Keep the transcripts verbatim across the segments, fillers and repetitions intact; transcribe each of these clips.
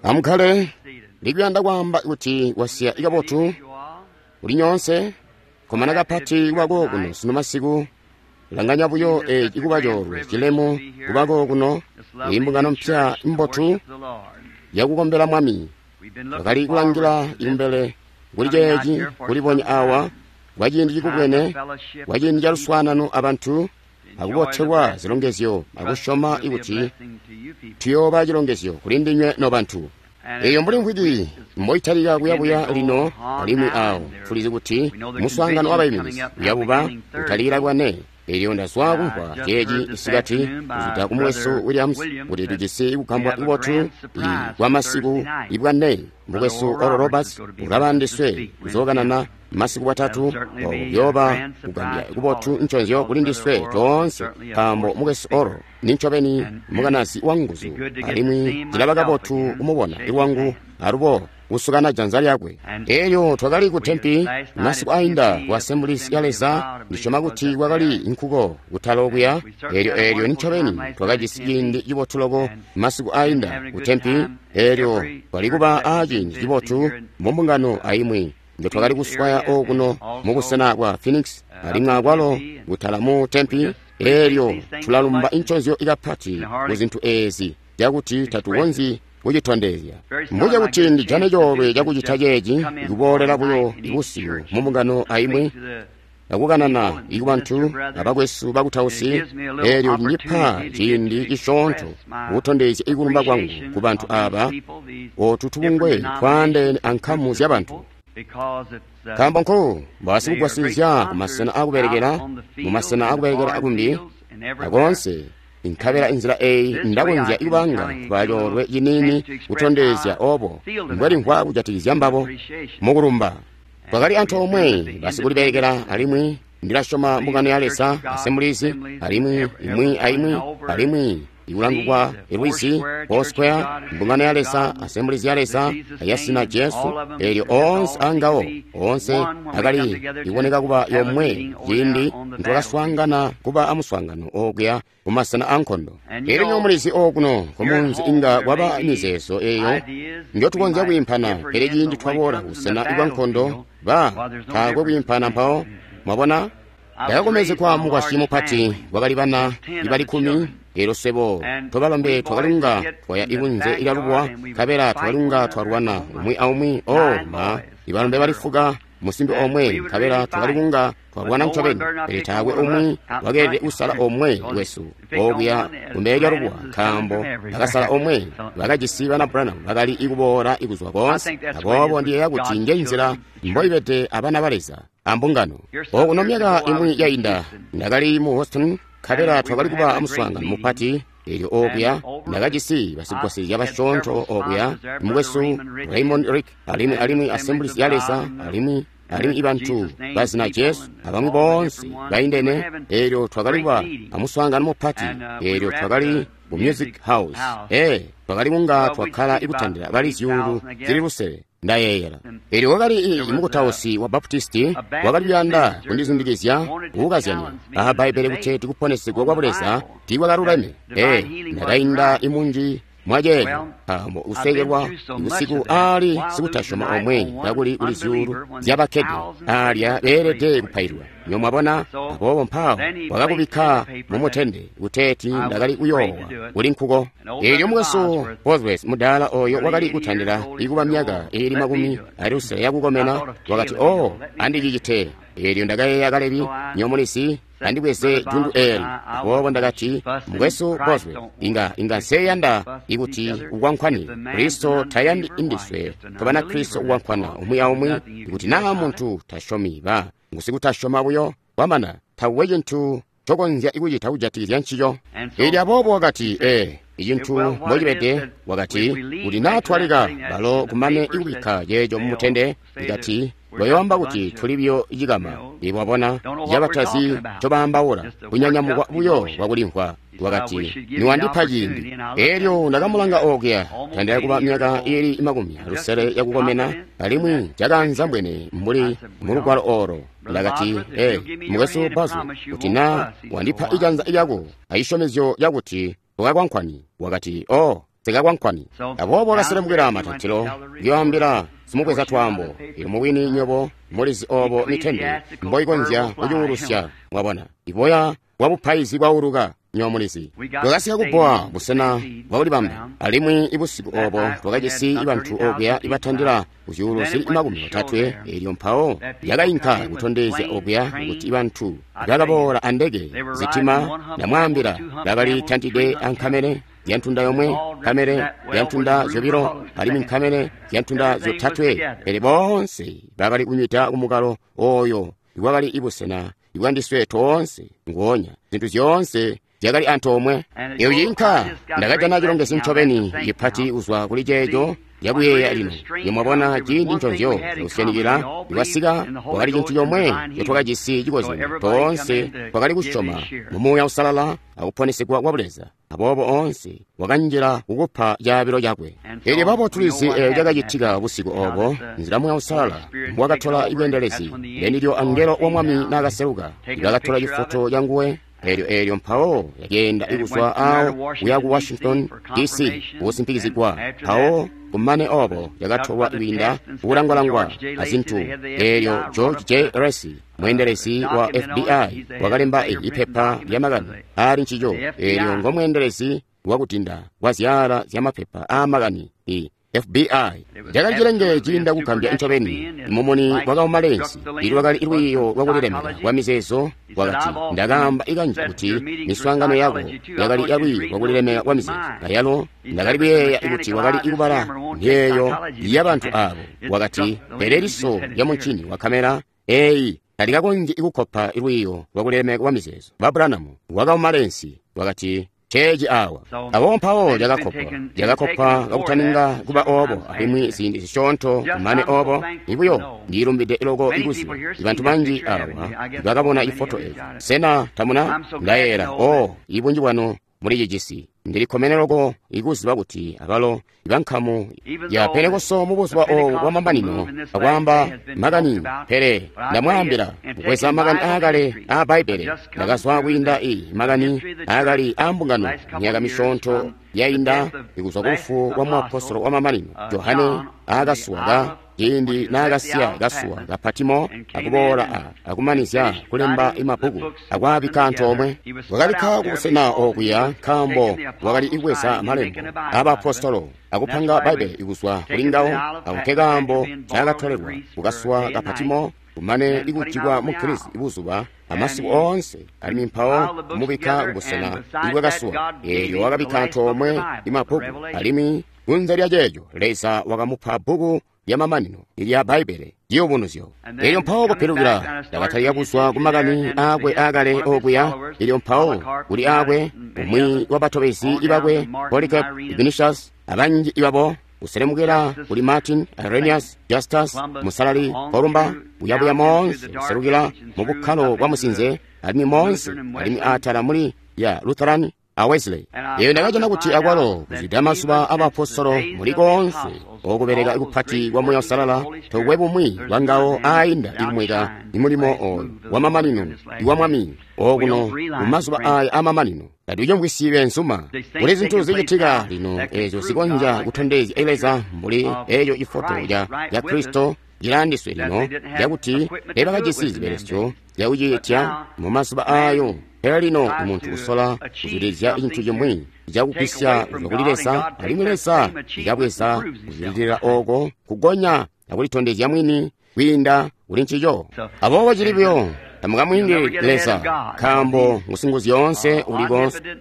Amukkale, ndikuyanda kwaamba kuti wasiya kabotu kuli nyoonse, komana kapati kubako kuno sunu masiku. Langanya buyo eeci kuba coolwe cilemu kubako kuno, imbungano mpya mbotu yakukombela Mwami. Twakali kulangila kumbele kuli ceeci kulibonya awa kwa ciindi cikubwene, kwa ciindi ca luswaanano abantu, akubotelwa zilongezyo akusyoma kuti tuyooba cilongezyo kuli ndinywe nobantu. Eyo mbuli mvwiki mboitalika kuyabuya lino alimwi awo tulizi kuti muswaangano wabaiminizi uyabuba utalikila bwane. Elyo ndazwa kumvwa ceeci isikati kuzwida ku Mukwesu Williams kuti tujisi kugambwa kubotu kwa masiku ibwane. Mukwesu Oral Roberts ulaba ndiswe kuzookanana masiku bwatatu, kuyooba kugambya kubotu nconzyo kuli ndiswe toonse, nkaambo Mukwesu Oral ni ncobeni mukanazi wa nguzu, alimwi cilaba kabotu kumubona lwangu alubo kusukana janza lyakwe. Elyo twakali ku Tempi masiku ainda ku Assemblies ya Leza, ndisyoma kuti kwakali nkuko kutala okuya. Elyo elyo ncobeni twakajisi ciindi cibotu loko masiku ainda ku Tempi. Elyo twali kuba a ciindi cibotu mu mbungano aimwi njo twakali kuswaya okuno mu busena bwa Phoenix, alimwi akwalo kutala mu Tempi. Elyo tulalumba nconzyo ikapati ku zintu eezi cakuti tatukonzyi kucitondezya. Mbuce kuti ndijane coolwe cakucita ceeci, ikuboolela buyo ibusiku mu mbungano aimwi akukanana ikubantu abakwesu bakutausi. Elyo lindipa ciindi cisyoonto kutondezya ikulumba kwangu ku bantu aaba, otu tubungwe twaandeene ankamu zyabantu. Nkaambo nko basikugwasilizya kumasena akubelekela, mumasena akubelekela akumbi akoonse. Nkabela inzila eyi ndakonzya ikubanga kuba coolwe ciniini kutondezya obo mbwelimvwa kujatikizya mbabo mukulumba. Twakali antoomwe basikulibelekela, alimwi ndilasyoma mbungano ya Leza Assemblies, alimwi imwi aimwi, alimwi ikulangukwa ilwizi Foursquare, mbungano ya Leza Assemblies ya Leza yasina Jesu. Elyo oonse angawo oonse akali iboneka kuba yomwe ciindi ntwakaswaangana kuba amuswaangano okuya kumasena ankondo. Elyo nyomulizi okuno kumunzi inga kwaba mizeezo eyo njotukonzya kwiimpana, pele ciindi twaboola kusena kwa nkondo ba taakwe kwiimpana mpawo. Mwabona, ndakakomezekwa mukwasyi mupati, kwakali bana ibali kkumi. Elyo swebo tobalombe twakalunga twaya ikunze ilyalubuwa, nkabela twakalunga twalwana umwi aumwi. Oh ma, ibalombe bali fuka musimbi omwe, nkabela twakalikunga twalwana ncobeni, pele taakwe umwi wakeelede kusala omwe wesu okuya kumbele lyalubuwa, nkaambo bakasala omwe bakajisi bana Branham bakali ikuboola ikuzwa koonse. Aboobo ndiyeeya kuti njenzila mboibede abana ba Leza ambungano. Okuno myaka imwi yainda ndakali mu Houston, nkabela twakali kuba amuswaangano mupati. Elyo okuya ndakajisi basigwasilizya basyoonto okuya, mukwesu Raymond Rick, alimwi alimwi Assemblies ya Leza, alimwi alimwi ibantu bazina Jesu abamwi boonse baindene. Elyo twakali kuba amuswaangano mupati. Elyo twakali ku Music House. Ee, twakali kunga twakkala ikutandila bali zyuulu zili lusele, ndayeeyela. Elyo wakali mukutausi wa Baptisti wakali kuyanda kundizundikizya kukazyanya aha Bbaibbele kuti tikuponesegwa kwa Buleza tiikwakaluleme. Ee, ndakainda imunji mwaceeco, nkaambo kusekelwa busiku aali sikutasyoma omwe kakuli kuli zyuulu zyabakkede aalya beelede kupailwa. Nyo mwabona, aboobo mpawo wakakubikka mumutende kuteeti ndakali kuyoowa kuli nkuko. Elyo mukwesu Bosworth mudaala oyo wakali kutandila ikuba myaka iili makumi ali lusele yakukomena wakati, "Oh, andicicite." Elyo ndakayeeya Kalebi, nyomulizi, andibweze jundu eli. Aboobo ndakati, "Mukwesu Bosworth, inga inga nseyanda ikuti ukwankhwane. Kristo tayandi indiswe tobana Kristo ukwankwana umwi aumwi. Ikuti naa muntu tasyomi, ba ngusikutasyoma buyo, kwamana takuwe cintu cokonzya ikucita kujatikizya ncico." Elyo aboobo wakati, "Ee, icintu mbocibede," wakati, "kuti naa twaleka balo kumane ikubikka ceeco mumutende, ikati bayoamba kuti tuli buyo cikama, ibwabona cabatazi ncobaambaula, kunyanyamukwa buyo kwakulimvwa." Wakati, "Niwandipa ciindi." Elyo ndakamulanga okuya, tandila kuba myaka iili makumi lusele yakukomena, alimwi cakaanzambwene mbuli mulugwalo olo. Ndakati, "Ee, mukwesu Bosworth, kuti naa wandipa ijanza lyako acisyomezyo cakuti ukakwankwani." Wakati, "Oh, Nsekakwankwani. Aboobo wakaselemukila matantilo kuyoambila simubweza twaambo. Elyo mubwini nywebo mulizi obo mitende mboikonzya kucuulusya, mwabona. Iboya bwa bupaizi bwauluka, nywebo mulizi. Twakasika kubbowa busena bwakulibamba, alimwi ibusiku obo twakajisi bantu okuya ibatandila kuzyuulu zili makumi otatwe. Elyo mpawo lyakainka kutondezya okuya kuti bantu bakaboola andeke zitima, ndamwaambila, bakali tantide ankamele zyantunda yomwe, nkamele zyantunda zyobilo, alimwi nkamele zyantunda zyotatwe. Pele boonse bakali kunywida kumukalo oyo iwakali ibusena ibwandiswe toonse nguonya. Zintu zyoonse zyakali antoomwe. Eyo yinka ndakajana cilongezyo ncobeni cipati kuzwa kuli ceeco cakuyeeya lino. Nimwabona ciindi nconzyo kusyanikila iwasika, wakali cintu comwe ncotwakajisi cikozyanyo. Toonse twakali kusyoma mu Muuya Uusalala akuponesegwa kwa Buleza. Aboobo oonse wakanjila kukupa caabilo cakwe. Elyo babo tulizi eeyo cakacitika busiku obo, nzila Muuya Uusalala mbwakatola ibweendelezi. Lenilyo angelo wa Mwami naakaseluka, ibakatola cifoto canguwe. Elyo elyo mpawo yakeenda ikuzwa awo kuya ku Washington D C kusimpikizigwa. Mpawo kumane obo yakatolwa kwiinda kukulangwalangwa azintu. Elyo George J. Lacy, mweendelezi wa F B I, wakalemba ipepa lya makani aali ncico. Elyo ngomweendelezi wakutinda kwa zyaala zya mapepa aamakani i F B I. Cakali cilenge ciinda kugambya ncobeni. Mumuni wakauma lensi ilwakali lwiiyo lwakulilemeka kwa mizeezo. Wakati, ndakaamba ikanji kuti miswaangano yako yakali yalwiiyo lwakulilemeka kwa mizeezo, ayalo ndakali kuyeeya kuti wakali kubala miyeeyo yabantu aabo. Wakati, pele liso lya muncini wa kamera eyi talikakonzyi kukopa lwiiyo lwakulilemeka kwa mizeezo. Ba Branham wakauma lensi, wakati, ceeci awa. Abo mpawo lyakakopwa, lyakakopwa kakutaninga kuba obo, alimwi ziindi zisyoonto kumane obo. Ibuyo ndilumbide loko ikuziba bantu banji awa bakabona ifoto eyo. Sena tamuna? Ndayeera o ibunji bwanu muli cijisi. Ndilikkomene loko ikuziba kuti abalo ibankamu ya Pentekoste mu buzuba obu bwamamanino akwaamba makani. Pele ndamwaambila kubweza makani aakale aa Bbaibbele, ndakazwa kwiinda i makani aakali aambungano myaka misyoonto yainda ikuzwa ku lufu lwa muapostolo wamamanino Johane aakasuwa ciindi naakasiya kasuwa ka Patimo akuboola a akumanizya kulemba imabbuku akwaabikka antoomwe. Wakabikka kubusena okuya nkaambo wakali ibweza malembo abaapostolo akupanga Bbaibbele ikuzwa kuli ngawo. Ako nkekaambo ncaakatolelwa kukasuwa ka Patimo kumane ikujikwa mu Girisi ibuzuba amasiku oonse, alimwi mpawo kumubikka kubusena ibwakasuwa. Eelyo wakabikka antoomwe imabbuku, alimwi kunze lya ceeco Leza wakamupa bbuku lyamamanino ilya Bbaibbele, Ciyubunuzyo. Elyo mpawo kupilukila ndakatalika kuzwa ku makani aakwe aakale okuya. Elyo mpawo kuli aakwe umwi wabatobezi ibakwe Polycarp, Ignatius, abanji ibabo, kuselemukila kuli Martin, Irenaeus, Justus, Musalali Columba, kuyabuya moonse kuselukila mu bukkalo bwa musinze, alimwi moonse alimwi aatala muli ya Lutheran a Wesley. Eyo ndakajana kuti akwalo kuzwida mazuba abaapostolo muli koonse okubeleka kupati kwa Muuya Uusalala tokwe bumwi bwangawo aainda ikumweka imulimo oyo wamamanino iwa Mwami okuno mumazuba aya amamanino. Tatucimvwisyi beenzuma. Kuli zintu zicitika lino ezo zikonzya kutondezya Leza mbuli eyo ifoto ya Kristo cilandiswe lino lyakuti teebakajisi zibelesyo zyakucitya mumazuba aayo. Pele lino umuntu usola kuzwidilizya cintu cimwi cakugwisya kuzwa kuli Leza, alimwi Leza ikabweza kuzwidilila oko kugonya akulitondezya mwini kwiinda kuli ncico. Aboobo cili buyo tamukamwiindi Leza, nkaambo ngusinguzyoonse uli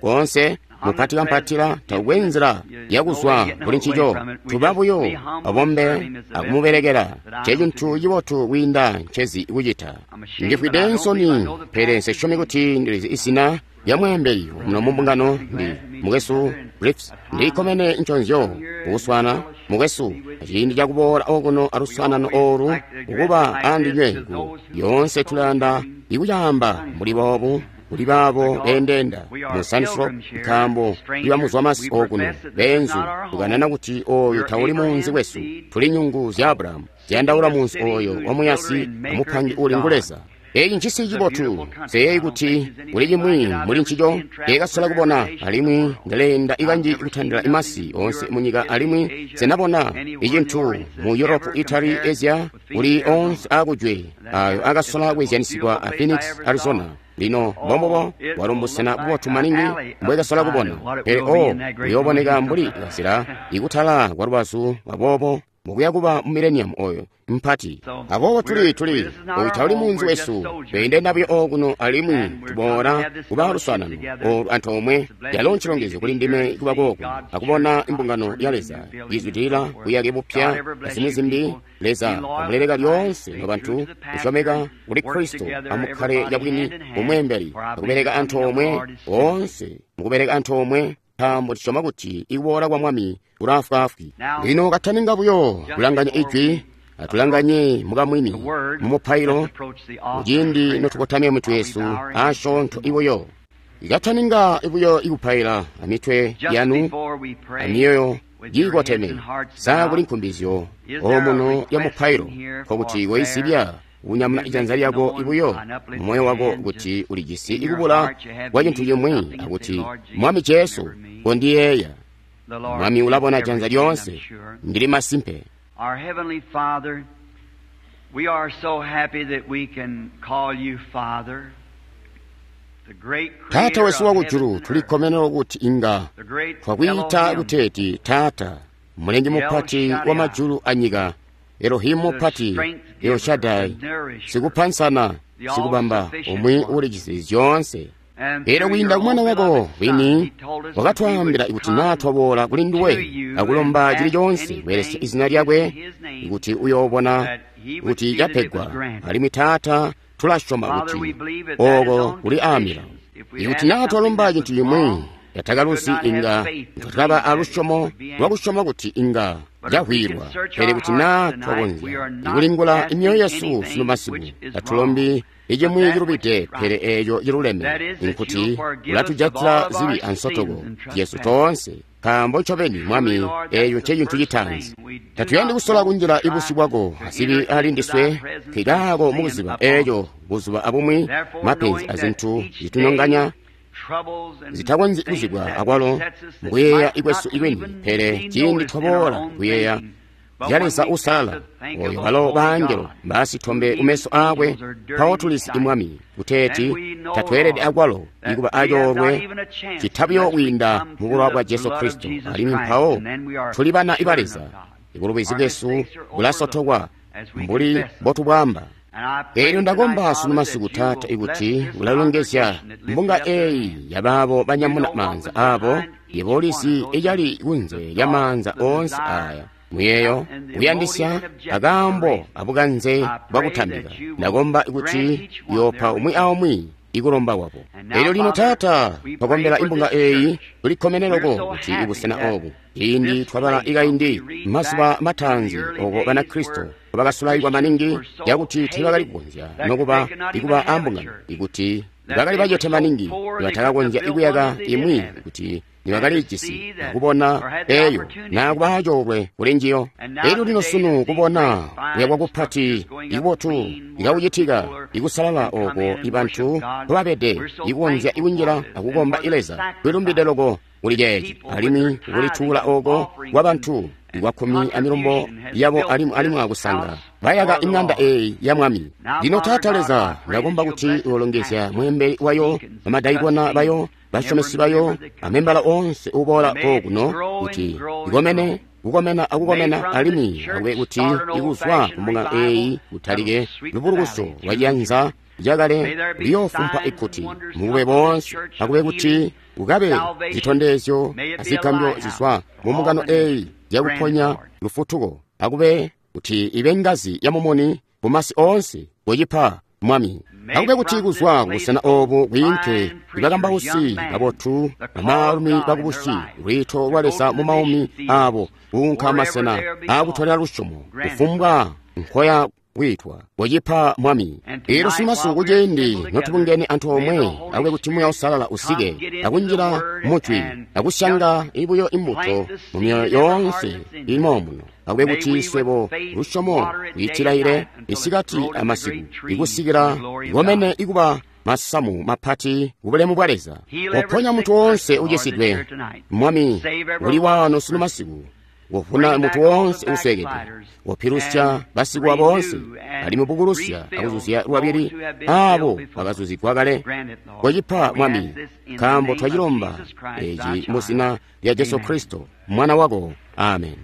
koonse, mupati kampatila taukwe nzila yakuzwa kuli ncico. Tuba buyo abombe akumubelekela, ncecintu cibotu kwiinda ncezi kucita. Ndifwide nsoni, pele nsesyomi kuti ndilizi izina lya mweembeli muno mumbungano. Ndi mukwesu Griffiths. Ndilikkomene nconzyo kukuswana mukwesu aciindi cakuboola okuno aluswaanano oolu kukuba andinywe. Ku yoonse tulayanda ikucaamba mbuli boobu kuli baabo beendeenda mu Sunnyslope, nkaambo libamuzwa masi okuno beenzu. Tukanana kuti oyu tauli munzi wesu, tuli nyungu zya Abrahamu ziyandaula munzi oyo wamuyasi amupangi uli ngu Leza. Eeci ncisi cibotu. Nseyeeyi kuti kuli cimwi muli ncico nceekasola kubona, alimwi ndaleenda ikanji kutandila imasi oonse munyika alimwi nsenabona icintu mu Europe, Italy, Asia, kuli oonse aakujwe ayo akasola kwezyanisigwa a Phoenix, Arizona. Lino mbombubo bwalo mbusena bubotu maningi mbwekasola kubona, pele o buyooboneka mbuli kazila ikutala kwa lubazu aboobo mukuya kuba mu millennium oyo mpati. Aboobo tuli tuli oyu tauli munzi wesu, tweendenda buyo okuno alimwi tuboola kuba luswaanano olu antoomwe. Yalo ncilongezyo kuli ndime kuba kooku akubona imbungano ya Leza izwidilila buyake bupya azimwi zimbi. Leza amuleleka lyoonse nobantu kusyomeka kuli Kristo amukkale cabwini mumweembeli akubeleka antoomwe oonse mukubeleka antoomwe, nkaambo tusyoma kuti ikuboola kwa Mwami kulaafwaafwi. Lino kataninga buyo kulanganya ijwi, atulanganye mukamwini mumupailo muciindi notukotamya mitwe yesu asyoonto ibuyo. Ikataninga ibuyo ikupaila amitwe yanu amyoyo yiikoteme, sa kuli nkumbizyo omuno ya mupailo, nkokuti koisibya unyamuna ijanza lyako ibuyo mumoyo wako kuti ulijisi ikubula kwa cintu cimwi akuti Mwami Jesu kondiyeeya. Mwami ulabona janza lyoonse, ndili masimpe. Our Heavenly Father, we are so happy that we can call you Father, the great Taata creator wesu of wakujulu, heaven and tuli earth, kkomenero kuti inga the great twakwiita Elohim, kuteeti Taata, mulengi mupati wa majulu anyika, Elohimu mupati, El Shaddai, sikupansana, sikubamba, umwi ulijisi zyoonse. and Pele through kwiinda your ku mwana own wako beloved Son, wini he told us that we wakatwaambila would kuti naa come twaboola kuli nduwe to you akulomba and chili ask chonse anything kubelesya izina lyakwe in his name, kuti uyoobona that he would kuti see that it was yapegwa. granted. Alimwi Taata tulasyoma Father, we kuti believe that that is oko on kuli aamila. conditions. If we Ikuti ask naa something twalomba that cintu was cimwi wrong, yatakaluzi could not have inga faith to twakaba believe that it alusyomo would be answered. lwakusyoma kuti inga But if we can cahwilwa. search Pele our kuti naa hearts tonight, we twakonzya are not ikulingula asking imyoyo yesu anything sunu masiku, which is tatulombi wrong, but icimwi that which cilubide is right. pele eeco ciluleme, That is, that nkuti you'll forgive us of all ulatujatila of our zibi sins ansotoko and yesu trespasses. toonse, nkaambo ncobeni Mwami Truly, Lord, eeyo that's the ncecintu first citaanzi. thing. We do Tatuyandi not kusola want to kunjila try ibusyu bwako to asibi enter ali into ndiswe, thy presence nkikaako with sin mukuziba upon eeco us. buzuba abumwi Therefore, mapenzi knowing that azintu each zitunonganya day troubles and zitakonzyi things kuzibwa that akwalo besets us that mukuyeeya might ikwesu not ikweni, even pele be ciindi noticed in our twaboola own kuyeeya thinking. But zya when Leza we come uusalala to think of oyo the walo holy baangelo God, baasitombe who kumeso even aakwe, angels are dirty mpawo in his tulizi sight, imwami kuteeti then we know, tatweelede Lord, akwalo that ikuba we have not acoolwe even a chance citabuyo unless we kwiinda come mu through bulowa the bwa Jesu blood of Kristo, Jesus alimwi Christ, mpawo and then we are tuli bana iba children Leza. of God. Ibulubizi Our bwesu mistakes are bulasotokwa overlooked as we mbuli confess them. mbotubwamba. And I pray Eelyo tonight, ndakomba sunu Father, masiku that you Taata will bless ikuti this ulalongezya congregation that lifted mbunga up their eeyi hands. yabaabo You banyamuna know what maanza was aabo, behind each yebo one of ulizi those icali hands, kunze the lya thought, maanza the oonse desire, aya, muyeeyo and the motive kuyandisya and objective for akaambo raising. abukanze I pray bwakutambika. that you will Ndakomba grant ikuti each one yopa their umwi request. aumwi ikulomba kwabo. And now, Eelyo lino Father, Taata we pray twakombela for imbunga this eeyi church. tulikkomeneloko We're so kuti happy ibusena that obu ciindi this twabala place, ikaindi we read mazuba back to the mataanzi early oko days banakristo where bakasulaikwa Christians maningi were so yakuti teebakali hated kukonzya that nokuba they could not even ikuba have a ambungano church. ikuti That bakali they were bacete so maningi poor they couldn't nibatakakonzya have built ikuyaka one if they did imwi have it. kuti And to nibakalijisi see that akubona or had the eeyo opportunity nakuba acoolwe kuli njiyo. And now Eelyo lino today sunu to see kubona great fine kuyakwa kupati structures going up ikubotu clean where ikakucitika people are ikusalala can come oko in and ibantu worship God. mpobabede We're so ikukonzya thankful ikunjila for this and akukomba for the ileza kwilumbide sacrifice loko kuli that ceeci people with their alimwi tithing kulituula and oko offerings kwa and, bantu and ikwakkumi amilumbo contribution has yabo built alimwi alimwi this akusanga house bayaka for the ing'anda Lord. eeyi ya Mwami. Now, Lino Father Taata God, Leza I pray that ndakomba you'll kuti bless this ulongezya pastor, mweembeli wayo, deacons, bamadaikona trustees, bayo, and every basyomesi bayo, member that comes. amembala oonse uboola May it kokuno grow and kuti grow and ikomene grow. kukomena May akukomena from this alimwi church akube kuti start an ikuzwa old-fashioned kumbunga revival eeyi that'll kutalike sweep the lubulukuso valley lwa through and ciyanza through. May cakale there be liyoofumpa signs and ikkuti wonders mubube come from this boonse church of akube kuti healing, kukabe salvation. zitondezyo May it be a azigambyo lighthouse zizwa to mu all mbungano the eeyi nations. Grant it, yakuponya Lord. lufutuko akube kuti ibe ngazi ya mumuni mumasi oonse kucipa Mwami. May Akube kuti from this kuzwa place kubusena go obu kwiinke fine preachers, young ibakambausi men, babotu the call of bamaalumi God in their bakubusi life lwiito to lwa go Leza to mu the maumi mission fields, aabo kuunka wherever masena they'll be called. aakutolera lusyomo Grant it, kufumbwa nkoya kwiitwa. Kocipa, Mwami. Elyo sunumasiku kuciindi notubungene antoomwe, akube kuti Muuya Uusalala usike akunjila mujwi akusyanga ibuyo imbuto mu myoyo yoonse ilimo muno. Akube kuti swebo lusyomo lwiitilaile isikati amasiku ikusikila ikomene ikuba masamu mapati kubulemu bwa Leza. Koponya munthu wonse ucisidwe, Mwami, uli wano sunu masiku. Wovuna munthu wonse uswekede, wopilusya basikuwa bonse, alimwi bukulusya akuzuzya lwabili abo bakazuzigwa kale. Kocipa, Mwami, nkaambo twacilomba eci mu zina lya Jesu Kristo, Mwana wako. Amen.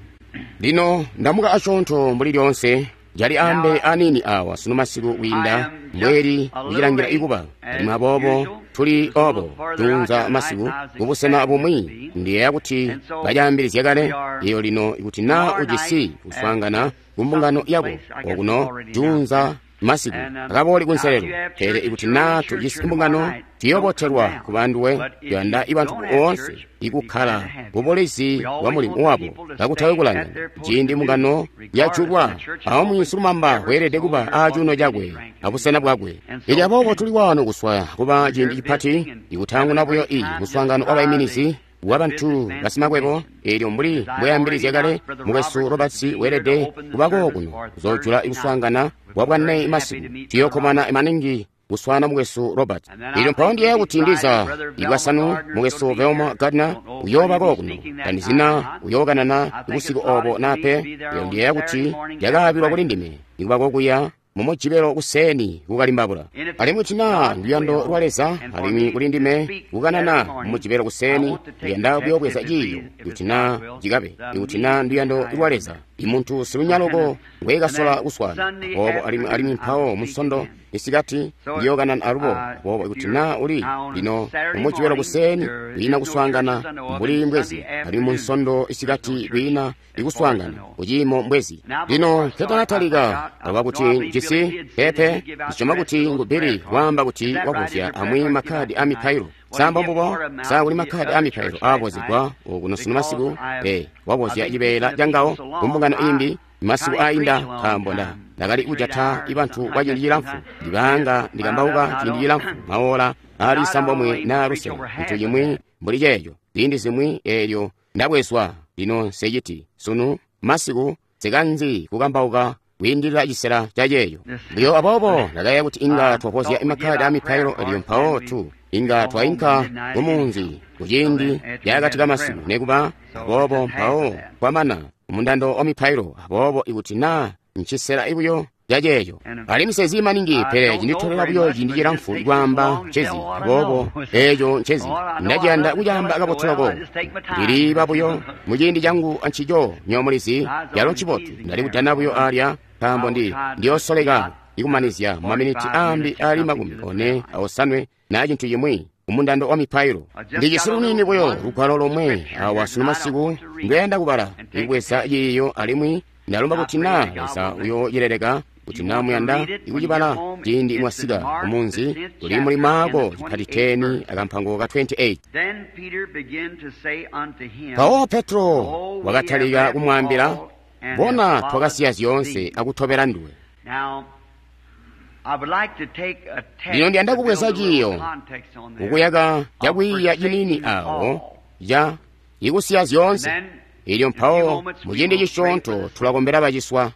Lino ndamuka asyoonto mbuli lyonse jali ambe anini awa sunu masiku kwiinda mbweli kucilangira ikuba, alimwi aboobo tuli obo tunza masiku kubusena bumwi. Ndiyeeya kuti bacaambilizya kale iyo lino ikuti naa ujisi kuswaangana ku mbungano yako okuno junza masiku akabooli kunselelo. Pele ikuti naa tujisi mbungano tuyobotelwa kuba nduwe. Tuyanda ibantu boonse ikukkala kubulizi bwa mulimu wabo kakutawe kulangana. Ciindi mbungano yajulwa, aumwi silumamba weelede kuba acuuno cakwe abusena bwakwe. Ili aboobo tuli wano kuswaya kuba ciindi cipati ikutanguna buyo iyi muswaangano wabaiminizi wabantu basimakwebo. Eelyo mbuli mbweyambilizya kale, mukwesu Roberts weelede kubako kuno kuzojula ikuswaangana kwa bwane masiku. Tuyokkomana maningi kuswana mukwesu Robert. Eelyo mpawo ndiyeeya kuti ndiza ibwasanu mukwesu Velma Gardner uyoobako kuno. Tandizina uyookanana busiku obo nape. Eelyo ndiyeeya kuti lyakaabilwa kuli ndime ikubako kuya mumujibelo kuseni kukalimbabula. Alimwi tina luyando lwa Leza alimwi kuli ndime kukanana mumujibelo kuseni, ndiyanda kuyoobweza ciiyo kuti na cikabe ikuti na nduyando lwa Leza imuntu silunyaloko ngwekasola kuswana obo. Alimwi alimwi mpawo musondo isikati ndiyookanana alubo obo ikuti na uli lino mumujibelo kuseni kwiina kuswaangana mbuli mbwezi, alimwi munsondo isikati kwiina ikuswaangana kuciimo mbwezi. Lino nketanatalika aluba kuti njisi pepe ndisyoma kuti ngu Billy waamba kuti wabuzya amwi makhadi a mipailo. Samba mbubo sa kuli makhadi a mipailo aabozegwa okuno sunu masiku? E wabozya cibeela cangawo kumbungano imbi masiku ainda, nkaambo nda ndakali kujata ibantu kwa ciindi cilamfu, ndibanga ndikambauka ciindi cilamfu maola ali sambomwe na lusele ntu cimwi mbuli ceeco ziindi zimwi. Eelyo ndabwezwa lino nseciti sunu masiku sikanzi kukambauka kwiindilila cisela ca ceeyo. Lyo aboobo ndakayeeya kuti inga twapozya imakhadi a mipailo, elyo mpawo tu inga twainka kumunzi kuciindi lyakati kamasiku nekuba aboobo mpawo kwamana mundando wa mipailo. Aboobo ikuti naa ncisela ibuyo ca ceeco, alimwi sezi maningi, pele cinditolela buyo ciindi cilamfu kwaamba ncezi. Aboobo eeco ncezi ndaciyanda kucaamba kabotu loko, ndiliiba buyo muciindi cangu ancico nyomulizi yalo ncibotu. Ndali kudana buyo alya nkaambo ndi ndiyoosoleka ikumanizya mumaminiti aambi ali makumi one aosanwe na cintu cimwi kumundando wa mipailo. Ndijisi lunini buyo lugwalo lomwe awa sunu masiku ndiyanda kubala ikubweza ciiyo, alimwi ndalomba kuti na Leza uyoocileleka kuti na muyanda ikucibala ciindi mwasika kumunzi. Kuli muli Maako cipati khumi akampango ka makumi awiri asanu. Mpawo Petro wakatalika kumwaambila, bona twakasiya zyoonse akutobela nduwe. Lino ndiyanda kubweza ciiyo kukuyaka cakwiiya cinini awo ca ikusiya zyoonse. Ilyo mpawo muciindi cisyoonto tulakombela baciswa.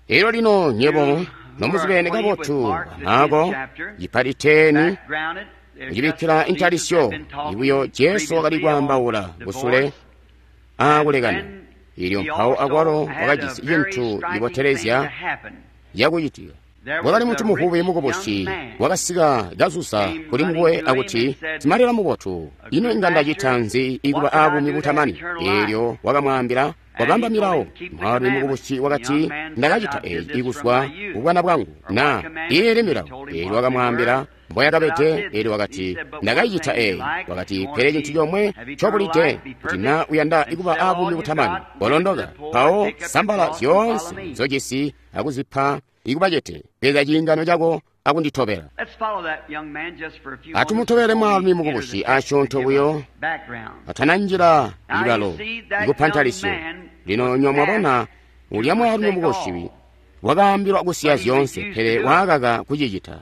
Elyo lino nyebo nomuzibene kabotu Maako cipati khumi kucibikkila intalisyo ibuyo Jesu wakali kwaambaula kusule aakulekana. Ilyo mpawo akwalo wakajisi cintu cibotelezya yakucitika. Wakali muntu muvubi mukubusi wakasika kazuza kuli nguwe akuti, simalela mubotu, ino inga ndacita nzi ikuba aabumi butamani? Eelyo wakamwaambila, wabamba milawo. Mwaalumi mukubusi wakati, ndakacita eeci ikuzwa kubwana bwangu, na iili milawo. Eelyo wakamwaambila mboyakabede. Eelyo wakati, ndakayicita eeyi. Wakati, pele cintu comwe ncobulide, kuti na uyanda ikuba aabumi butamani, kolondoka, mpawo sambala zyoonse nzojisi akuzipa ikubacete, bweza ciingano cako akunditobela. Atumutobele mwaalumi mukubusi asyoonto buyo atananjila ibalo ikupantalisyo. Lino nyomwabona Ulya mwaalumi mukubusi wakaambilwa kusiya zyoonse, pele waakaka kucicita.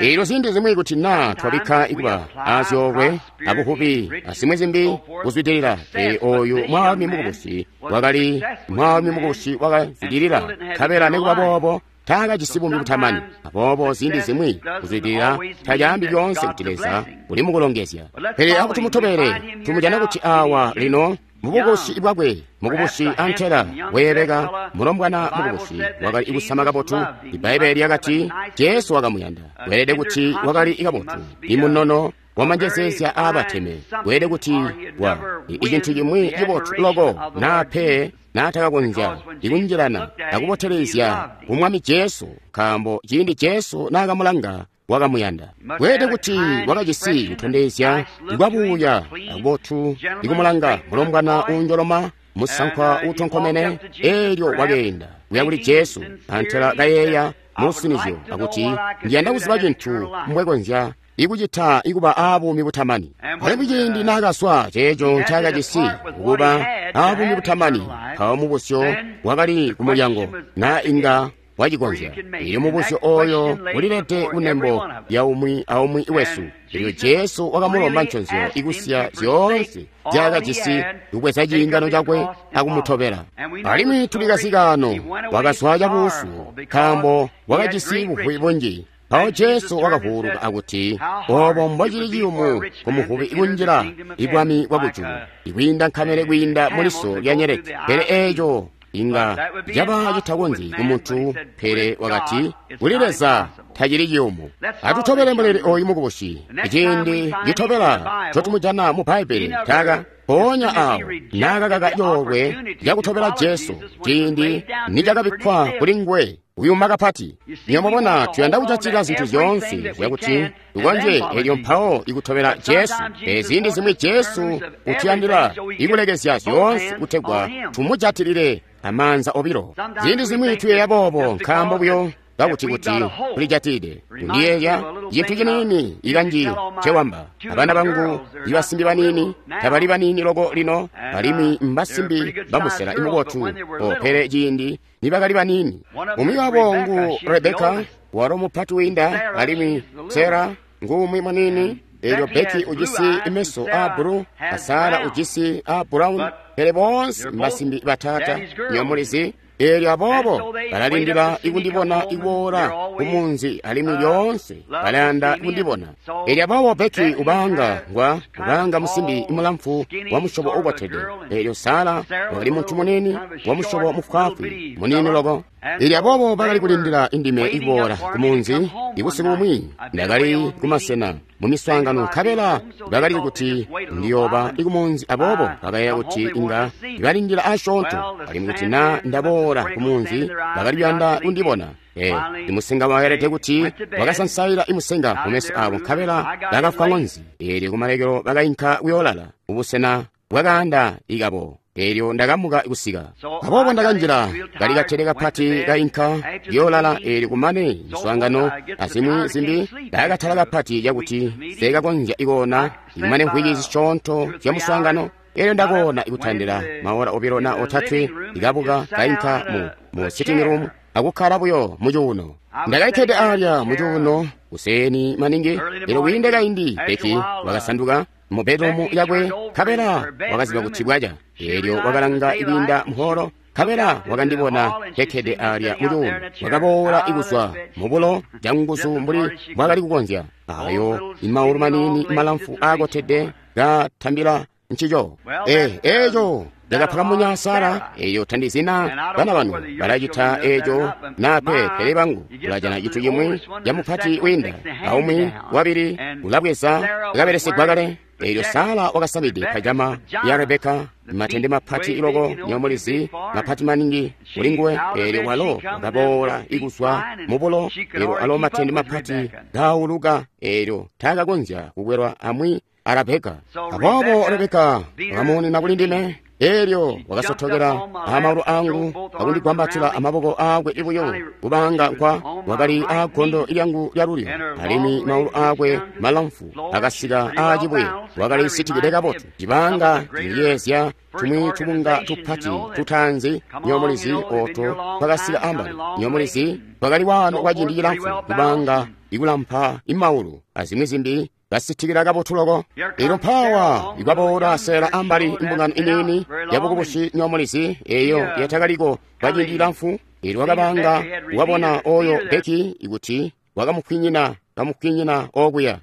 Eelyo ziindi zimwi kuti naa twabikka ikuba azyoolwe abuvubi azimwi zimbi kuzwidilila, pele oyu mwaalumi mukubusi wakali mwaalumi mukubusi wakazwidilila, nkabela nikuba boobo taakajisi buumi butamani. Aboobo ziindi zimwi kuzwidilila tacaambi lyoonse kuti Leza uli mukulongezya. Pele akuti tumutobele, tumujana kuti awa lino mubukubusi bwakwe, mukubusi antela weebeka, mulombwana mukubusi wakali kusama kabotu. Ibbaibbele lyakati Jesu wakamuyanda. Weelede kuti wakali kabotu, imunono wamanjezeezya aabateme. Weelede kuti wa icintu cimwi cibotu loko naa pe naatakakonzya ikunjilana akubotelezya kumwami Jesu, nkaambo ciindi Jesu naakamulanga wakamuyanda. Weelede kuti wakajisi kutondezya kwabuuya akubotu ikumulanga mulombwana uunjoloma, musankwa uutonkomene. Eelyo wakeenda kuya kuli Jesu, antela kayeeya musinizyo akuti ndiyanda kuziba cintu mbwekonzya ikucita ikuba aabuumi butamani. Alimwi ciindi naakaswa ceeco ncaakajisi kuba aabuumi butamani, mpawo mubusyo wakali kumulyango naa inga wacikonzya. Eelyo mubusyo oyo ulilede kunembo lya umwi aumwi wesu. Eelyo Jesu wakamulomba nconzyo ikusiya zyoonse nzyaakajisi, kubweza ciingano cakwe akumutobela. Alimwi tulikazi kaano, wakazwa cabuusu nkaambo wakajisi buvubi bunji. Mpawo Jesu wakavuuluka akuti, obo mbocili ciyumu kumuvubi kunjila ibwami bwakujulu, ikwiinda nkamele kwiinda muliso lya nyeleti. Pele eeco inga caba citakonzyi kumuntu, pele wakati kuli Leza tacili ciyumu. Atutobele muleli oyu mukubusi. Iciindi citobela ncotumujana mu Bbaibbele taka mpoonya awo naakakaka coolwe cakutobela Jesu ciindi nicakabikkwa kuli nguwe kuyuma kapati. Nyomubona tuyanda kujatilila zintu zyoonse zyakuti tukonzye eelyo mpawo ikutobela Jesu. Pele ziindi zimwi Jesu utuyandila ikulekezya zyoonse kutegwa tumujatilile amaanza obilo. Ziindi zimwi tuyeeya boobo nkaambo buyo kakuti kuti tulijatilide. Kundiyeeya cintu ciniini ikanji ncewamba abana bangu ibasimbi baniini tabali baniini loko lino, alimwi mbasimbi bamusela imubotu o, pele ciindi nibakali baniini. Umwi wabo ngu Rebeka, walo mupati wiinda, alimwi Sara ngumwi muniini. Eelyo Beki ujisi meso aa bulu, a Sara ujisi aa brown, pele boonse mbasimbi batata nyomulizi. Eelyo aboobo balalindila ikundibona ikuboola kumunzi, alimwi lyoonse balayanda kundibona. Eelyo aboobo Beki ubanga ngwa ubanga musimbi mulamfu wa musyobo ubotede. Eelyo Sara wakali muntu muniini wa musyobo mufwaafwi muniini loko. Eelyo aboobo bakali kulindila indime ikuboola kumunzi. Ibusiku bumwi ndakali kumasena mu miswaangano, nkabela bakali kuti ndiyooba ikumunzi, aboobo bakayeeya kuti inga balindila asyoonto, alimwi kuti naa ndaboola kumunzi bakali kuyanda kundibona. Eh, imusenga waelede kuti wakasansaila imusenga mumeso abo, nkabela bakafwa ŋonzi. Eelyo kumalekelo bakainka kuyoolala kubusena bwakaanda ikabo. Eelyo ndakamuka kusika. Aboobo ndakanjila kali katele kapati kainka kuyoolala. Eelyo kumane miswaangano azimwi zimbi ndakatala kapati cakuti seekakonzya ikoona ikumane mvwiki zisyoonto zya muswaangano. Eelyo ndakoona ikutandila maora obilo na otatwe, ikabuka kainka mu, mu sitting room akukkala buyo mucuuno. Ndakalikkede alya mucuuno kuseeni maningi. Eelyo kwiinde kaindi Beki wakasanduka mu bedroom yakwe, nkabela wakaziba kuti bwaca. Eelyo wakalanga ikwiinda muholo, nkabela wakandibona kekkede alya mucuuno. Wakaboola ikuzwa mubulo canguzu mbuli mbwaakali kukonzya. Ayo imaulu maniini malamfu aakotede katambila ncico. Eh, eeco ndakapakamunya Sara. Eeyo tandizina bana banu balacita eeco naa pe, pele bangu ulajana cintu cimwi ca mupati wiinda aumwi wabili ulabweza kabelesegwa kale. Eelyo Sara wakasamide pajama ya Rebeka, matende mapati iloko nyomulizi mapati maningi kulinguwe. Eelyo walo wakaboola ikuzwa mubulo, eelyo alo matende mapati gauluka, eelyo taakakonzya kukwelwa amwi a Rebeka. Aboobo Rebeka wakamuonena kuli ndime, Elyo wakasotokela amaulu angu akundigwambatila amaboko aakwe ibuyo kubanga nkwa wakali aagondo lyangu lyalulyo, alimwi maulu aakwe malamfu akasika aacibuye. Wakali sitikide kabotu cibanga ciyeezya tumwi tubunga tupati tutaanzi nyomulizi oto twakasika ambali. Nyomulizi twakali waano kwa ciindi cilamfu kubanga ikulampa imaulu azimwi zimbi basitikila kabotu loko. Elyo mpawa ikwaboola sela ambali imbungano iniini yabukubusi nyomulizi eyo yatakaliko kwa ciindi cilamfu. Elyo wakabanga wabona oyo Beki ikuti wakamukwinyina kamukwinyina okuya.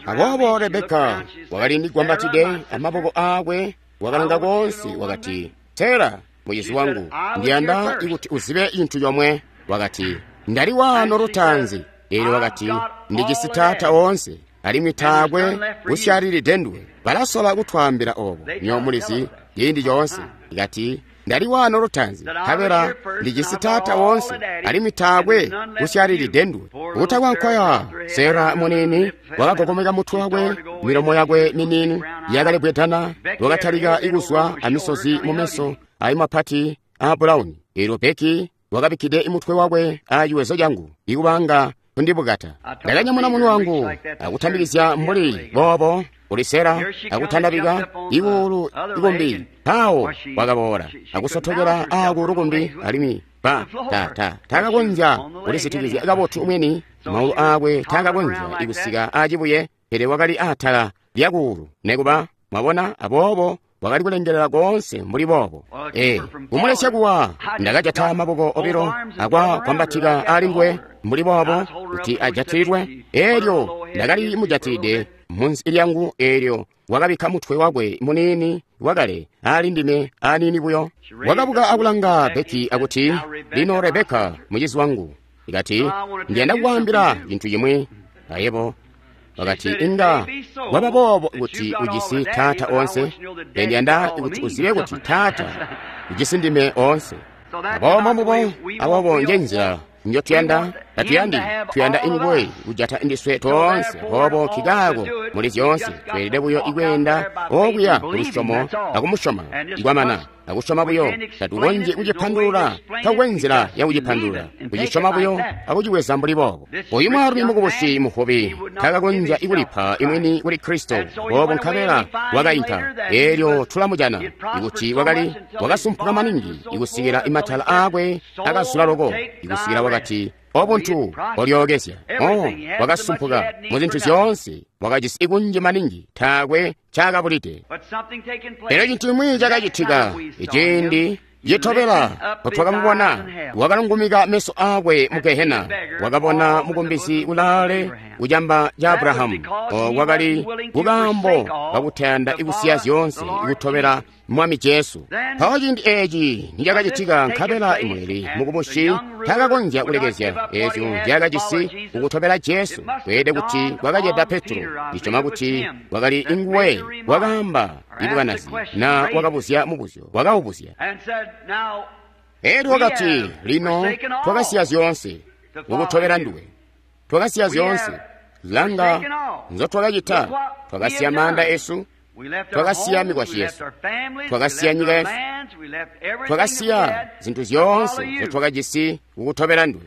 Aboobo Rebeka wakali ndigwambatide amaboko aakwe, wakalanga koonse, wakati, Sera mucizi wangu, ndiyanda ikuti uzibe cintu comwe. Wakati, ndali waano lutaanzi. Elyo wakati, ndijisi taata oonse, alimwi taakwe kusyalilide nduwe. Balasola kutwaambila obo nyomulizi ciindi coonse. Ikati, ndali waano lutaanzi, nkabela ndijisi taata oonse, alimwi taakwe kusyalilide nduwe. Kutakwankwaya Sera munini wakagogomeka mutwe wakwe, milomo yakwe minini yakalebwedana, wakatalika ikuzwa amisozi mumeso ayi mapati a bulawuni. Elyo Beki wakabikkide imutwe wakwe aaciwezo cangu ikubanga kundibukata. Ndakanyamuna munwe wangu akutambikizya mbuli boobo kuli Sera akutandabika ikuulu ikumbi. Mpawo wakaboola akusotokela aaku lukumbi, alimwi ba ta ta takakonzya kulisitikizya kabotu mwini, maulu aakwe takakonzya ikusika aacibuye, pele wakali atala lyakuulu nekuba. Mwabona, aboobo wakali kulengelela koonse mbuli boobo. E, kumulesya kuwa, ndakajata maboko obilo akwa kwambatika ali nguwe mbuli boobo kuti ajatilwe. Elyo ndakali mujatilide munsi lyangu, elyo wakabikka mutwe wakwe muniini wakale ali ndime aniini buyo. Wakabuka akulanga Beki akuti, lino Rebeka mucizi wangu, ikati, ndiyanda kukwaambila cintu cimwi. Ayebo wakati, inga waba boobo kuti ujisi taata oonse, ndiyanda kuti uzibe kuti taata ujisi ndime oonse. Aboobo mbubo, aboobo nje nzila njotuyanda, tatuyandi, tuyanda inguwe kujata ndiswe toonse. Aboobo kikaako muli zyoonse tweelede buyo ikweenda okuya kulusyomo akumusyoma ikwamana akusyoma buyo. Tatukonzyi kucipandulula, takwe nzila yakucipandulula, kucisyoma buyo akucibweza mbuli boobo. Oyu mwaalumi mukubusi muvubi takakonzya ikulipa imwini kuli Kristo, boobo nkabela wakainka. Elyo tulamujana ikuti wakali wakasumpuka maningi ikusikila imatala aakwe akazula loko ikusikila wakati, obuntu olyookezya. O, wakasumpuka mu zintu zyoonse, wakajisi ikunji maningi, taakwe ncaakabulide. Pele cintu cimwi cakacitika iciindi citobela potwakamubona, wakalungumika meso aakwe mu Gehena, wakabona mukumbizi kulaale kucamba ca Abrahamu. O, wakali kukaambo kakutayanda ikusiya zyoonse ikutobela Mwami Jesu. Mpawo ciindi eeci nicakacitika, nkabela imuleli mukubusi takakonzya kulekezya eezyo nzyaakajisi kukutobela Jesu. Kweelede kuti kwakaceda Petro, ndisyoma kuti wakali inguwe wakaamba ibukanazi na wakabuzya mubuzyo, wakaubuzya. Elyo wakati, lino twakasiya zyoonse kukutobela nduwe, twakasiya zyoonse. Langa nzotwakacita, twakasiya maanda esu, twakasiya mikwasyi yesu, twakasiya nyika yesu, twakasiya zintu zyoonse nzotwakajisi kukutobela nduwe.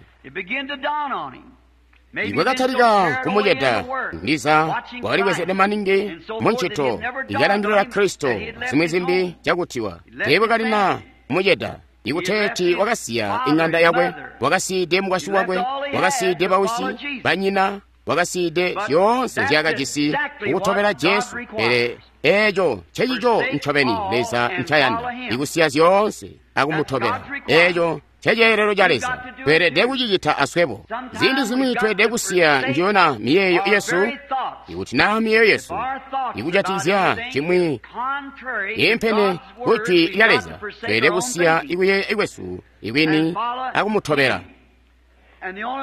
Ikwakatalika kumuceda, ndiza wakalibwezede maningi muncito ikalandilila Kristo zimwi zimbi cakutiwa teebwakalina kumuceda. Ikuteeti wakasiya ing'anda yakwe, wakasiide mukwasyi wakwe, wakasiide bawisi, banyina, wakasiide zyoonse nzyaakajisi kukutobela Jesu. Pele eeco ncecico ncobeni Leza ncayanda, ikusiya zyoonse akumutobela. Eeco nceceelelo ca Leza, tweelede kucicita aswebo. Ziindi zimwi tweelede kusiya njiyona miyeeyo yesu. Ikuti naa miyeeyo yesu ikujatikizya cimwi yiimpene ku Jwi lya Leza, tweelede kusiya ikuyeeya kwesu ikwini akumutobela.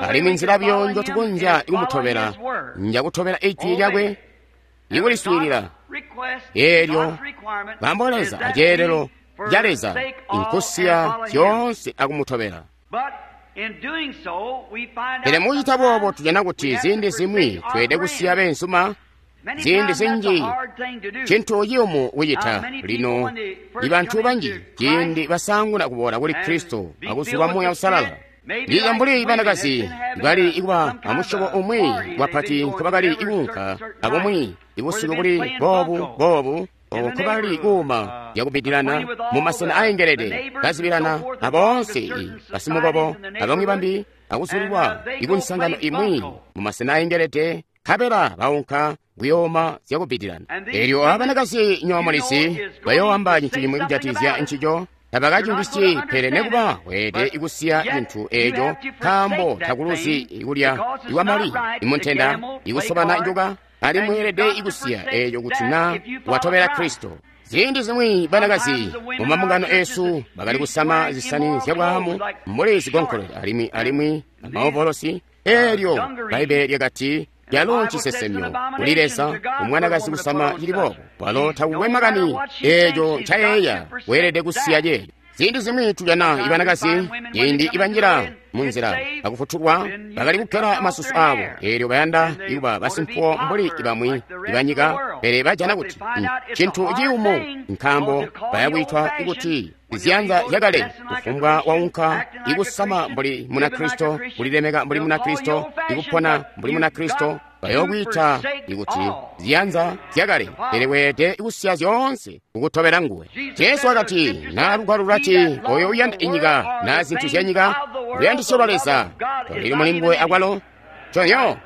Alimwi nzila buyo njotukonzya ikumutobela njakutobela Ijwi lyakwe, ikuliswiilila. Eelyo nkaambo Leza aceelelo ca Leza inkusiya zyoonse akumutobela. Pele mukucita boobo tujana kuti ziindi zimwi tweelede kusiya beenzuma, Ziindi zinji cintu ciyumu kucita. Lino ibantu banji ciindi basaanguna kuboola kuli Kristo akuzulwa Muuya Uusalala, ndiza mbuli banakazi bali ikuba amusyobo umwi wapati nkobakali ikuunka abumwi ibusiku buli boobu boobu nkobali kuuma yakubidilana mumasena aengelede kazibilana aboonse basimukobo abamwi bambi akuzulilwa ikunsangano imwi mumasena aengelede nkabela baunka kuyooma zyakubidilana. Elyo abanakazi nyoomulisi bayooamba cintu cimwi kujatikizya ncico, tabakacimvwisyi, pele nekuba weelede ikusiya cintu eeco nkaambo takuluzi ikulya iwamali imuntenda ikusobana njuka, alimwi weelede ikusiya eeco kuti na watobela Kristo. Ziindi zimwi banakazi mumambungano eesu bakali kusama zisani zyabwaamu mbuli zigonkolole alimwi alimwi amaovolosi. Eelyo Bbaibbele lyakati lyalo ncisesemyo kuli Leza umwanakazi kusama cili boobo. Walo takukwe makani eeco ncayeeya, weelede kusiya ceeco. Ziindi zimwi tujana ibanakazi ciindi ibanjila munzila akufutulwa bakali kukkela masusu aabo, eelyo bayanda ikuba basimpuwo mbuli ibamwi ibanyika, pele bajana kuti cintu ciyumu nkaambo bayakwiitwa kuti ziyanza zyakale. Kufumbwa waunka ikusama mbuli Munakristo, kulilemeka mbuli Munakristo, ikupona mbuli Munakristo, bayokwiita ikuti ziyanza zyakale, pele weelede kusiya zyoonse kukutobela nguwe. Jesu wakati, na lugwalo lulati oyo uyanda inyika na zintu zyanyika luyandisyo lwa Leza tolili muli nguwe akwalo. Conyo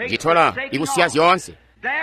citola ikusiya zyoonse.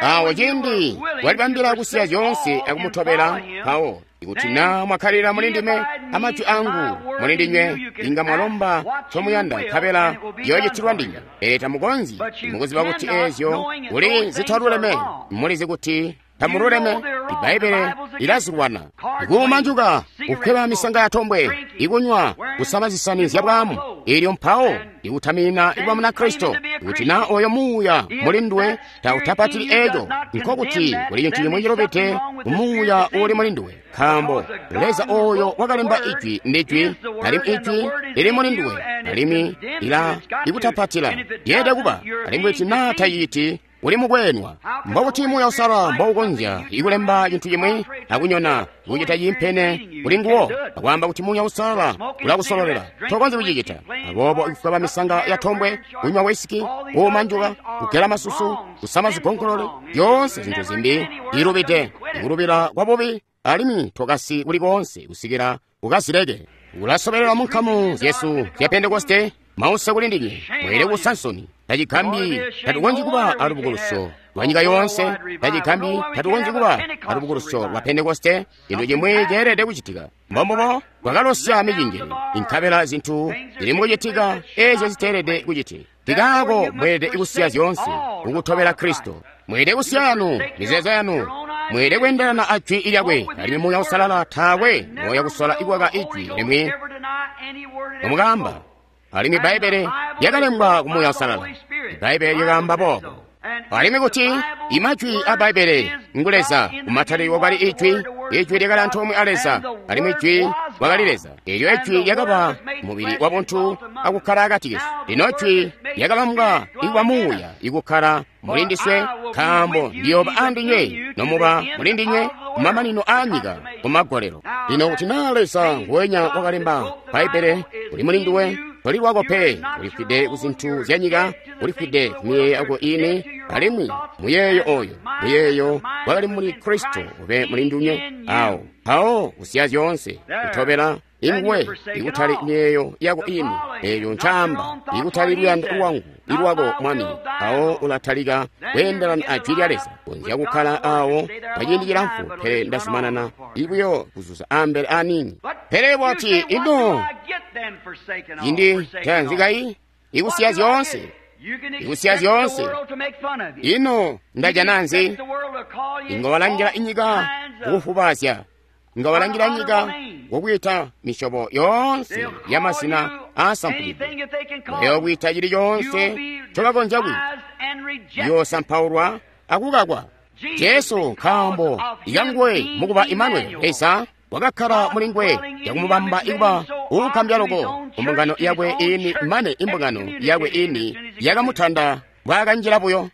Awo ciindi walibambila kusiya zyoonse akumutobela, mpawo ikuti na mwakkalira muli ndime amajwi angu muli ndinywe, inga mwalomba ncomuyanda nkabela yoocitilwa ndinywe. Pele tamukonzyi, mukuziba kuti eezyo kuli zitaluleme, mulizi kuti tamululeme. Ibbaibbele lilazilwana: ikuuma njuka, kukweba misanga yatombwe, ikunywa, kusama zisani zyabwaamu, eelyo mpawo ikutamina ikuba Munakristo. Kuti na oyo muuya muli nduwe tautapatili eeco, nkokuti kuli cintu cimwi cilubide kumuuya uuli muli nduwe, nkaambo Leza oyo wakalemba ijwi ndijwi, alimwi ijwi lili muli nduwe, alimwi lila ikutapatila lyeede kuba. Alimwi kuti na taciti, uli mukweenwa. Mbokuti Muuya Uusalala mboukonzya ikulemba cintu cimwi akunyona kucita ciimpene kuli nguwo akwaamba kuti Muuya Uusalala ulakusololela, tokonzyi kucicita. Aboobo ikufweba misanga yatombwe, kunywa wisiki, kuuma njuka, kugela masusu, kusama zigonkolole, zyoonse zintu zimbi ilubide, ikulubila kwabubi, alimwi tokasi kuli koonse kusikila ukazileke. Ulasobelela mu nkamu zyesu zya Pentekoste, mause kuli ndinywe, mweelede kuusa nsoni. Tacigambi tatukonzyi kuba alubukuluso lwa nyika yoonse, tacigambi tatukonzyi kuba alubukuluso lwa Pentekoste. Cintu cimwi ceelede kucitika. Mbombubo bwakalosya micinjili, inkabela zintu zili mukucitika eezyo ziteelede kucitika. Tikaako mweelede kusiya zyoonse kukutobela Kristo. Mweelede kusiya yanu mizeezo yanu, mweelede kweendelana a jwi lyakwe, alimwi Muuya Uusalala taakwe moya kusola ikwaka ijwi limwi nomukaamba. Alimwi Bbaibbele lyakalembwa ku Muuya Uusalala. Bbaibbele lyakaamba boobo. Alimwi kuti imajwi a Bbaibbele ngu Leza, kumatalilo kwakali ijwi, ijwi lyakali antoomwe a Leza, alimwi ijwi wakali Leza. Eelyo ijwi lyakaba mubili wa buntu akukkala akati kesu. Lino ijwi lyakabambwa ikuba muuya ikukkala muli ndiswe, nkaambo ndiyooba andinywe nomuba muli ndinywe kumamanino aa nyika kumagolelo. Lino kuti naa Leza nguwenya wakalemba Bbaibbele uli muli nduwe, toli lwako pe, ulifwide ku zintu zyanyika, ulifwide ku miyeeyo yako ini, alimwi muyeeyo oyo muyeeyo wakali muli Kristo ube muli ndinywe. Awo mpawo kusiya zyoonse kutobela inguwe, ikutali miyeeyo yako ini, eeyo ncaamba, ikutali luyando lwangu ilwako Mwami. Mpawo ulatalika kweendelana a jwi lya Leza. Konzya kukkala awo kwaciindi cilamfu, pele ndazumanana ibuyo kuzuza ambele aniini. Pele bwati ino cindi tanzikayi ikusiya zyoonse, ikusiya zyoonse, ino ndajana nzi? Inga walangila inyika kukufubazya, inga walangila nyika kukwiita misyobo yoonse ya mazina aasampukidwe, bayokwiita cili coonse ncobakonzya kwiita, yoosampaulwa akukakwa. Jesu nkaambo ikanguwe mukuba Imanueli, Leza wakakkala muli nguwe yakumubamba ikuba uukambya loko kumbungano yakwe ini, mane imbungano yakwe ini yakamutanda mbwaakanjila buyo.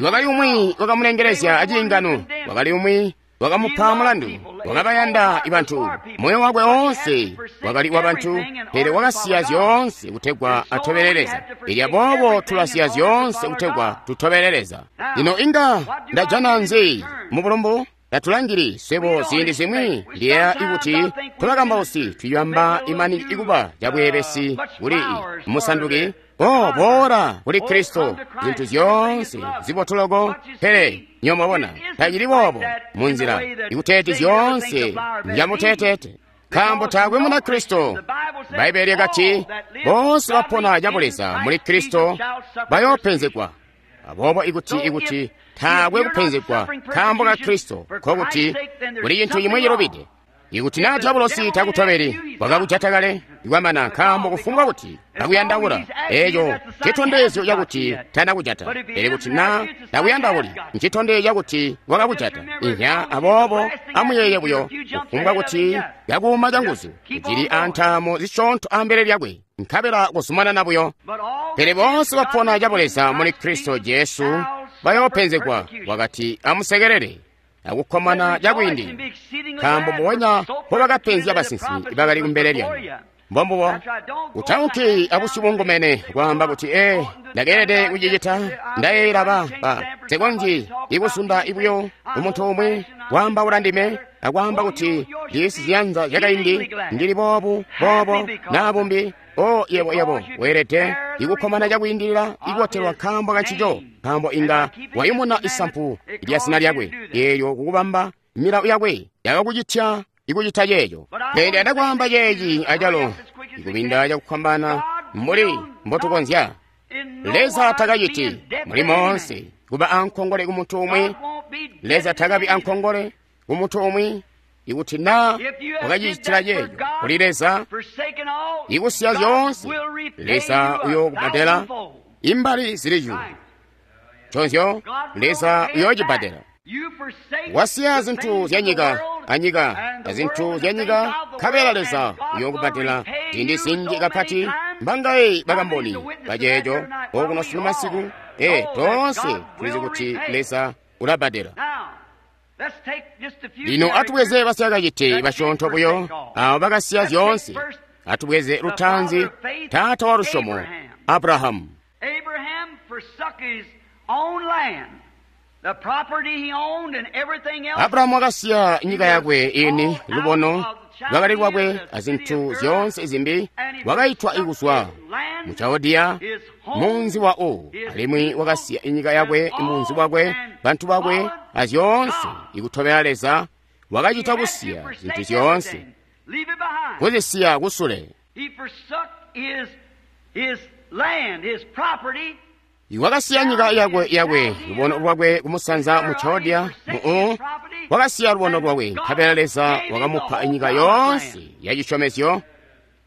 Wakali umwi wakamulengelezya aciingano, wakali umwi wakamupa mulandu, wakabayanda bantu. Moyo wakwe woonse wakali wa bantu, pele wakasiya zyoonse kutegwa atobele Leza. Elyo boobo tulasiya zyoonse kutegwa tutobele Leza. Lino inga ndajana nzi mu bulumbu? Tatulangili swebo ziindi zimwi ndiyeeya ikuti tubakambausi tuyamba imani ikuba cabweebesi kuli musanduki. O boola kuli Kristo, zintu zyoonse zibotuloko, pele nyomwabona tacili boobo munzila ikuteeti zyoonse njamuteteete. Nkaambo taakwe muna Kristo. Bbaibele lyakati boonse bapona cabuleza muli Kristo bayoopenzegwa. Aboobo ikuti ikuti taakwe kupenzegwa nkaambo ka Kristo, nkokuti kuli cintu cimwi cilubide. Ikuti naa diabolosi takutobeli, wakakujata kale ikwamana, nkaambo kufumbwa kuti kakuyandaula, eeco ncitondezyo cakuti tanakujata. Pele kuti naa takuyandauli, ncitondezyo cakuti wakakujata. Inya, aboobo amuyeeye buyo, kufumbwa kuti kakuuma canguzu, kucili antaamo zisyoonto ambele lyakwe, nkabela kuzumanana buyo. Pele boonse bapona cabuleza muli Kristo Jesu bayoopenzegwa. Wakati amusekelele akukkomana cakwiindila, nkaambo mbubonya mbobakapenzya basinsimi bakali kumbele lyanu. Mbombubo, utaunki abusyu bungumene kwaamba kuti, ee, ndakeelede kucicita, ndayeeyela ba ba nsekonzyi ikusunda buyo umuntu umwi kwaambaula ndime akwaamba kuti ndijisi ziyanza zyakaindi, ndili boobu boobo naa bumbi. O yebo yebo weelede ikukkomana cakwiindilila ikubotelwa nkaambo kancico, nkaambo inga wayumuna isampu lya zina lyakwe eelyo kukubamba milawo yakwe yakakucitya ikucita ceeco. Pele ndiyanda kwaamba ceeci acalo ikubinda cakufwambaana mbuli mbotukonzya. Leza takaciti muli moonse kuba ankongole kumuntu umwi. Leza takabi ankongole kumuntu umwi. Ikuti naa wakacicitila ceeco kuli Leza, ikusiya zyoonse, Leza uyookubadela imbali zili cuulu. Nconzyo, Leza uyoocibbadela. Wasiya zintu zya nyika anyika azintu zya nyika, nkabela Leza uyookubadela ziindi zinji kapati. Mbangaye bakamboni baceeco okuno sunu masiku? Ee, toonse tulizi kuti Leza ulabbadela. Lino atubweze basyakacite basyoonto buyo abo bakasiya zyoonse. Atubweze lutaanzi, taata wa lusyomo, Abrahamu. Abrahamu wakasiya nyika yakwe ini, lubono lwakali lwakwe azintu zyoonse zimbi. Wakaitwa ikuzwa mu Chaldea, munzi wa Ur, alimwi wakasiya inyika yakwe, munzi wakwe, bantu bakwe, azyoonse ikutobela Leza. Wakacita kusiya zintu zyoonse, kuzisiya kusule. Wakasiya nyika yakwe yakwe, lubono lwakwe kumusanza mu Chaldea, mu Ur. Wakasiya lubono lwakwe, nkabela Leza wakamupa inyika yoonse ya cisyomezyo.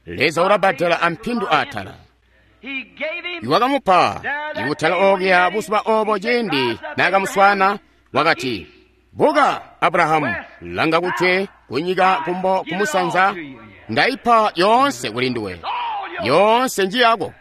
Leza ulabbadela ampindu atala. Wakamupa ikutala okuya buzuba obo ciindi naakamuswaana. Wakati, buka Abrahamu, langa kujwe, kunyika, kumbo, kumusanza, ndaipa yoonse kuli nduwe, yoonse njiyako.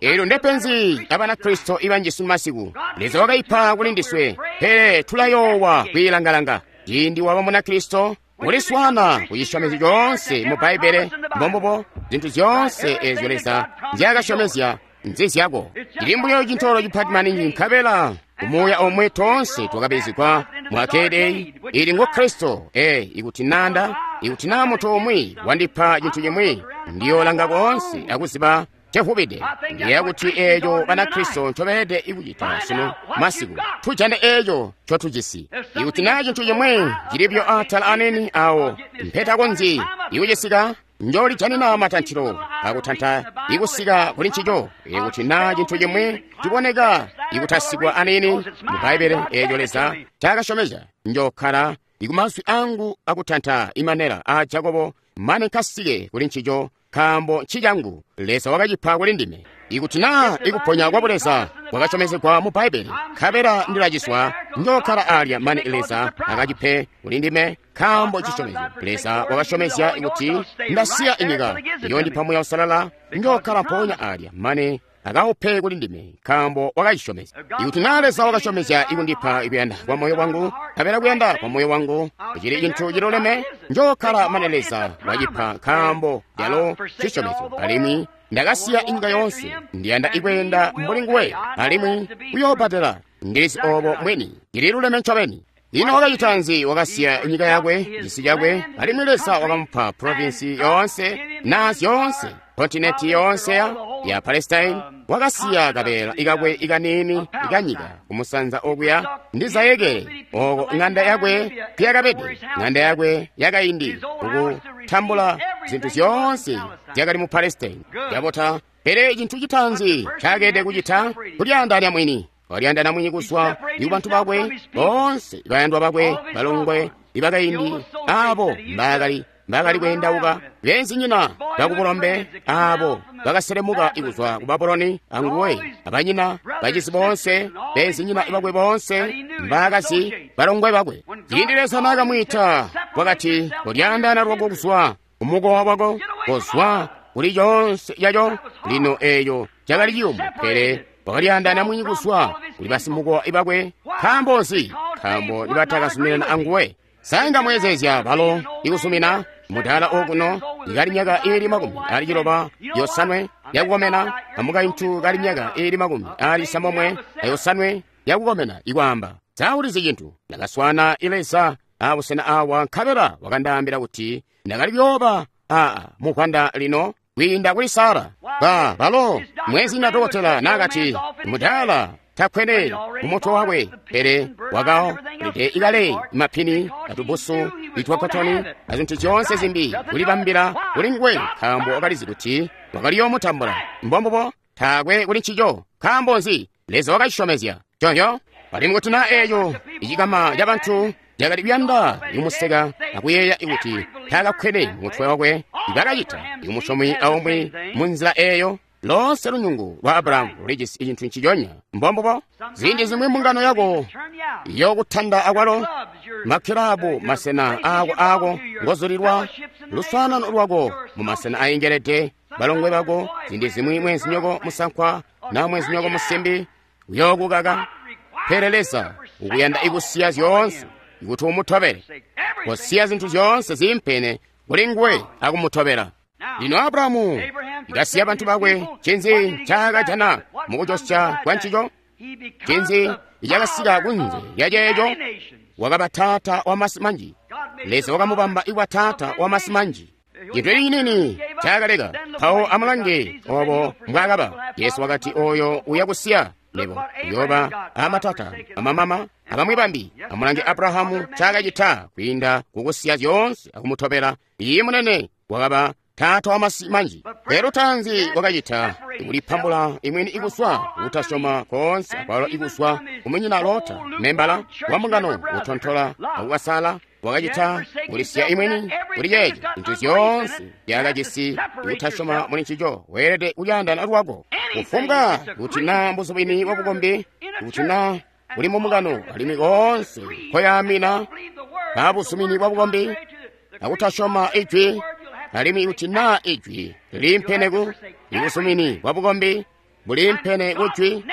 Eelyo ndepenzi Abanakristo ibanji sunu masiku. Leza wakaipa kuli ndiswe, pele tulayoowa kwiilangalanga. Ciindi waba Munakristo, uliswaana kucisyomezyo coonse mu Bbaibbele. Mbombubo, zintu zyoonse eezyo Leza nzyaakasyomezya nzizyako. Cili mbuyo cintoolo cipati maningi, nkabela kumuuya omwe toonse twakabizigwa mu akedeyi ili ngu Kristo. Ee, ikuti nanda ikuti naa muntu umwi wandipa cintu cimwi, ndiyoolanga koonse akuziba cevubide. Ndiyeeya kuti eeco Banakristo ncobeelede ikucita sunu masiku, tujane eeco ncotujisi. Ikuti naa cintu cimwi cilibyo atala aneni awo mpetakonzyi ikucisika, njolijanina matantilo akutanta ikusika kuli ncico. Ikuti naa cintu cimwi ciboneka ikutasikwa aneni mu Bbaibbele eeco Leza ncaakasyomezya, njokkala ikumazwi angu akutanta imanela aa Jakobo mane nkasike kuli ncico, nkaambo ncicangu, Leza wakacipa kuli ndime. Ikuti naa ikuponya kwa Buleza kwakasyomezegwa mu Bbaibbele, nkabela ndilaciswa, njokkala alya mane Leza akacipe kuli ndime, nkaambo cisyomezyo. Leza wakasyomezya kuti ndasiya inyika, iyoondipa Muuya Uusalala, njokkala mpoonya alya mane akaupe kuli ndime, nkaambo wakacisyomezya. Ikuti naa Leza wakasyomezya ikundipa ikuyanda kwa moyo wangu, nkabela kuyanda kwa moyo wangu cili cintu ciluleme, njokkala mane Leza wacipa, nkaambo calo cisyomezyo. Alimwi ndakasiya inyika yoonse, ndiyanda ikweenda mbuli nguwe, alimwi uyoobbatela. Ndilizi obo mwini, ndililuleme ncobeni. Ino wakacita nzi? Wakasiya nyika yakwe, cisi cakwe, alimwi Leza wakamupa provinsi yoonse na zyoonse, kontinenti yoonse ya Palestine. Wakasiya kabeela ikakwe ikaniini ikanyika kumusanza okuya ndi zayekele oko ng'anda yakwe kuyakabede, ng'anda yakwe yakaindi, kukutambula zinthu zyoonse zyakali mu Palestine. Yabota. Pele cintu citaanzi ncaakede kucita kulyaandaanya mwini. Walyaandaanya mwini kuzwa ku bantu bakwe boonse, bayandwa bakwe, balongwe ibakaindi, abo mbaakali mbaakali kweendauka, beenzinyina bakubulombe, abo bakaselemuka kuzwa ku Babuloni anguwe, abanyina, bacizi boonse, beenzinyina bakwe boonse, mbaakazi, balongwe bakwe. Ciindi Leza naakamwiita, wakati, "Kolyaandaana lwako kuzwa kumukowa wako, kozwa kuli coonse caco." Lino eeyo cakali ciyumu, pele wakalyaandaana mwini kuzwa kuli basimukowa bakwe. Nkaambo nzi? Nkaambo nibatakazuminana anguwe. Sainga mwezeezya balo ikusumina mudaala okuno ikali myaka iili makumi ali ciloba yosanwe yakukomena, amukaintu kali myaka iili makumi ali samomwe ayosanwe yakukomena, ikwaamba, "Saulizi cintu, ndakaswana Leza abusena awa, nkabela wakandaambila kuti ndakali kuyooba aa mukwanda lino kwiinda kuli Sara." Ba balo mwezi dokotela nakati mudaala takwene mumutwe wakwe, pele wakalide ikale mapini atubusu itwakotoni azintu zyoonse zimbi kulibambila kuli nguwe, nkaambo wakalizi kuti wakaliyoomutambula. Mbombubo, taakwe kuli ncico. Nkaambo nzi? Leza wakacisyomezya conyo. Alimwi kuti naa eeyo icikama ca bantu cakali kuyanda ikumuseka akuyeeya kuti taakakkwene mumutwe wakwe, ibakacita ikumusyomi aumwi munzila eeyo. Loonse lunyungu lwa Abrahamu lulijisi cintu nciconya. Mbombubo. Ziindi zimwi mbungano yako yokutanda akwalo makilabu, masena aako aako ngozulilwa, luswaanano lwako mu masena aingelede, balongwe bako, ziindi zimwi mwenzinyoko musankwa na mwenzinyoko musimbi uyookukaka. Pele Leza ukuyanda ikusiya zyoonse kuti umutobele, kusiya zinthu zyoonse ziimpene kuli nguwe akumutobela. Lino Abrahamu ikasiya bantu bakwe, ncinzi ncaakajana mukujosya kwa ncico? Ncinzi icakasika kunze lya ceeco? Wakaba taata wa masi manji. Leza wakamubamba ikuba taata wa masi manji. Cintu ciniini ncaakaleka. Mpawo amulange obo mbwaakaba. Yesu wakati, "Oyo uyakusiya nebo uyooba amatata, amamama, abamwi bambi." Amulange Abrahamu ncaakacita kwiinda kukusiya zyoonse akumutobela. Iye munene, wakaba taata wa masi manji. Pele tanzi wakacita kulipambula imwini ikuzwa kutasyoma koonse, akwalo ikuzwa kumunyina Lota, membala wa mbungano utontola akukasala. Wakacita kulisiya imwini kuli ceeco, zintu zyoonse zyakajisi kutasyoma muli ncico. Weelede kulyaandaana lwako kufumbwa kuti naa mbuzubini bwa bukombi, kuti naa kuli mumbungano, alimwi koonse koyaamina kabuzumini bwa bukombi akutasyoma ijwi, alimwi kuti naa ijwi liliimpene ku ibuzumini bwa bukombi buliimpene kujwi,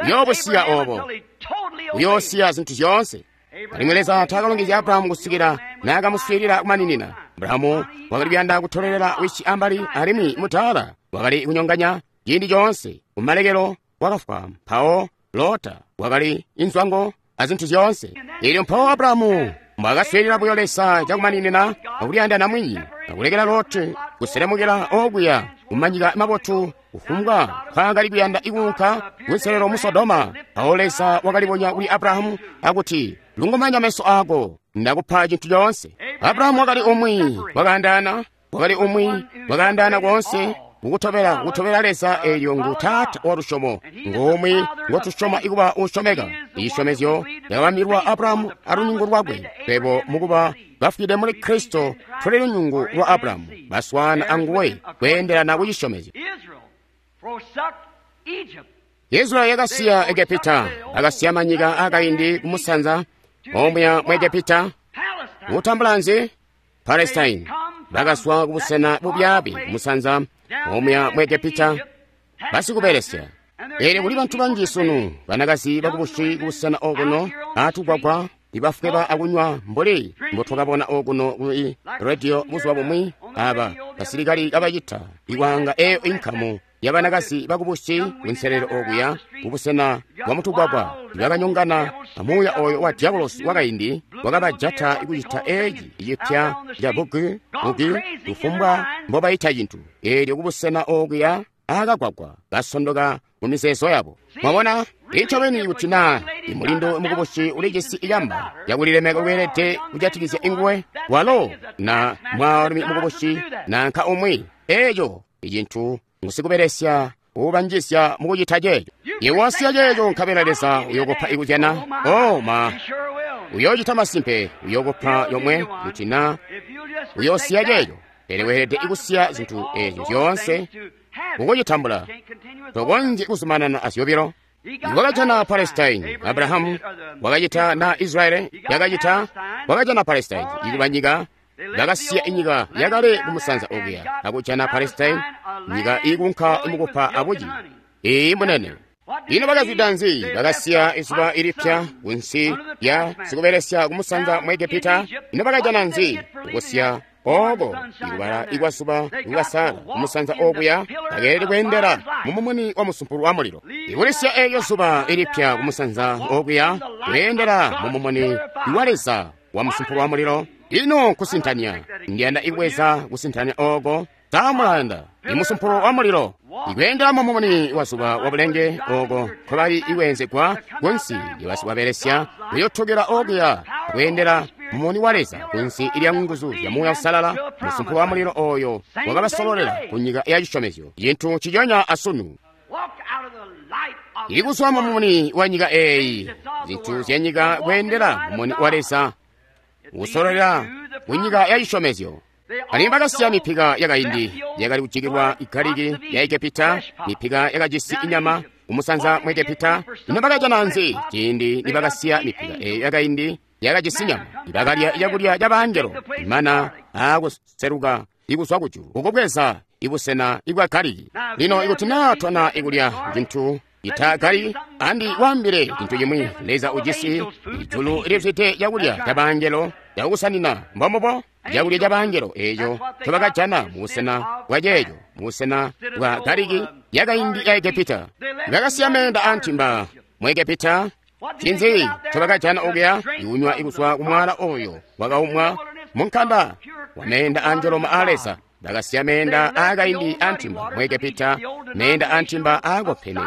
uyoobusiya obo, uyoosiya zintu zyoonse. Alimwi Leza taakalongezya Abrahamu kusikila naakamuswiilila kumaninina. Abrahamu wakali kuyanda kutolelela wisi ambali, alimwi mutaala wakali kunyonganya ciindi coonse. Kumalekelo wakafwa. Mpawo Lota wakali inzwango azintu zyoonse. Elyo mpawo Abrahamu mbwaakaswiilila buyo Leza cakumaninina akuliyandana mwini, akulekela Loti kuselemukila okuya kumanyika mabotu kufumbwa nkwaakali kuyanda ikuunka kunselelo mu Sodoma. Mpawo Leza wakalibonya kuli Abrahamu akuti, "Lungumanya meso ako, ndakupa cintu coonse." Abrahamu wakali umwi wakaandaana, wakali umwi wakaandaana koonse kukutobela kutobela Leza. Elyo ngu taata wa lusyomo, ngumwi ngotusyoma ikuba usyomeka. Isyomezyo lyakabambilwa Abrahamu alunyungu lwakwe. Twebo mukuba bafwide muli Kristo tuli lunyungu lwa Abrahamu, baswana anguwe kweendelana kucisyomezyo. Israeli yakasiya Egepita, akasiya manyika akaindi kumusanza omuya mu Egepita, kutambula nzi? Palestine. Bakaswa kubusena bubyaabi kumusanza omuya mu Egepita, Basikubelesya. Eelyo kuli bantu banji sunu, banakazi bakubusi kubusena okuno atugwagwa ibafweba akunywa mbuli mbotwakabona okuno ku rediyo buzuba bumwi, aba basilikali kabacita ikwanga eyo inkamu yabanakazi bakubusi kunselelo okuya kubusena bwa mutugwagwa ibakanyongana amuuya oyo wa diabolosi wakaindi wakabajata kucita eci cipya ca bugi bugi kufumbwa mbobayita cintu. Eelyo kubusena okuya akagwagwa basondoka mu mizeezo yabo. Mwabona, incobeni kuti naa imulindo mukubusi ulijisi iyamba yakulilemeka kweelede kujatikizya inguwe walo na mwaalumi mukubusi nanka umwi, eeco icintu ngusikubelesya ubanjisya mukucita ceeco. Iwe wasiya ceeco nkabela Leza uyokupa ikuzyana. Oh ma, uyoocita masimpe, uyokupa yomwe kuti naa uyoosiya ceeco. Pele weelede ikusiya zintu eezyo zyoonse kukucitambula. Tokonzyi kuzumanana azyobilo. Wakajana Palestine, Abrahamu wakacita na Israeli yakacita, wakajana Palestine ikuba nyika, bakasiya inyika yakale kumusanza okuya akujana Palestine, nyika iikunka imukupa abuci. Iyi munene. Ino bakazwida nzi? Bakasiya izuba ilipya kunsi lya sikubelesya kumusanza mu Egepita. Ino bakajana nzi? Kusiya oko ikubala ikwazuba ikukasala kumusanza okuya, bakeelede kweendela mumumuni wa musumpulu wa mulilo. Ikulisya eeyo zuba ilipya kumusanza okuya, kweendela mumumuni wa Leza wa musumpulu wa mulilo. Ino kusintanya, ndiyanda ikubweza kusintanya oko samulanda imusumpulu wa mulilo ikweendela mumumuni wa zuba wa bulenge oko nkobali ikwenzegwa kunsi lyabasikwabelesya kuyotokela okuya kweendela mumuni wa Leza kunsi ilya nguzu zya Muuya Usalala. Musumpulu wa mulilo oyo wakabasololela ku nyika ya cisyomezyo, cintu ciconya asunu. Ikuzwa mumuni wa nyika eeyi, zintu zya nyika kweendela mumuni wa Leza usololela ku nyika ya cisyomezyo. Alimwi bakasiya mipika yakaindi yakali kujikilwa igaliki ya Egepita, mipika yakajisi inyama kumusanza mu Egepita. Ino bakajana nzi ciindi nibakasiya mipika eeyo yakaindi yakajisi nyama? Ibakalya cakulya ca bangelo, imana aakuseluka ikuzwa kujulu kukubweza ibusena ibwa galiki. Lino ikuti naa twana ikulya cintu ita galiki, andi kwaambile cintu cimwi. Leza ujisi ijulu lizwide cakulya ca bangelo cakusanina. Mbombubo cakulya ca bangelo eeco ncobakajana mubusena bwa ceeco, mubusena bwa galiki yakaindi ya Egepita. Bakasiya meenda antimba mu Egepita. Ncinzi ncobakajana okuya? Ikunywa ikuzwa kumwala oyo wakaumwa munkanda wa meenda anjoloma a Leza. Bakasiya meenda aakaindi antimba mu Egepita, meenda antimba aakopene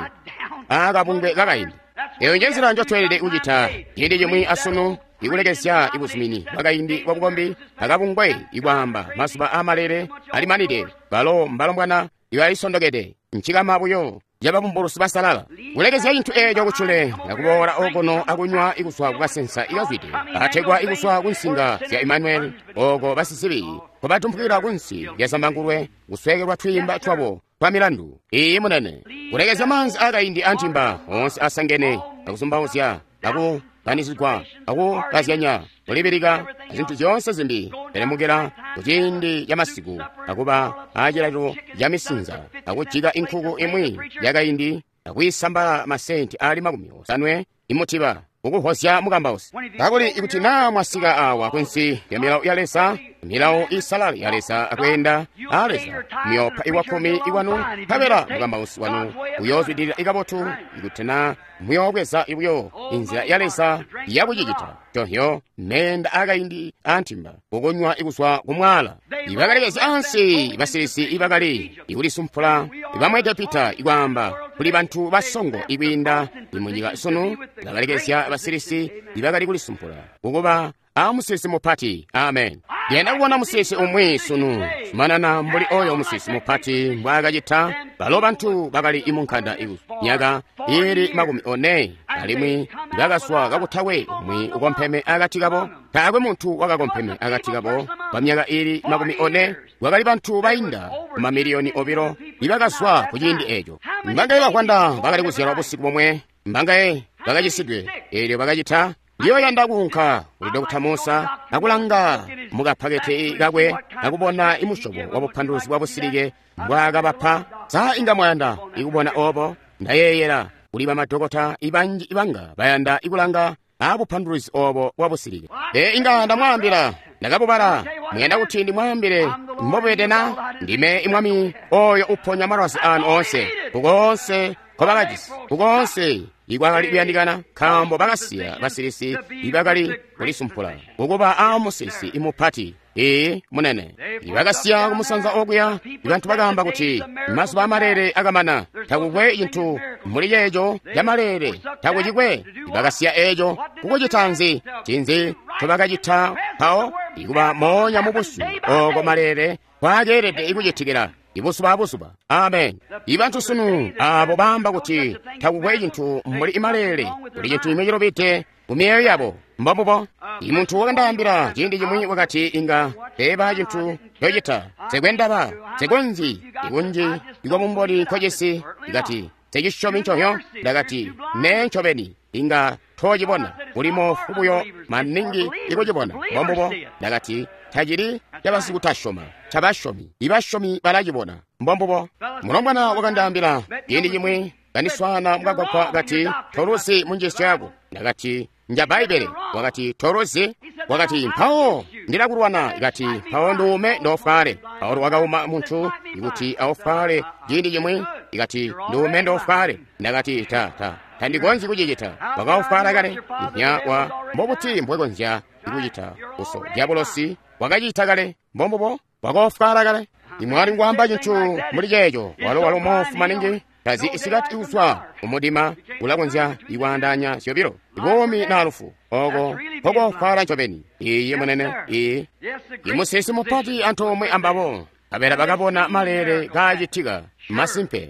aakabungwe kakaindi. Eyo njenzila njotweelede kucita ciindi cimwi asunu, ikulekezya ibuzumini bwakaindi bwa bukombi akabungwe ikwaamba mazuba aamalele alimanide. Balo mbalombwana ibalisondokede, ncikama buyo cababumbulusi basalala. Kulekezya cintu eeco kucule akuboola okuno akunywa ikuzwa kukasensa ikazwide ategwa ikuzwa kunsinga zya Emmanuel, oko basizibi nkobatumphukila kunsi lya zambangulwe kusweekelwa twiimba twabo twa milandu. Iyi munene. Kulekezya maanzi aakaindi antimba onse asangene akuzumbauzya akukanizigwa akukazyanya kulibilika azintu zyoonse zimbi, pele mukila kuciindi ca masiku akuba acilalilo ca misinza akujika inkuku imwi yakaindi akuyisambala masenti aali makumi osanwe imutiba kukuhozya mukambausi. Kakuli ikuti naa mwasika awa kunsi lya milawo ya Leza, milawo isalala ya Leza akweenda a Leza, muyoopa iwakkumi iwanu, nkabela mukambausi wanu uyoozwidilila ikabotu ikuti naa muyoobweza buyo inzila ya Leza yakucicita. Tohyo meenda akaindi antimba kukunywa ikuzwa kumwala. Ibakalekezya ansi basilisi ibakali ikulisumpula ibamu Egepita ikwaamba kuli bantu basongo ikwiinda imunyika sunu. Bakalekezya basilisi ibakali kulisumpula kukuba a musilisi mupati. Amen. Ndiyanda kubona musilisi umwi sunu zumanana mbuli oyo musilisi mupati mbwaakacita. Balo bantu bakali imunkanda myaka iili makumi one alimwi bakaswa kakutakwe umwi ukompeme akati kabo. Taakwe muntu wakakompeme akati kabo kwa myaka iili makumi one. Kwakali bantu bainda kumamiliyoni obilo ibakaswa ku ciindi eeco. Mbangaye bavwanda bakali kuzyalwa busiku bomwe, mbangaye bakacisidwe eelyo bakacita, Ndiyoyanda kuunka kuli Dokota Musa akulanga mukapaketi kakwe akubona imusyobo wa bupanduluzi bwa busilike mbwaakabapa. Sa inga mwayanda ikubona obo? Ndayeeyela kuli bamadokota ibanji ibanga bayanda ikulanga abupanduluzi obo bwa busilike. E inga ndamwaambila, ndakabubala. Muyanda kuti ndimwaambile mbobwede na? Ndime imwami oyo uponya malwazi anu onse, kukonse nkobakajisi, kukonse ikwakali kuyandikana, nkaambo bakasiya basilisi ibakali kulisumpula kukuba aamusilisi imupati. Ee munene, ibakasiya kumusanza okuya. Ibantu bakaamba kuti mazuba amalele akamana, takukwe cintu muli ceeco camalele, takucikwe. Ibakasiya eeco kukucita nzi? Cinzi ncobakacita mpawo? Ikuba moonya mubusyu oko malele kwakeelede ikucitikila ibuzuba abuzuba. Amen. Ibantu sunu abo baamba kuti takukwe cintu mbuli imalele, kuli cintu cimwi cilubide mu myoyo yabo. Mbombubo. Imuntu wakandaambila ciindi cimwi wakati inga teeba cintu ncocita, nsekwendaba, nsekonzyi ikunji ikwabumboni nkocisi. Ikati nsecisyomi ncobyo. Ndakati nee ncobeni inga toocibona, uli moofu buyo maningi ikucibona. Mbombubo. Ndakati tacili cabasikutasyoma, cabasyomi. Ibasyomi balacibona. Mbombubo. Mulombwana wakandaambila ciindi cimwi kandiswaana mukagwagwa kati toluzi munjiisyo yako. Ndakati nja Bbaibbele. Wakati toluzi. Wakati mpawo ndilakulwana. Ikati mpawo nduume ndofwale. Paulo wakauma muntu ikuti aufwale ciindi cimwi. Ikati nduume ndofwale. Ndakati ta ta tandikonzyi kucicita. Wakaufwala kale. Inya wa mbobuti mbwekonzya ikucita uso diabolosi wakacita kale. Mbombubo. Wakaufwala kale. Imwali ngwaamba cintu muli ceeco. Walo walo moofu maningi tazi isikati kuzwa umudima ulakonzya ikwaandaanya zyobilo buumi na lufu. Oko nkokofwala ncobeni. Iye munene. Iye imusilisi mupati antoomwe ambabo kabela bakabona malele kaacitika. Masimpe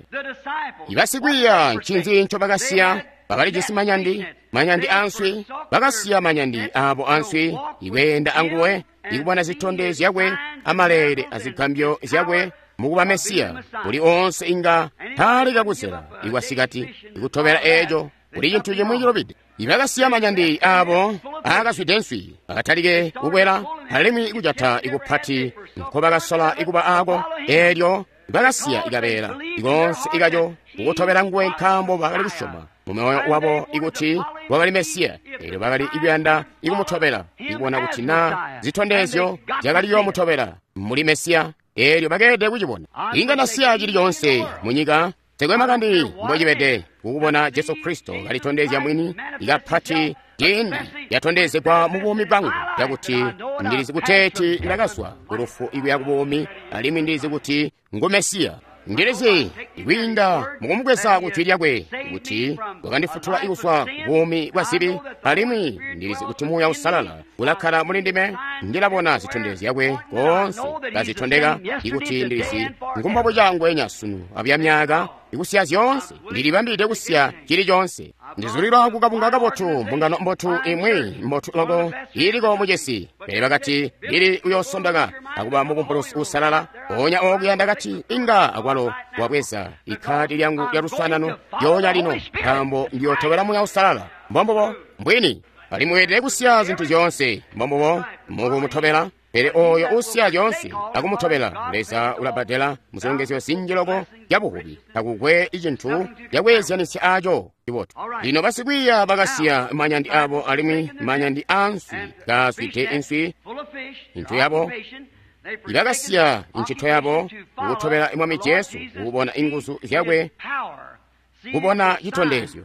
ibasikwiiya ncinzi ncobakasiya? Bakalijisi manyandi, manyandi answi. Bakasiya manyandi abo answi ikweenda anguwe, ikubona zitondezyo zyakwe amalele azigambyo zyakwe mukuba Mesiya. Kuli onse inga taaleka kuzela ikwasikati ikutobela eeco. Kuli cintu cimwi cilubide. Ibakasiya manyandi abo aakazwide nswi, bakatalike kukwela alimwi ikujata ikupati nkobakasola ikuba aako. Eelyo bakasiya ikabeela ikonse ikaco kukutobela nguwe, nkaambo bakali kusyoma mumyoyo wabo ikuti wakali Mesiya. Eelyo bakali ikuyanda ikumutobela, ikubona kuti na zitondezyo zyakali yoomutobela muli Mesiya. Eelyo bakeelede kucibona. Inga nasiya cili coonse munyika, nsekwe makani mbocibede, kukubona Jesu Kristo kalitondezya mwini ikapati ciindi yatondezegwa mu buumi bwangu, cakuti ndilizi kuteeti ndakazwa ku lufu ikuya ku buumi, alimwi ndilizi kuti ngu Mesiya. Ndilizi ikwiinda mukumubweza ku jwi lyakwe kuti wakandifutula ikuzwa buumi bwa zibi, alimwi ndilizi kuti Muuya Uusalala ulakkala muli ndime. Ndilabona zitondezyo zyakwe koonse kazitondeka ikuti ndilizi ngumbobuca ngwenya sunu abuya myaka ikusiya zyoonse. Ndilibambide kusiya cili coonse. Ndizulilwa kukabunga kabotu, mbungano mbotu imwi mbotu loko iliko mucisi. Pele bakati ndili uyoosondaka akuba mubumbulusi uusalala. Mpoonya okuya ndakati inga akwalo wabweza ikhadi lyangu lya luswaanano lyoonya lino, nkaambo ndiyootobela Muuya Uusalala. Mbombubo mbwini. Alimwi weelede kusiya zintu zyoonse. Mbombubo mukumutobela. Pele oyo usiya zyoonse akumutobela, Leza ulabbadela muzilongezyo zinji loko zyabuvubi. Takukwe icintu cakweezyanisya aco cibotu. Lino basikwiiya bakasiya manyandi abo alimwi manyandi answi kaazwide inswi intu yabo. Ibakasiya incito yabo kukutobela Mwami Jesu, kukubona inguzu zyakwe, kubona citondezyo.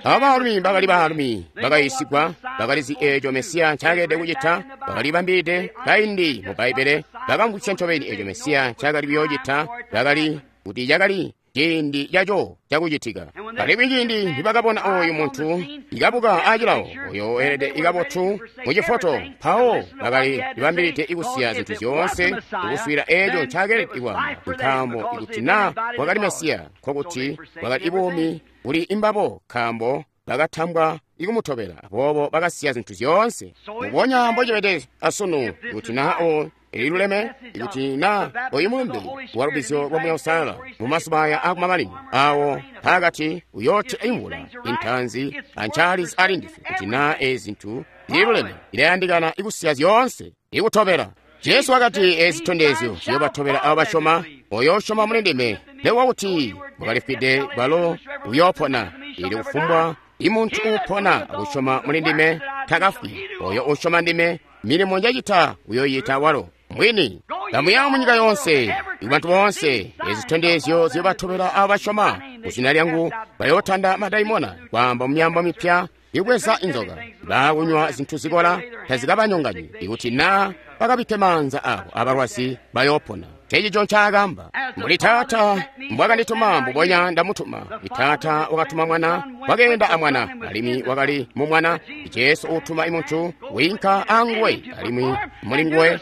Aba baalumi bakali baalumi bakayiisigwa, bakalizi eeco Mesiya ncaakelede kucita, bakalibambide kaindi mu Bbaibbele, bakamvwisya ncobeni eeco Mesiya ncaakali kuyoocita, bakali kuti cakali ciindi caco cakucitika. Alimwi ciindi nibakabona oyu muntu ikabuka acilawo, oyo weelede ikabotu mucifoto, mpawo bakali libambilide ikusiya zintu zyoonse kukuswiila eeco ncaakelede kwaamba, nkaambo ikuti na wakali Mesiya, nkokuti wakali ibuumi kuli imbabo, nkaambo bakatambwa ikumutobela. Aboobo bakasiya zintu zyoonse. Mubonya mbocibede asunu, kuti na o Ililuleme ikuti na oyu mulumbe wa lubbizyo lwa Muuya Uusalala mu mazuba aya akumamanino awo pakati uyoote imvula intanzi ancaalizi ali ndiswe kuti na ezi zintu zililuleme ilayandikana ikusiya zyoonse ikutobela. Jesu wakati ezi zitondezyo ziyobatobela abo basyoma. Oyo usyoma muli ndime nekuba kuti wakalifwide balo uyoopona. Ili kufumbwa imuntu uupona akusyoma muli ndime takafwi. Oyo usyoma ndime milimo njacita uyoyita walo mwini. Kamuya munyika yonse ibantu boonse ezi zitondezyo ziyobatobela abo basyoma. Muzina lyangu bayootanda madaimona, kwaamba mumyaambo mipya, ibweza inzoka, baakunywa zintu zikola tazikabanyonganyi, ikuti na bakabikke maanza abo abalwazi bayoopona. Ncencico ncaakamba. Mbuli Taata mbwakandituma mbubonya ndamutuma. Taata wakatuma Mwana, wakeenda amwana, alimwi wakali mu Mwana. Jesu utuma imuntu wiinka anguwe, alimwi muli nguwe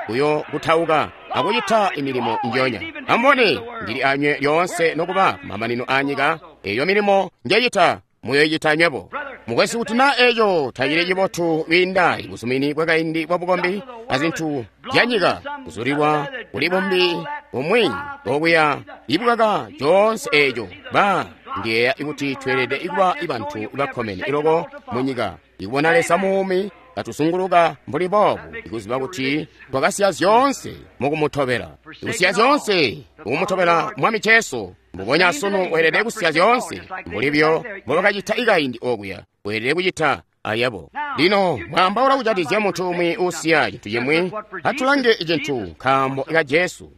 uyo kutauka akucita imilimo njonya. Amubone, ndili anywe lyoonse nokuba kumamanino anyika. Eyo milimo njecita muyoyicita nywebo. Mukwesu, kuti na eco tacili cibotu kwiinda ibuzumini bwakaindi bwa bukombi azintu zyanyika kuzulilwa kuli bumbi bumwi okuya ibukaka coonse eco. Ba ndiyeeya kuti tweelede kuba bantu bakkomene iloko munyika ikubona Leza muumi katuzunguluka mbuli boobu, ikuziba kuti twakasiya zyoonse mukumutobela, ikusiya zyoonse mukumutobela Mwami Jesu. Mbubonya sunu weelede kusiya zyoonse mbuli byo mbobakacita ikaindi okuya, weelede kucita ayabo. Lino mwambaula kucatizya muntu umwi uusiya cintu cimwi. Atulange cintu nkaambo ka Jesu.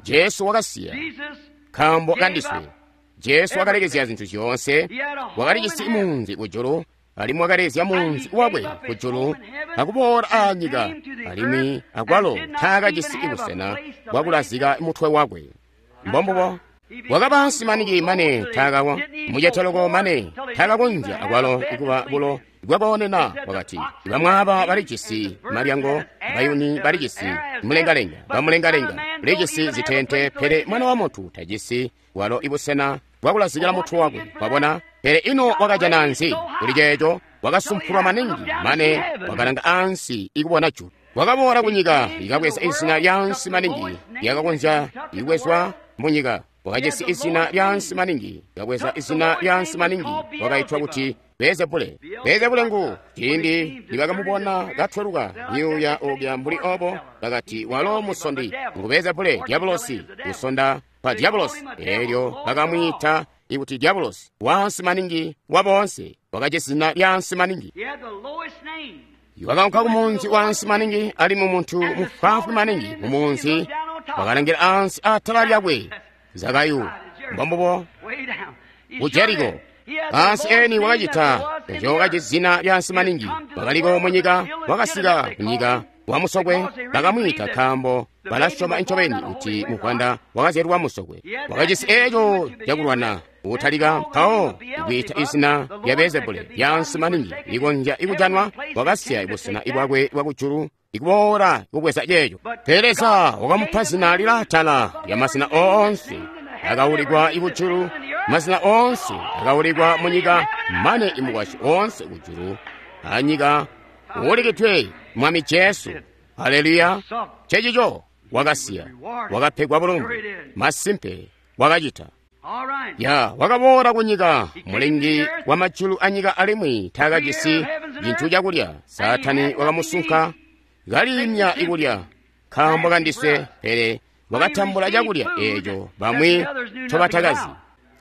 Jesu wakasiya nkaambo kandiswe. Jesu wakalekezya zintu zyoonse. Wakalijisi munzi kujulu, alimwi wakalezya munzi wakwe kujulu akuboola anyika, alimwi akwalo taakajisi busena bwakulazika mutwe wakwe. Mbombubo wakaba nsimaniki mane taakawa muceteloko mane taakakonzya akwalo ikuba bulo bwakoonena. Wakati bamwaaba balijisi malyango, bayuni balijisi mulengalenga, bamulengalenga balijisi zitente, pele Mwana wa Muntu tajisi walo ibusena bwakulazikila mutwe wakwe. Wabona? Pele ino wakajana nzi kuli ceeco? Wakasumpulwa maningi mane wakalanga ansi ikubona julu. Wakaboola kunyika ikabweza izina lyansi maningi lyakakonzya ikubwezwa munyika. Wakajisi izina lyansi maningi, kabweza izina lyansi maningi, wakaitwa kuti Beelzebule. Beelzebule ngu ciindi nibakamubona katweluka myuuya okya mbuli obo, bakati walo musondi ngu Beelzebule, dyabulosi, kusonda kwa dyabulosi. Eelyo bakamwiita ikuti dyabulosi, wansi maningi wa boonse, wakajisi zina lyansi maningi. Wakaunka kumunzi wansi maningi, alimwi muntu mufwaafwi maningi mumunzi wakalangila ansi atala lyakwe, Zakayu. Mbombubo ku Jeriko ansi eni wakacita eco. Wakajisi zina lyansi maningi, wakaliko munyika, wakasika kunyika wamusokwe, bakamwiita nkaambo balasyoma ncobeni kuti muvwanda wakazyalwa musokwe. Wakajisi eco cakulwana utalika mpawo ikwiita izina lya Beelzebule lyansi maningi likonzya ikujanwa. Wakasiya busena bwakwe bwakujulu ikuboola kubweza ceeco. Pele Leza wakamupa zina lilaatala lya mazina oonse akaulikwa ikujulu, mazina oonse akaulikwa munyika, mane imukwasyi oonse kujulu anyika uulikidwe Mwami Jesu. Haleluya! Cecico wakasiya, wakapegwa bulumbu. Masimpe wakacita. Ya wakaboola kunyika, mulengi wa majulu anyika, alimwi taakajisi cintu cakulya. Saatani wakamusunka kaliimya ikulya nkaambo kandiswe, pele wakatambula cakulya eeco bamwi ncobatakazi.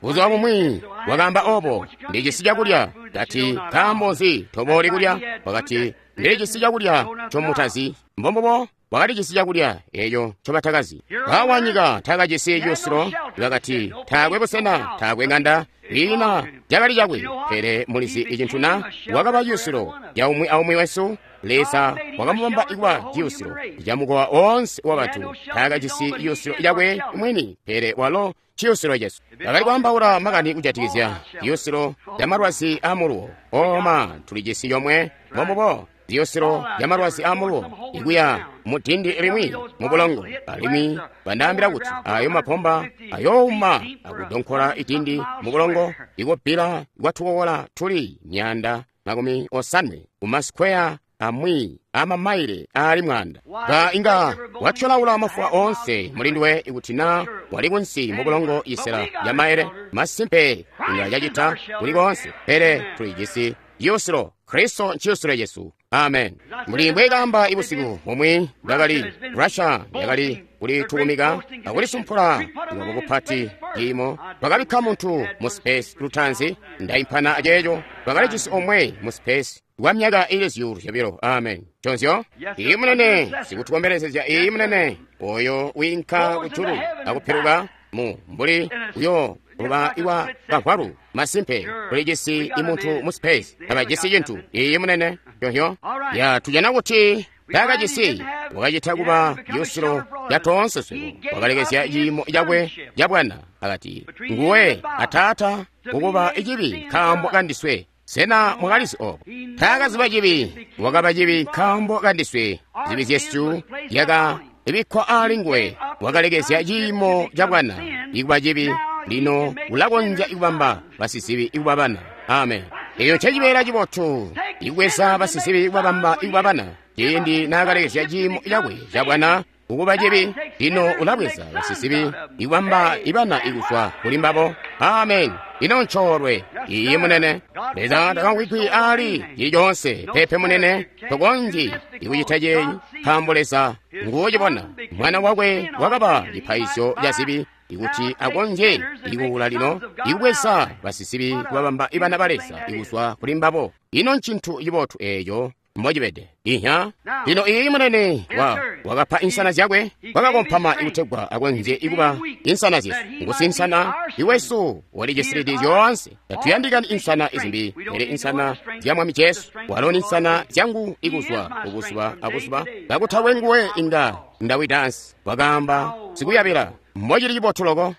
Buzuba bumwi wakaamba obo, ndijisi cakulya. Kati nkaambo nzi tobooli kulya? Wakati ndilijisi cakulya ncomutazi. Mbombubo wakalijisi cakulya eeco ncobatakazi. Bawanyika taakajisi ciyusilo. Bakati taakwe busena, taakwe ng'anda, ina cakali cakwe. Pele mulizi icintu na wakaba ciyusilo ca umwi aumwi wesu. Leza wakamubamba ikuba ciyusilo camukowa oonse wabantu. Taakajisi ciyusilo cakwe mwini, pele walo ciyusilo cesu. Bakali kwaambaula makani kujatikizya ciyusilo ca malwazi amuluwo. Oma tulijisi yomwe. Mbombubo ziyusilo zya malwazi amuluwo ikuya mudindi limwi mubulongo, alimwi bandaambila kuti ayo mapomba ayouma akudonkola idindi mubulongo ikubbila kwatukokola tuli myaanda makumi osanwe kumasikweya amwi amamaile aali mwanda. Ba inga watyolaula mafuwa oonse mulinduwe ikuti na wali kunsi mu bulongo isela ya maele. Masimpe inga yacita kuli koonse, pele tulijisi ciyusilo. Kristo nciyusilo cesu. Amen. Muli mbwekamba ibusiku bumwi bwakali Russia yakali kulitukumika akulisumpula lwabo kupati ciimo. Bakabikka muntu mu space lutanzi, ndaimpana aceeco. Bakalijisi omwe mu space kwa myaka ili zyuulu zyobilo. Amen. Chonzyo iyi munene sikutukombelezezya, iyi munene oyo wiinka kujulu akupiluka mu mbuli uyo luba iwa kavwalu. Masimpe kulijisi imuntu mu space tabajisi cintu. Iyi munene yohyo ya tujana kuti takajisi wakacita kuba yusilo ya toonse swebo. Wakalekezya ciimo cakwe ca bwana akati nguwe ataata kukuba icibi nkaambo kandiswe. Sena mwakalizi obo? Taakaziba cibi, wakaba cibi nkaambo kandiswe. Zibi zyesu zyaka ibikkwa aali nguwe. Wakalekezya ciimo ca bwana ikuba cibi. Lino ulakonzya ikubamba basizibi ikuba bana. Amen. Eyo ncecibeela cibotu, ikubweza basizibi ikubabamba ikuba bana. Ciindi naakalekezya ciimo cakwe ca bwana kukuba cibi, lino ulabweza basizibi ikubamba ibana ikuzwa kuli mbabo. Amen. Ino ncoolwe. Iye munene. Leza takamvwikwi aali cili coonse. Pepe munene, tokonzyi ikucita ceeyi, nkaambo Leza nguucibona. Mwana wakwe wakaba cipaizyo ca zibi ikuti akonzye ikuula lino ikubweza basizibi kubabamba ibana ba Leza ikuzwa kuli mbabo. Ino ncintu cibotu eeco mbocibede. Ihya. Lino iyi munene wa wakapa insana zyakwe, wakakompama ikutegwa akonzye ikuba insana zyesu. Ngusinsana iwesu walijisilidi zyoonse. Tatuyandikani insana izimbi, pele insana zya Mwami Jesu. Walo ni insana zyangu ikuzwa kubuzuba abuzuba. Kakutakwe nguwe inga ndawidansi. Wakaamba sikuyabila mbocili cibotu loko.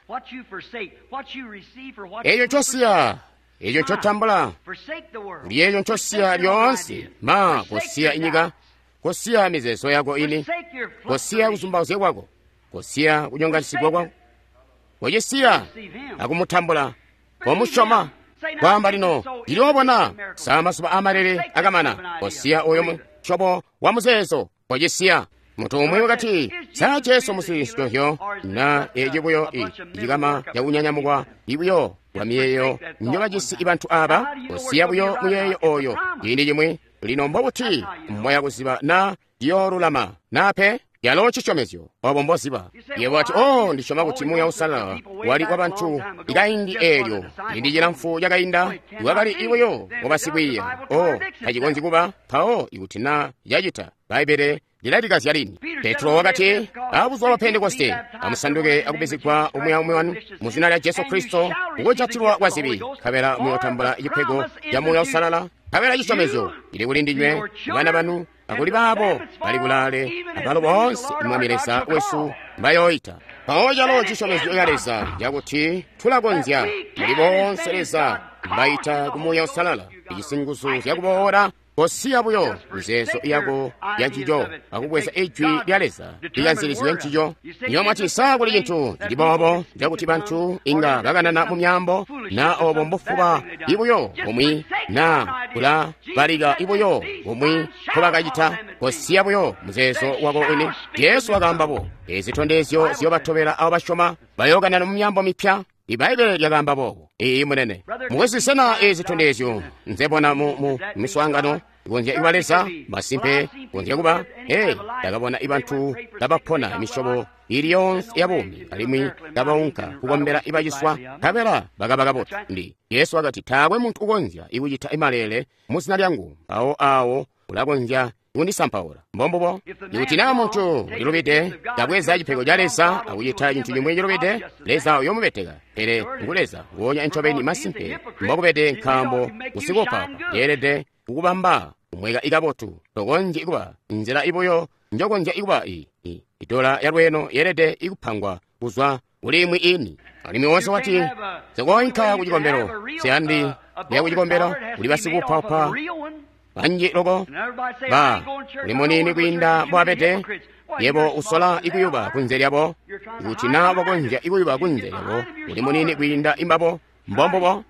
Eeco ncosiya, eeco ncotambula, lyeeco ncosiya lyoonse. Ma kosiya inyika, kosiya mizeezo yako ini, kosiya kuzumbauzya kwako, kosiya kunyonganisigwa kwako, kocisiya akumutambula, komusyoma. Kwaamba lino ndiliobona sa masuba amalele akamana. Kosiya oyo musyobo wa muzeezo, kocisiya. Muntu umwi wakati, sa Jesu musinsyohyo na eci buyo icikama cakunyanyamukwa ibuyo bwa miyeeyo njobajisi ibantu aba. Kosiya buyo muyeeyo oyo ciindi cimwi. Lino mbobuti mwaya kuziba na ciyoolulama na pe? Yalo cisyomezyo obo mboziba. Yebo ati, oh, ndisyoma kuti Muuya Uusalala wali kwa bantu ikaindi eelyo ciindi cilamfu cakainda iwakali ibuyo wabasikwiiya. Oh, tacikonzyi kuba mpawo ikuti na yacita. Bbaibbele lilalikazya lini. Petro wakati, abuzuba bwa Pentekoste amusanduke akubizigwa umwi aumwi wanu mu zina lya Jesu Kristo kukujatilwa kwa zibi, nkabela muyootambula cipego ca Muuya Uusalala. Nkabela cisyomezyo cili kuli ndinywe, bana banu, akuli baabo bali kulaale, abalo boonse Mwami Leza wesu mbayooita. Mpawo calo cisyomezyo ca Leza cakuti tulakonzya muli boonse Leza mbaita ku Muuya Uusalala, ijisi nguzu zyakuboola. Kosiya buyo mizeezo yako ya ncico akubweza ijwi lya Leza likanzilizwe ncico. Niyo mwati sa kuli cintu cili boobo cakuti bantu inga bakanana mu myaambo, na obo mbufuba ibuyo bumwi, na kulabalika ibuyo bumwi nkobakacita. Kosiya buyo muzeezo wako wini. Jesu wakaamba bo, ezi zitondezyo ziyobatobela abo basyoma, bayookanana mu myaambo mipya. Ibaibbele lyakaamba boobo. Iyi munene. Mukwesu, sena ezi zitondezyo nzebona mu, mu miswaangano ikonzya ikuba Leza? Masimpe konzya kuba. Ee, ndakabona ibantu kabapona misyobo ili yoonse ya buumi, alimwi kabaunka kukombela ibaciswa, nkabela bakaba kabotu. Ndi Jesu wakati, taakwe muntu ukonzya ikucita imalele mu zina lyangu, mpawo awo ulakonzya kundisampaula. Mbombubo. Ikuti naa muntu ulilubide, kabweza cipego ca Leza akucita cintu cimwi cilubide, Leza uyoomubeteka. Pele ngu Leza nguonya ncobeni masimpe mbokubede, nkaambo kusikuupapa yeelede kukubamba kumweka ikabotu. Tokonzyi kuba nzila ibuyo njokonzya ikuba i idola yalweeno yeelede ikupangwa kuzwa kuli imwi ini. Alimwi wonse wati, sikoinka kucikombelo, siyandi kuya kucikombelo, kuli basikuupaupa banji loko ba uli munini kwiinda mbwabede. Yebo usola ikuyuba kunze lyabo. Ikuti na wakonzya ikuyuba kunze lyabo, uli munini kwiinda imbabo. Mbombubo.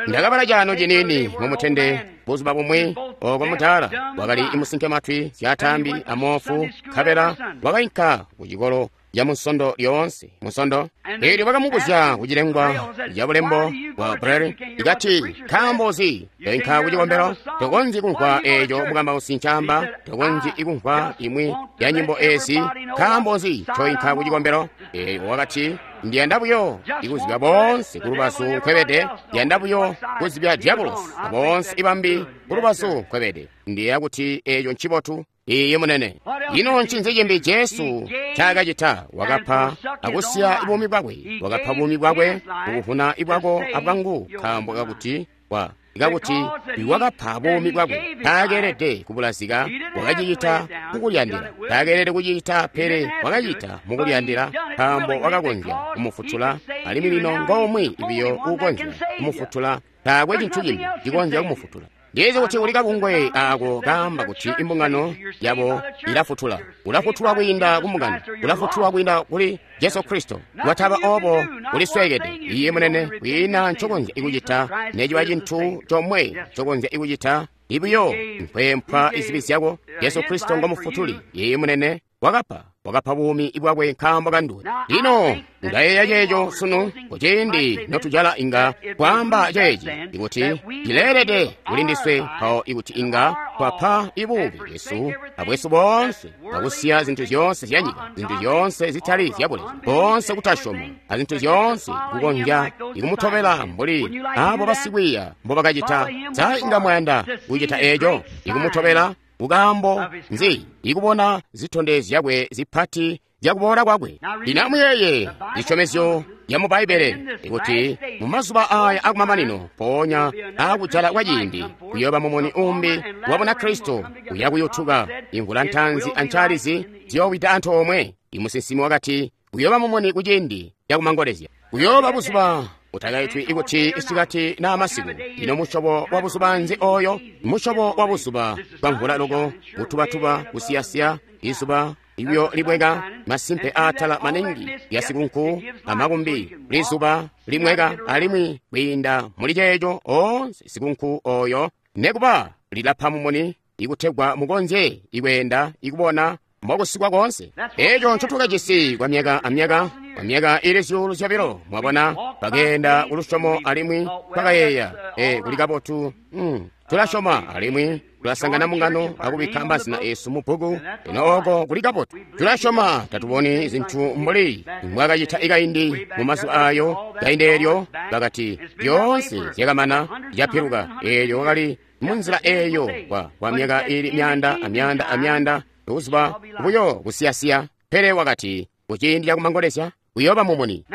Ndakabala caano ciniini mumutende buzuba bumwi oko mutaala wakali imusinke matwi zyaatambi amoofu nkabela wakainka kucikolo ya munsondo lyoonse munsondo. Eelyo bakamubuzya kucilengwa ca bulembo bwa Braille ikati, nkaambo nzi toinka kucikombelo? Tokonzyi kumvwa eeco mukambausi ncaamba, tokonzyi kumvwa imwi ya nyimbo eezi, nkaambo nzi toinka kucikombelo? Eelyo wakati, ndiyanda buyo ikuzibya boonse kulubazu nkwebede, ndiyanda buyo kuzibya diabulosi aboonse ibambi kulubazu nkwebede. Ndiyeeya kuti eeco ncibotu. Iye munene. Ino ncinzi cimbi Jesu ncaakacita? Wakapa akusiya buumi bwakwe. Wakapa buumi bwakwe kukuvuna ibwako abwangu, nkaambo kakuti wa kakuti wakapa buumi bwakwe. Taakeelede kubulazika, wakacicita mukuliyandila. Taakeelede kucicita, pele wakacita mukuliyandila, nkaambo wakakonzya kumufutula, alimwi lino ngomwe biyo uukonzya kumufutula. Taakwe cintu cimbi cikonzya kumufutula. Ndizi kuti uli kabungwe ako kaamba kuti imbungano yabo ilafutula. Ulafutulwa kwiinda kumbungano, ulafutulwa kwiinda kuli Jesu Kristo. Wataba obo ulisweekede. Iye munene, kwiina ncokonzya ikucita, neciba cintu comwe ncokonzya ikucita, ibiyo nkwempwa izibi zyako. Jesu Kristo ngomufutuli. Iye munene, wakapa wakapa buumi bwakwe nkaambo kanduwe. Lino ndayeeya ceeco sunu kuciindi notujala inga kwaamba ceeci ikuti cileelede kulindiswe mpawo ikuti inga twapa ibuumi bwesu abwesu boonse akusiya zintu zyoonse zyanyika, zintu zyoonse zitali zyabuleza, boonse kutasyoma azintu zyoonse kukonzya ikumutobela mbuli abo basikwiiya mbobakacita. Sa inga mwayanda kucita eeco, ikumutobela? Ukaambo nzi ikubona zitondezyo zyakwe zipati zyakuboola kwakwe. Lino amuyeeye zisyomezyo zya mu Bbaibbele ikuti mumazuba aya akumamanino, mpoonya aakujala kwa ciindi, kuyooba mumuni umbi wabona Kristo uyakuyutuka. Imvula ntaanzi ancaalizi ziyoowida antoomwe. Imusinsimi wakati kuyooba mumuni kuciindi cakumangolezya. Kuyooba buzuba utakaitwi ikuti isikati naa masiku. Ino musyobo wa buzuba nzi oyo? Musyobo wa buzuba bwa mvula loko, butubatuba, kusiyasiya, izuba ibyo libweka, masimpe aatala maningi ya sikunku amakumbi, lizuba limweka, alimwi kwiinda muli ceeco oonse sikunku oyo nekuba lilapa mumuni ikutegwa mukonzye ikweenda ikubona mbokusikwa koonse. Eeco ncotukajisi kwa myaka amyaka, kwa myaka ili zyuulu zyobilo. Mwabona, twakeenda kulusyomo alimwi twakayeeya, e kuli kabotu, mm, tulasyoma alimwi tulasangana mungano akubikka mazina esu mu bbuku. Ino oko kuli kabotu. Tulasyoma, tatuboni zintu mbuli mbwakacita ikaindi mu mazuba ayo. Kaindi eelyo bakati zyoonse zyakamana, zyapiluka. Eelyo wakali munzila eeyo kwa, kwa myaka ili myanda amyanda amyanda, buzuba buyo kusiyasiya. Pele wakati kuciindi cakumangolezya kuyooba mumuni.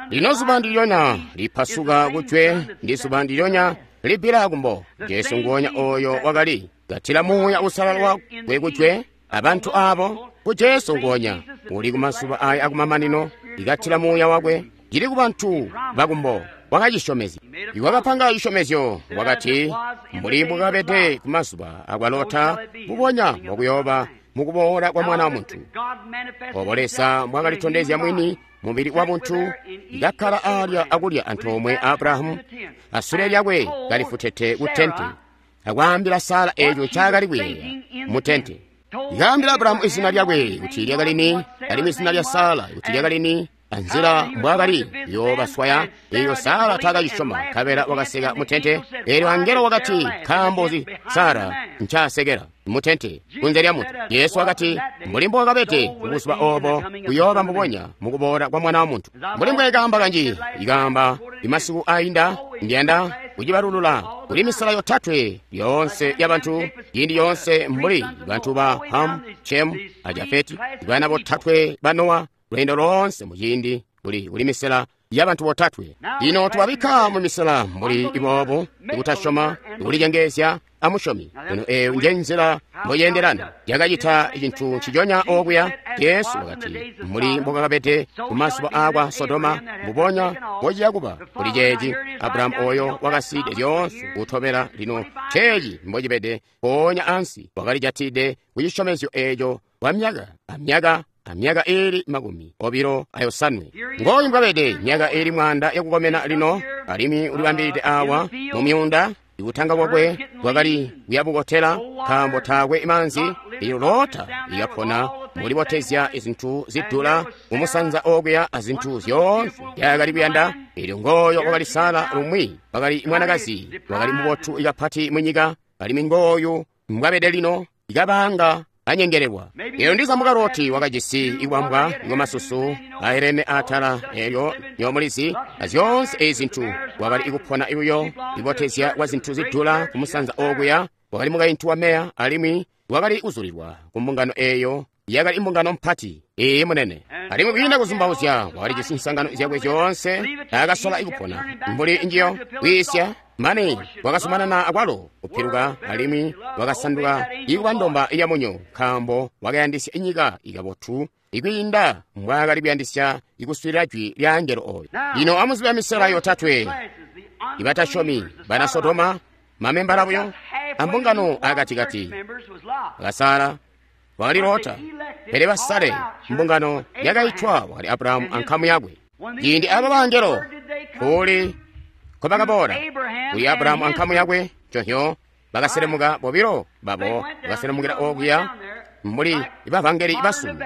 Lino zuba ndilyonya lipasuka kujwe ndi zuba ndilyonya libbila kumbo. Jesu nguonya oyo wakali katila Muuya Uusalala wakwe kujwe abantu abo ku Jesu nguonya uli kumazuba aya akumamanino likatila Muuya wakwe cili kubantu bakumbo. Wakacisyomezya, iwakapanga cisyomezyo, wakati mbuli mbukabede kumazuba akwa Lota, mbubonya mbokuyooba mukuboola kwa Mwana wa Muntu. Obo Leza mbwakalitondezya mwini mubili wa muntu, kakkala alya akulya antoomwe Abrahamu, asule lyakwe kalifutete ku tente, akwaambila Sara eeco ncaakali kuyeeya mu tente. Ikaambila Abrahamu izina lyakwe kuti lyakali ni, alimwi izina lya Sara kuti lyakali ni, anzila mbwaakali yoobaswaya. Eeyo Sara taakacisyoma, nkabela wakaseka mu tente. Eelyo angelo wakati, nkaambo nzi Sara ncaasekela mu tente kunze lya muntu? Yesu wakati, mbuli mbokabede kubuzuba obo kuyooba mbubonya mukuboola kwa Mwana wa Muntu. Mbuli mbwekaamba kanji ikaamba imasiku ainda, ndiyanda kucibalulula kuli misala yotatwe yoonse yabantu ciindi yoonse, mbuli bantu ba Ham, Shem a Jafeti, bana botatwe ba Nowa, lweendo loonse muciindi kuli kuli misela yabantu botatwe. Lino tubabikka mu misela mbuli iboobu, ikutasyoma, ikulicengeezya amusyomi. Lino eeyo nje nzila mboyendelana. Yakacita cintu nciconya okuya. Jesu wakati mbuli mbokakabede kumazuba aakwa Sodoma, mbubonya mbociya kuba kuli ceeci. Abrahamu oyo wakasiide zyoonse kutobela. Lino ceeci mbocibede, mpoonya ansi wakalijatide kucisyomezyo eeco kwa myaka amyaka amyaka iili makumi obilo ayosanwe. Ngooyu mbwabede, myaka iili mwaanda yakukomena lino, alimwi ulibambilide awa mu myuunda. Ibutanga bwakwe bwakali kuyabukotela nkaambo taakwe maanzi. Elyo Lota ikapona mulibotezya izintu zidula kumusanza okuya azintu zyoonse zyakali kuyanda. Elyo ngooyo wakali Sara lumwi, wakali mwanakazi wakali mubotu ikapati munyika, alimwi ngooyu mbwabede lino, ikabanga anyengelelwa. Elyo ndiza muka Loti wakajisi ikwambwa ikwamasusu aelene atala, elyo nyomulizi azyoonse ezi zintu, wakali ikupona ibuyo ibotezya kwa zintu zidula kumusanza okuya. Wakali mukaintu wa meya, alimwi wakali kuzulilwa ku mbungano eyo yakali imbungano mpati iyi munene, alimwi kwiinda kuzumbauzya wakali jisi nsangano zyakwe zyoonse. Akasola ikupona mbuli njiyo kwiisya mane wakazumanana akwalo kupiluka, alimwi wakasanduka ikuba ndomba yamunyo, nkaambo wakayandisya inyika ikabotu ikwiinda mbwaakali kuyandisya ikuswiilila jwi lya angelo oyo. Lino amuzibe misela yotatwe ibatasyomi, bana Sodoma, mamembala buyo ambungano akatikati akasala wakali Lota, pele basale mbungano yakaitwa wakali Abrahamu ankamu yakwe. Ciindi aba bangelo kuli nkobakaboola kuli Abrahamu ankamu yakwe, conhyo bakaselemuka bobilo babo bakaselemukila okuya mbuli ibavangeli basunu.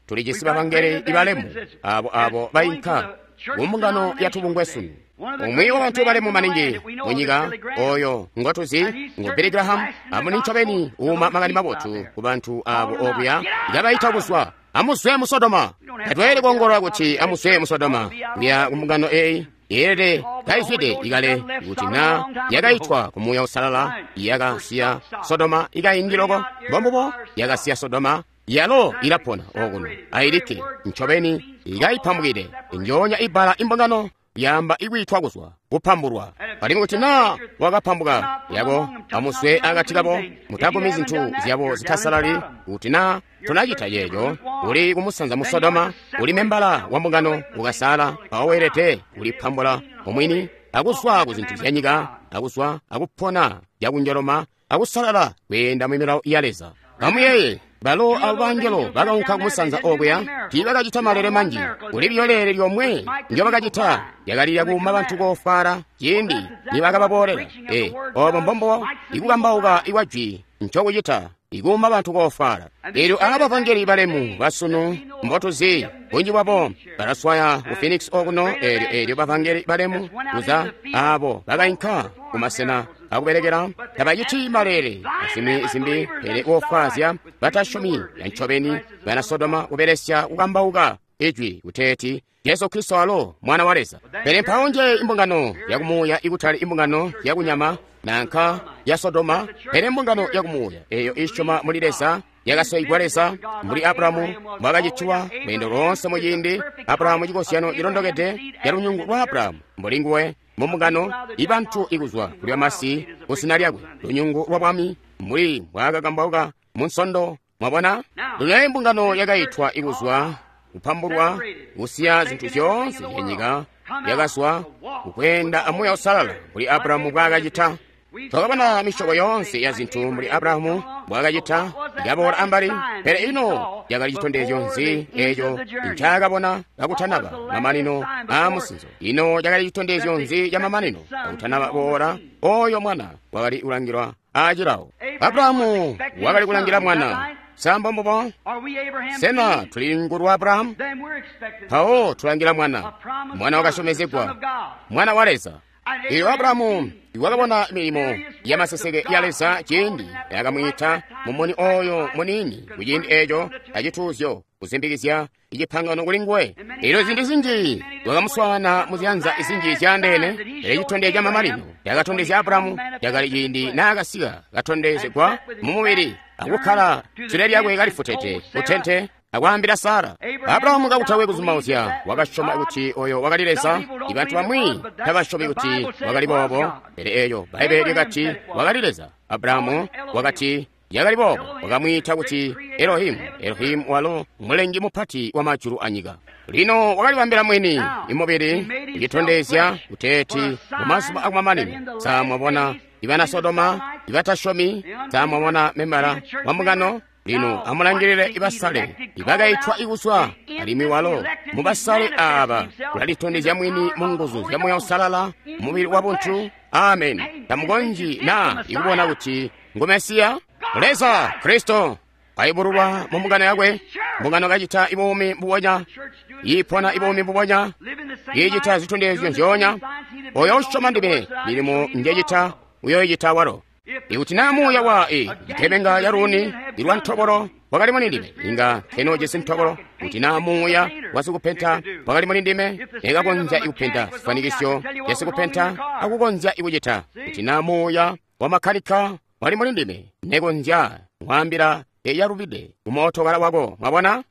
Tulijisi bavangeli ibalemu abo abo bainka kumbungano yatubungwe sunu. Umwi wa bantu balemu maningi munyika oyo ngotuzi ngu Billy Graham, amuni ncobeni uuma makani mabotu ku bantu abo okuya ikabaita kuzwa amuzwe mu Sodoma. Tatweelede kuongolola kuti amuzwe mu Sodoma kuya kumbungano eyi yeelede kaizwide ikale kuti na yakaitwa ku Muuya Uusalala yakasiya Sodoma ikaindi loko. Mbombubo yakasiya Sodoma yalo ilapona okuno ailikke ncobeni ikaipambukile njoonya ibbala imbungano yamba ikwitwa kuzwa kupambulwa. Alimwi kuti na wakapambuka yabo amuzwe akati kabo, mutagumi zintu zyabo zitasalali. Kuti na tunacita yeeyo, uli kumusanza mu Sodoma, uli membala wa mbungano ukasala, mpawo weelede kulipambula omwini akuzwa ku zintu zya nyika, akuzwa akupona zyakunjoloma akusalala kweenda mu milawo ya Leza. Amuyeeye, balo abo bangelo bakaunka kumusanza okuya tiibakacita malele manji. Kuli biyo leele lyomwe ndyobakacita lyakali lyakuuma bantu koofwaala ciindi nibakababoolela. E, obo mbombo ikukambauka ikwa jwi ncokucita, ikuuma bantu koofwaala. Elyo aba bavangeli balemu basunu mbotuzi bunji bwabo balaswaya ku Phoenix okuno. Elyo elyo bavangeli balemu kuza abo bakainka kumasena akubelekela tabaciti malele azimwi zimbi, pele koofwaazya batasyomi yancobeni bana Sodoma kubelesya kukambauka ijwi kuteeti Jesu Kristo alo Mwana wa Leza. Pele mpawo nje imbungano yakumuuya ikutali imbungano yakunyama nanka ya Sodoma, pele mbungano yakumuuya eyo isyoma muli Leza, yakasoigwa Leza mbuli Abrahamu mbwakacitiwa lweendo loonse muciindi. Abrahamu cikozyano cilondokede ca lunyungu lwa Abrahamu mbuli nguwe mumbungano ibantu ikuzwa kuli bamasi kuzina lyakwe, lunyungu lwa bwami mbuli mbwaakakambauka mu Nsondo. Mwabona, lino imbungano yakaitwa ikuzwa kupambulwa kusiya zintu zyoonse zyanyika, yakazwa kukweenda amuuya usalala mbuli Abrahamu mbwaakacita. Twakabona misyobo yoonse ya zintu mbuli Abrahamu mbwaakacita ikaboola ambali, pele ino yakali citondezyo nzi eco ncaakabona kakutanaba mamanino aamusinzo? Ino cakali citondezyo nzi ca mamanino kakutanaba boola oyo mwana wakali kulangilwa aacilawo? Abrahamu wakali kulangila mwana. Sa mbombubo? Sena tuli lunyungu lwa Abrahamu? Mpawo tulangila mwana, mwana wakasyomezegwa, mwana wa Leza. Elyo Abrahamu wakabona milimo ya maseseke ya Leza ciindi yakamwiita mumuni oyo muniini kuciindi eco acituuzyo kuzimbikizya icipangano kuli nguwe. Elyo ziindi zinji wakamuswaana muzyanza zinji zyaandeene, pele citondezyo ca mamanino cakatondezya Abrahamu cakali ciindi naakasika katondezegwa mu mubili akukkala sule lyakwe kalifutete kutente akwaambila Sara. Abrahamu kakutakwe kuzumauzya wakasyoma kuti oyo wakali Leza. Ibantu bamwi tabasyomi kuti wakali boobo, pele eyo Bbaibbele lyakati wakali Leza. Abrahamu wakati yakali boobo, wakamwiita kuti Elohimu. Elohimu walo mulengi mupati wa majulu anyika. Lino wakalibambila mwini imubili kucitondezya kuteeti mumazuba akumamanino. Sa mwabona ibana Sodoma ibatasyomi? Sa mwabona membala wa mbungano Lino amulangilile ibasale ibakaitwa ikuzwa, alimwi walo mubasale aaba ulalitondezya mwini mu nguzu zya Muuya Uusalala, mubili wa buntu. Amen. Tamukonzyi na ikubona kuti ngu Mesiya? Leza Kristo kaibululwa mu mbungano yakwe, mbungano kacita ibuumi mbubonya, iipona ibuumi mbubonya, iicita zitondezyo nzyoonya. Oyo usyoma ndime, milimo njecita uyoicita walo. Ikuti naa muuya wa e itebenga ya luuni ilwa ntobolo wakali muli ndime, inga nkenoojisi ntobolo. Kuti naa muuya wa sikupenta wakali muli ndime, nekakonzya ikupenta zifanikisyo zya sikupenta akukonzya ikucita. Kuti naa muuya wa makkanika wali muli ndime, nekonzya kwaambila eyalubide kumootokala wako. Mwabona?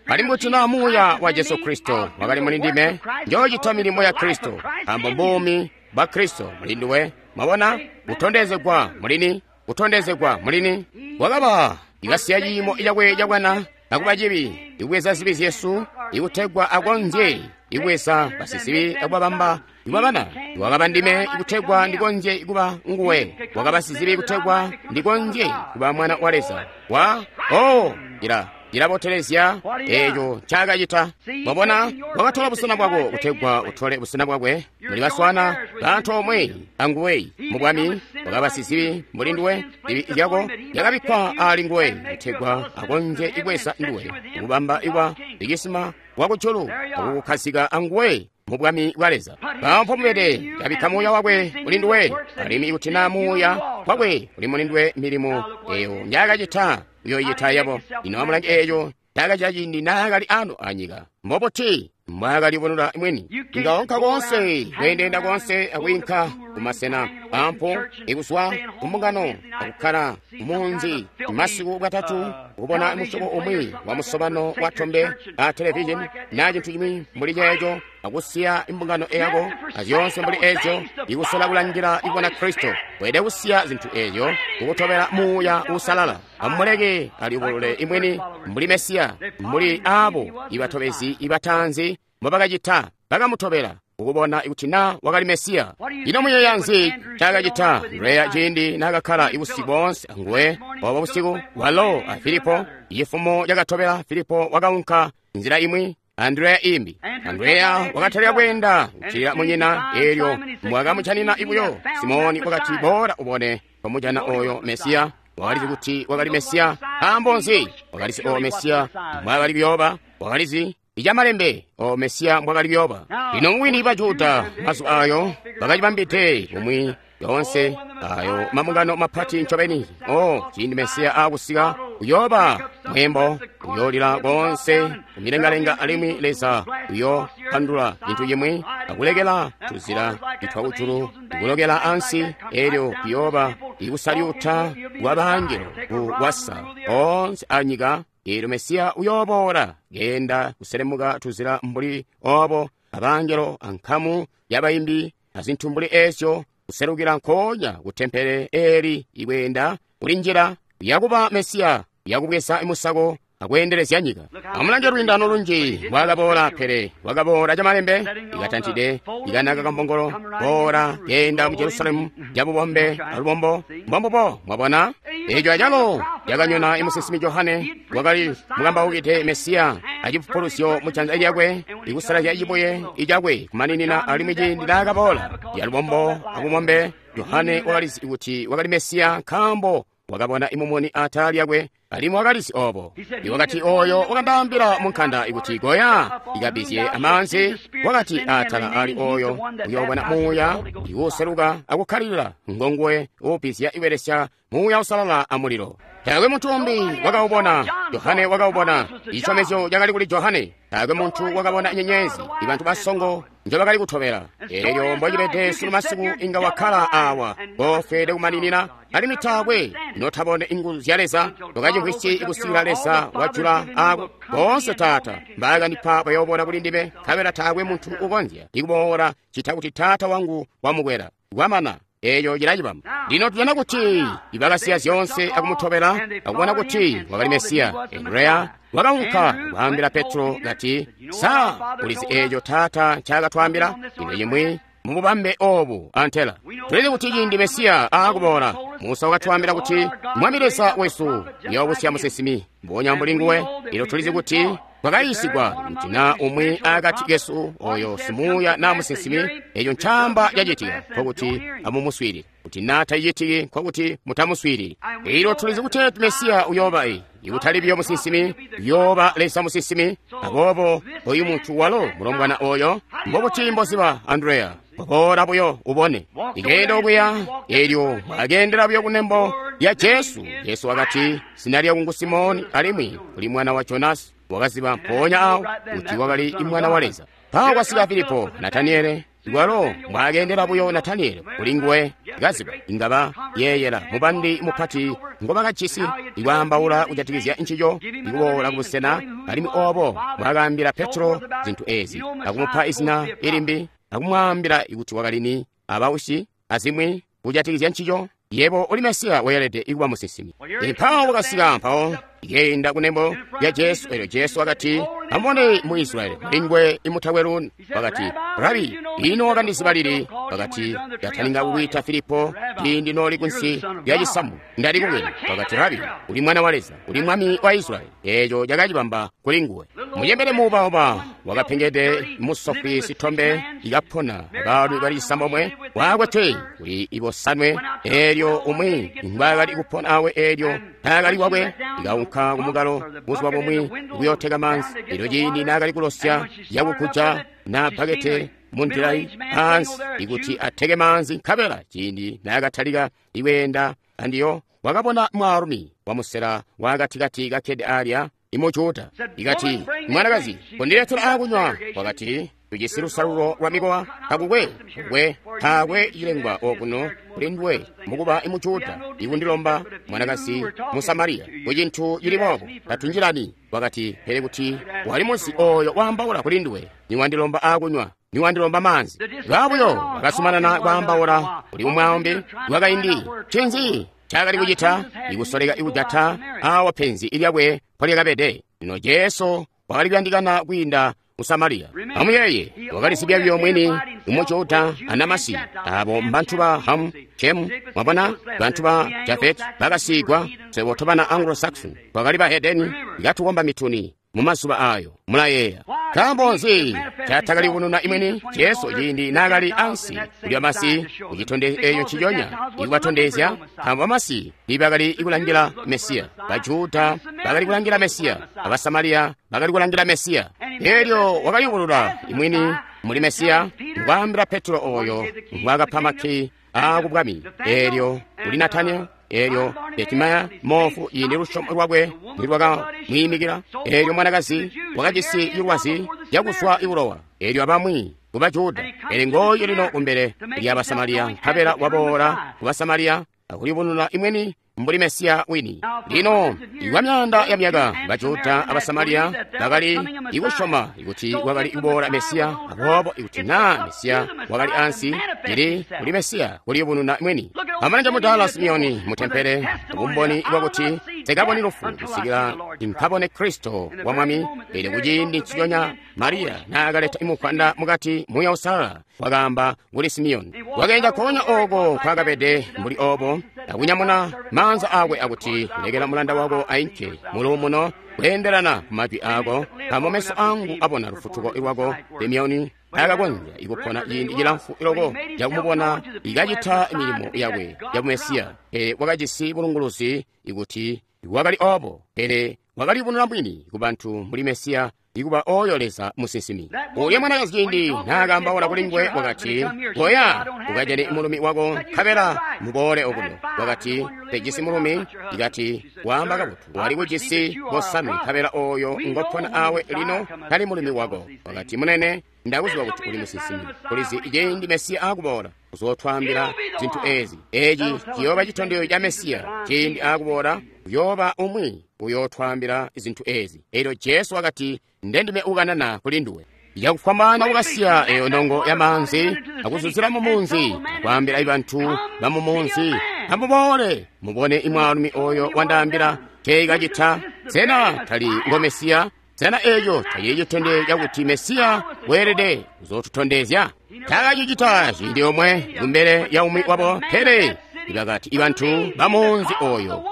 Alimwi kuti naa muuya wa Jesu Kristo wakali muli ndime, njoocita milimo ya Kristo, nkaambo mbuumi bwa Kristo muli nduwe. Mwabona? Kutondezegwa mulini, kutondezegwa mulini. Wakaba ikasiya ciimo cakwe cabwana akuba cibi, ikubweza zibi zyesu, ikutegwa akonzye ikubweza basizibi akubabamba ikubabana. Wakaba ndime ikutegwa ndikonzye kuba nguwe. Wakaba sizibi ikutegwa ndikonzye kuba mwana wa Leza. Wa oh ila ilabotelezya eeco ncaakacita. Mwabona, wakatola busena bwako kutegwa utole busena bwakwe. Muli baswana bantu omwe anguwe mu bwami. Wakaba sizibi mbuli nduwe, zibi zyako zyakabikkwa ali nguwe kutegwa akonzye ibweza nduwe, kubamba ikwa ikisima wakujulu akukukhazika anguwe mu bwami bwa Leza. Pampo mubede kabikka muuya wakwe muli nduwe, alimwi ikuti naa muuya wakwe uli muli nduwe, milimo eyo njaakacita uyoicita yabo. Ino amulange eeco ncaakacita ciindi naakali ano anyika. Mbobuti mbwaakalibonera mwini? Inga onka koonse, kweendeenda koonse akwiinka kumasena pampo ikuzwa kumbungano akukkala kumunzi masiku bwatatu, kubona musyobo umwi wa musobano wa tombe a televizheni naa cintu cimwi mbuli ceeco, akusiya imbungano eyako azyoonse mbuli eeco, ikusola kulangila ikubona Kristo. Weelede kusiya zintu eezyo kukutobela Muuya Uusalala. Amuleke alibulule imwini mbuli Mesiya, mbuli aabo ibatobezi ibatanzi mbobakacita, bakamutobela ukubona kuti naa wakali Mesiya. Ino muyeeya nzi ncaakacita Andreya ciindi naakakkala ibusiku boonse anguwe? Obo busiku walo a Filipo, cifumo cakatobela Filipo wakaunka nzila imwi, Andreya imbi. Andreya wakatalika kweenda kuccilila munyina, eelyo mbwakamujanina ibuyo Simoni wakati, "Boola ubone twamujana oyo Mesiya." Wakalizi kuti wakali Mesiya. Nkaambo nzi? Wakalizi oyo Mesiya mbwaakali kuyooba. Wakalizi icamalembe o Mesiya mbwakali kuyooba. Lino mubwini ba Juda mazuba ayo bakacibambide bumwi yoonse ayo mabungano mapati ncobeni. O ciindi Mesiya aakusika uyooba mwembo, uyoolila koonse kumilengalenga, alimwi Leza uyoopandula cintu cimwi akulekela tuzila itwa kujulu ikulokela ansi, eelyo kuyooba ikusalyuta kwa bangelo kuwasa oonse anyika. Eelyo Mesiya uyooboola keenda kuselemuka tuzila mbuli obo, abangelo ankamu yabayimbi azintu mbuli eezyo, kuselukila nkoonya ku tempele eeli ikweenda kuli njira yakuba Mesiya, yakubweza musako akweendelezya nyika. Amulange lwiindano lunji mbwaakaboola, pele wakaboola camalembe ikatantide ikanaka kambongolo, boola keenda mu Jerusalemu cabubombe alubombo. Mbombubo, mwabona eeco acalo cakanyona imusinsimi Johane wakali mukambaukide Mesiya acipupulusyo mujanza lyakwe, ikusalazya cibuye icakwe kumaninina. Alimwi ciindi naakaboola calubombo abubombe, Johane wakalizi kuti wakali Mesiya, nkaambo wakabona imumuni atala lyakwe, alimwi wakalizi obo. Iwakati, oyo wakandaambila munkanda ikuti goya ikabizye amaanzi, wakati atala ali oyo uyoobona muuya iwuseluka akukkalilila, ngonguwe uubizya ibelesya Muuya Uusalala amulilo. Taakwe muntu umbi wakaubona. Johane wakaubona. Ichisyomezyo cakali kuli Johane. Taakwe muntu wakabona nyenyezi, ibantu basongo njobakali kutobela. Eelyo mbocibede sunu masiku, inga wakkala awa kofeede kumaninina, alimwi taakwe notabone inguzu zya Leza, tokacimvwisyi ikusikila Leza wajula ako. Boonse Taata mbaakandipa bayoobona kuli ndime, nkabela taakwe muntu ukonzya ikuboola cita kuti Taata wangu wamukwela. Kwamana. Eeyo cilacibamba. Lino tujana kuti ibakasiya zyoonse akumutobela akubona kuti wakali Mesiya. Andreya wakaunka kwaambila Petro kati, "Sa ulizi eeco Taata ncaakatwaambila?" Ino cimwi mububambe obu antela tulizi kuti ciindi Mesiya aakuboola, Musa wakatwaambila kuti Mwami Leza wesu uyoobusya musinsimi mbubonya mbuli nguwe. Ilo tulizi kuti twakayiisigwa kuti naa umwi akati kesu oyo simuuya naa musinsimi, eco ncaamba cacitika, nkokuti amumuswiilile. Kuti naa tacicitiki, nkokuti mutamuswiilili. Ilo tulizi kuti Mesiya uyooba i ikutali biyo musinsimi, uyooba Leza musinsimi. Aboobo oyu muntu walo mulombwana oyo, mbobuti mboziba, Andreya? Boola buyo ubone. Ikeenda okuya, elyo akeendela buyo kunembo lya Jesu. Jesu wakati, zina lyangu ngu Simoni, alimwi uli mwana wa Jonasi. Wakaziba mpoonya awo kuti wakali mwana wa Leza. Mpawo kwasika Filipo, Nataniele, walo mbwaakendela buyo Nataniele kuli nguwe, kaziba ingaba yeeyela mubandi mupati ngobakajisi ikwaambaula kujatikizya ncico, ikuboola kubusena, alimwi obo mbwaakaambila Petro zintu ezi, akumupa izina ilimbi, akumwaambila kuti wakali ni abausi azimwi kujatikizya ncico. Yebo uli Mesiya weelede ikuba musinsimi. Mpawo wakasika mpawo ikeenda kunembo lya Jesu. Elyo Jesu wakati, amubone mu Israeli mulingwe imutakwe luuni. Wakati, Rabi, ino wakandiziba lili? Wakati, ndataninga kukwiita Filipo ciindi nooli kunsi lya cisamu ndali kubwene. Wakati, Rabi, uli mwana wa Leza, uli mwami wa Israeli. Eeco cakacibamba kuli nguwe. Mucembele muubauba wakapengede musofwi sitombe ikapona abaalumi bali cisambomwe wakwetwe kuli ibosanwe. Eelyo umwi ngwaakali kupona awe eelyo taakali wakwe, ikaunka kumukalo buzuba bumwi kuyoteka maanzi. Elyo ciindi naakali kulosya yakukuja na bakete mundilayi pansi ikuti ateke maanzi, nkabela ciindi naakatalika ikweenda andiyo wakabona mwaalumi wamusela waakatikati kakkede alya imujuda. Ikati, mwanakazi, kondiletela akunywa. Wakati, tujisi lusalulo lwa mikowa, takukwe kukwe taakwe cilengwa okuno kuli nduwe mukuba imujuda ikundilomba mwanakazi Musamariya ku cintu cili boobo, tatunjilani. Wakati, pele kuti wali muzi oyo waambaula kuli nduwe, niwandilomba akunywa, niwandilomba maanzi. Babuyo bakasumanana kwaambaula kuli umwaombe wakaindi. Ncinzi cakali kucita? Ikusoleka ikujata awa penzi ilyakwe mpolyakabede. Lino Jesu wakali kuyandikana kwiinda mu Samariya. Amuyeeye, wakalizibya buyo mwini umujuda anamasi abo mbantu ba Hamu, Shemu, mwabona, bantu ba Jafet bakasigwa. Swebo tobana Anglo-Saxon twakali bahedeni ikatukomba mituni mumazuba ayo. Mulayeeya nkaambo nzi catakaliyubununa imwini Jesu ciindi naakali ansi kulya masi kucitondezyo eeyo nciconya ikubatondezya? Nkaambo bamasi tiibakali kulangila Mesiya, Bajuda bakali kulangila Mesiya, Abasamariya bakali kulangila Mesiya. Eelyo wakayubulula imwini muli Mesiya, ngwaambila Petro oyo ngwaakapa makki aakubwami. Eelyo kuli Nataniel, eelyo Betimaya moofu ciindi lusyomo lwakwe nilwakamwiimikila, eelyo mwanakazi wakajisi cilwazi cakuzwa ibulowa, eelyo abamwi ku Bajuda. Pele ngooyo lino kumbele lya Basamariya, nkabela waboola ku Basamariya akuliyubununa imweni mbuli Mesiya wini. Lino ikwa myaanda ya myaka Bajuda Abasamariya bakali ikusyoma ikuti wakali kuboola Mesiya. Aboobo ikuti naa Mesiya wakali ansi, cili kuli Mesiya kuliyubununa mwini. Amalanja mudaala Simeoni mutempele, bumboni bwakuti nsikaboni lufu kusikila nkabone Kristo wa Mwami. Pele kuciindi nciconya Mariya naakaleta imukwanda mukati, Muuya Uusalala wakaamba kuli Simeoni. Wakeenda konya oko kwakabede mbuli obo, akunyamuna maanza akwe akuti, lekela mulanda wako ainke muluumuno kweendelana ku majwi ako, nkaambo meso angu abona lufutuko lwako. Simeoni akakonzya ikupona ciindi cilamfu iloko cakumubona ikacita milimo yakwe ya Mesiya. Pele wakajisi bulunguluzi ikuti wakali obo, pele wakaliyubununa mwini ku bantu mbuli Mesiya, ikuba oyo Leza musinsimi. Ulya mwanakazi ciindi naakaambaula kuli nguwe wakati, koya ukajane mulumi wako nkabela muboole okuno. Wakati, tejisi mulumi. Ikati, waamba kabotu, wali kujisi bosanwe nkabela oyo ngopona awe lino tali mulumi wako. Wakati, munene, ndakuziba kuti uli musinsimi. Ulizi ciindi Mesiya akuboola uzootwaambila zintu ezi. Eci ciyooba citondezyo ca Mesiya. Ciindi akuboola uyooba umwi uyootwaambila zintu ezi. Elyo Jesu wakati, ndendime ukanana kuli nduwe. Yakufwambaana kukasiya eyo nongo ya maanzi akuzuzila mu munzi, akwaambila ibantu ba mu munzi, amuboole mubone imwaalumi oyo wandaambila ceikacita. Sena tali ngo Mesiya? Sena eco tacili citondezyo cakuti Mesiya weelede kuzootutondezya? Taakacicita ciindi omwe kumbele ya umwi wabo, pele Bakati ibantu bamunzi oyo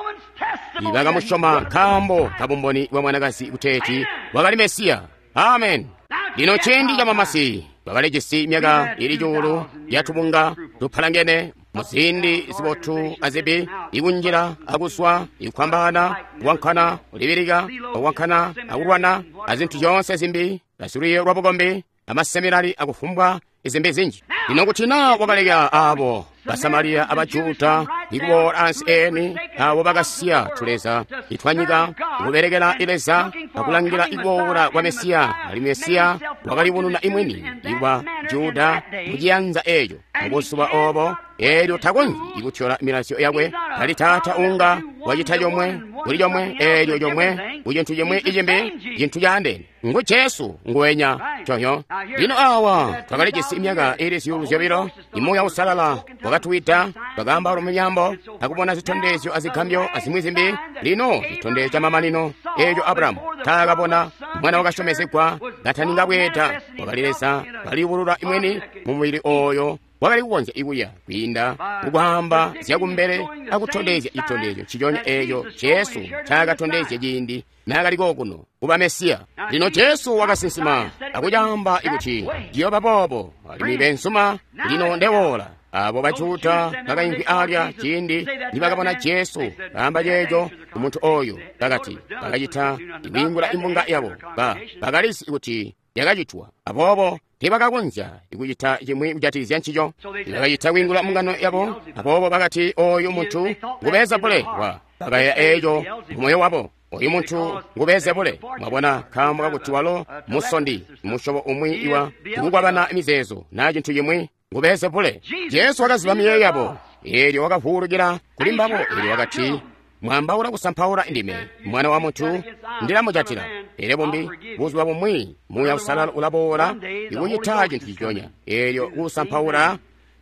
ibakamusyoma nkaambo kabumboni bwa mwanakazi kuteeti wakali Mesiya. Amen. Lino ciindi ca mamasi bakalijisi myaka ili cuulu yatubunga tupalangene muziindi zibotu azibi, ikunjila akuswa, ikwambana, kuwankana, kulibilika, akuwankana, akulwana, azintu zyoonse zimbi, basilwiiyo lwa bukombi, amaseminari akufumbwa izimbi zinji. Lino kuti naa wakaleka abo Basamariya abajuda ikuboola ansi eni abo bakasiya tuleza itwanyika kubelekela ileza akulangila ikuboola kwa Mesiya, alimwi Mesiya wakalibununa imwini ikwa Juda muciyanza eco mubuzuba obo, eelyo takonzyi ikutyola milazyo yakwe. Tali taata unga wacita comwe kuli comwe eelyo comwe ku cintu cimwi icimbi cintu caandeene. Ngu Jesu nguwenya coyo. Lino awa twakalijisi myaka ili zyuulu zyobilo, imuuya usalala wakatuwida, twakaamba mumyambo akubona zitondezyo azigambyo azimwi zimbi. Lino chitondezyo cha mamanino eco Abrahamu taakabona mwana wakasyomezegwa kataninga bweeda, wakali Leza kaliyubulula imweni mu mubili oyo wakali kukonzya ikuya kwiinda kukwaamba zyakumbele akutondezya chitondezyo nciconya eco Jesu ncaakatondezya ciindi naakali kokuno kuba Mesiya. Lino Jesu wakasinsima akucaamba ikuti ciyooba boobo, alimwi bensuma lino ndewoola. Abo Bajuda bakaimvwi alya ciindi nibakabona Jesu kaamba ceeco kumuntu oyo, bakati bakacita ikwiingula imbunga yabo, ba bakalizi kuti yakacitwa, aboobo teebakakonzya ikucita cimwi kujatikizya ncico. Bakacita kwiingula mbungano yabo, aboobo bakati oyu muntu ngu Beelzebule. Wa bakayeeya eeco mumoyo wabo, oyu muntu ngu Beelzebule. Mwabona, nkaambo kakuti walo musondi, musyobo umwi iwa ikukwabana mizeezo naa cintu cimwi, ngu Beelzebule. Jesu wakaziba miyeeyo yabo, eelyo wakavuulukila kuli mbabo, eelyo wakati, mwambaula kusampaula ndime mwana wa muntu ndilamujatila. Pele bumbi buzuba bumwi Muuya Usalala ulaboola ikucita cintu ciconya, eelyo kusampaula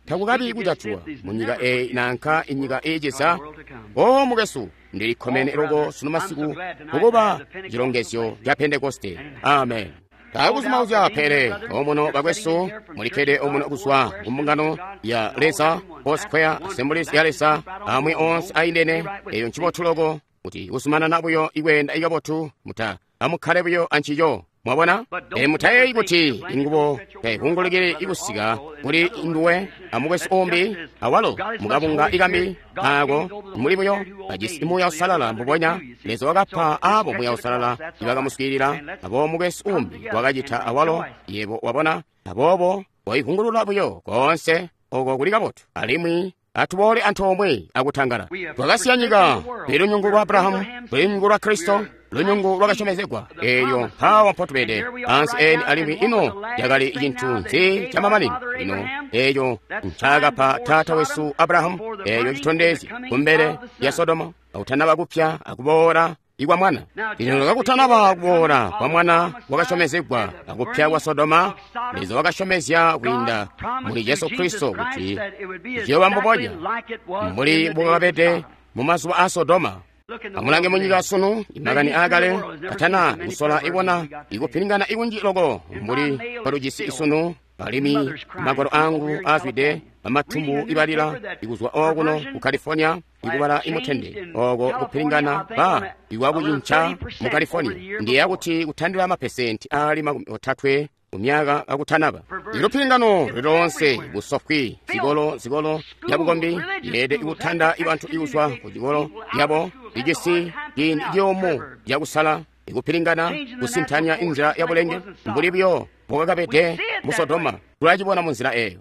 takukabi kujatilwa munyika eyi nanka inyika iiciza. O mukwesu, ndilikkomene loko sunu masiku kukuba cilongezyo ca Pentekoste. Amen. Takuzumauzya pele omuno bakwesu mulikkede omuno kuzwa kumbungano ya Leza, Foursquare, Assemblies ya Leza, amwi onse aindene. Eyo ncibotu loko kuti kuzumanana buyo ikweenda ikabotu, muta amukkale buyo ancico. Mwabona? E mutayeeyi kuti ingubo taivungulukili ikusika kuli nduwe amukwesu umbi awalo mukabunga ikambi ako muli buyo bajisi Muuya Usalala mbubonya Leza wakapa abo Muuya Usalala ibakamuswiilila, abo mukwesu umbi wakacita awalo. Yebo wabona? Aboobo waivungulula buyo koonse oko kuli kabotu, alimwi atuboole antoomwe akutangala. Twakasiya nyika, tuli lunyungu lwa Abrahamu, tuli lunyungu lwa Kristo, lunyungu lwakasyomezegwa. Eelyo mpawa mpotubede ansi eni, alimwi ino yakali cintu nzi chamamanino lino eeco ncaakapa taata wesu Abrahamu, eeco citondezyo kumbele ya Sodoma akutanaba kupya akuboola ikwa mwana. Lino kakutanaba kuboola kwa mwana wakasyomezegwa akupya kwa Sodoma, Leza wakasyomezya kwiinda muli Jesu Kristo kuti ciyooba mbubonya mbuli mbukakabede mumazuba a Sodoma. Amulange munyika sunu imakani aakale katana kusola ibona ikupilingana ikunji loko mbuli palujisi isunu, alimwi magwalo angu azwide bamatumbu ibalila ikuzwa okuno ku California ikubala imutende oko kupilingana ba ikwakucinca mu California ndiye kuti kutandila mapesenti ali makumi otatwe mu myaka akutanaba. Ilupilingano lilonse busofwi zikolo zikolo yabukombi yeede ikutanda ibantu ikuzwa ku cikolo yabo ijisi ciindi ciyumu cakusala ikupilingana kusintanya inzila ya bulenge mbuli buyo mbukakabede mu Sodoma. Tulacibona mu nzila eyo.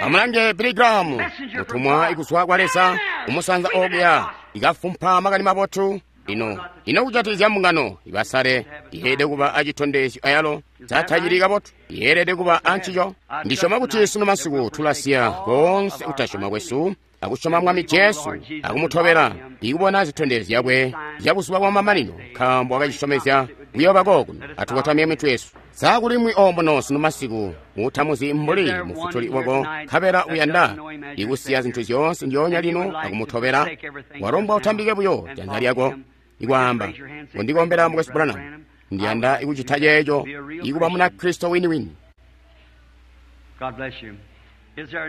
Amulange Billy Graham, mutumwa ikuzwa kwa Leza umusanza okuya ikafumpa makani mabotu. Ino ino kujatikizya mbungano ibasale yeelede kuba acitondezyo ayalo zatacili kabotu, yeelede kuba ancico. Ndisyoma kuti sunu masiku tulasiya koonse kutasyoma kwesu akusyoma Mwami Jesu akumutobela ikubona zitondezyo zyakwe zyabuzuba bwa mamanino, nkaambo wakacisyomezya kuyooba kokuno. Atukotamye mitwe yesu. Sakulimwi omuno sunu masiku mutamuzi mbuli mufutuli wako, nkabela uyanda ikusiya zintu zyoonse ndyoonya lino akumutobela, walombwa utambike buyo janza lyako ikwaamba, undikombela mukwesu Branham, ndiyanda ikucita ceeco ikuba muna Kristo winiwini.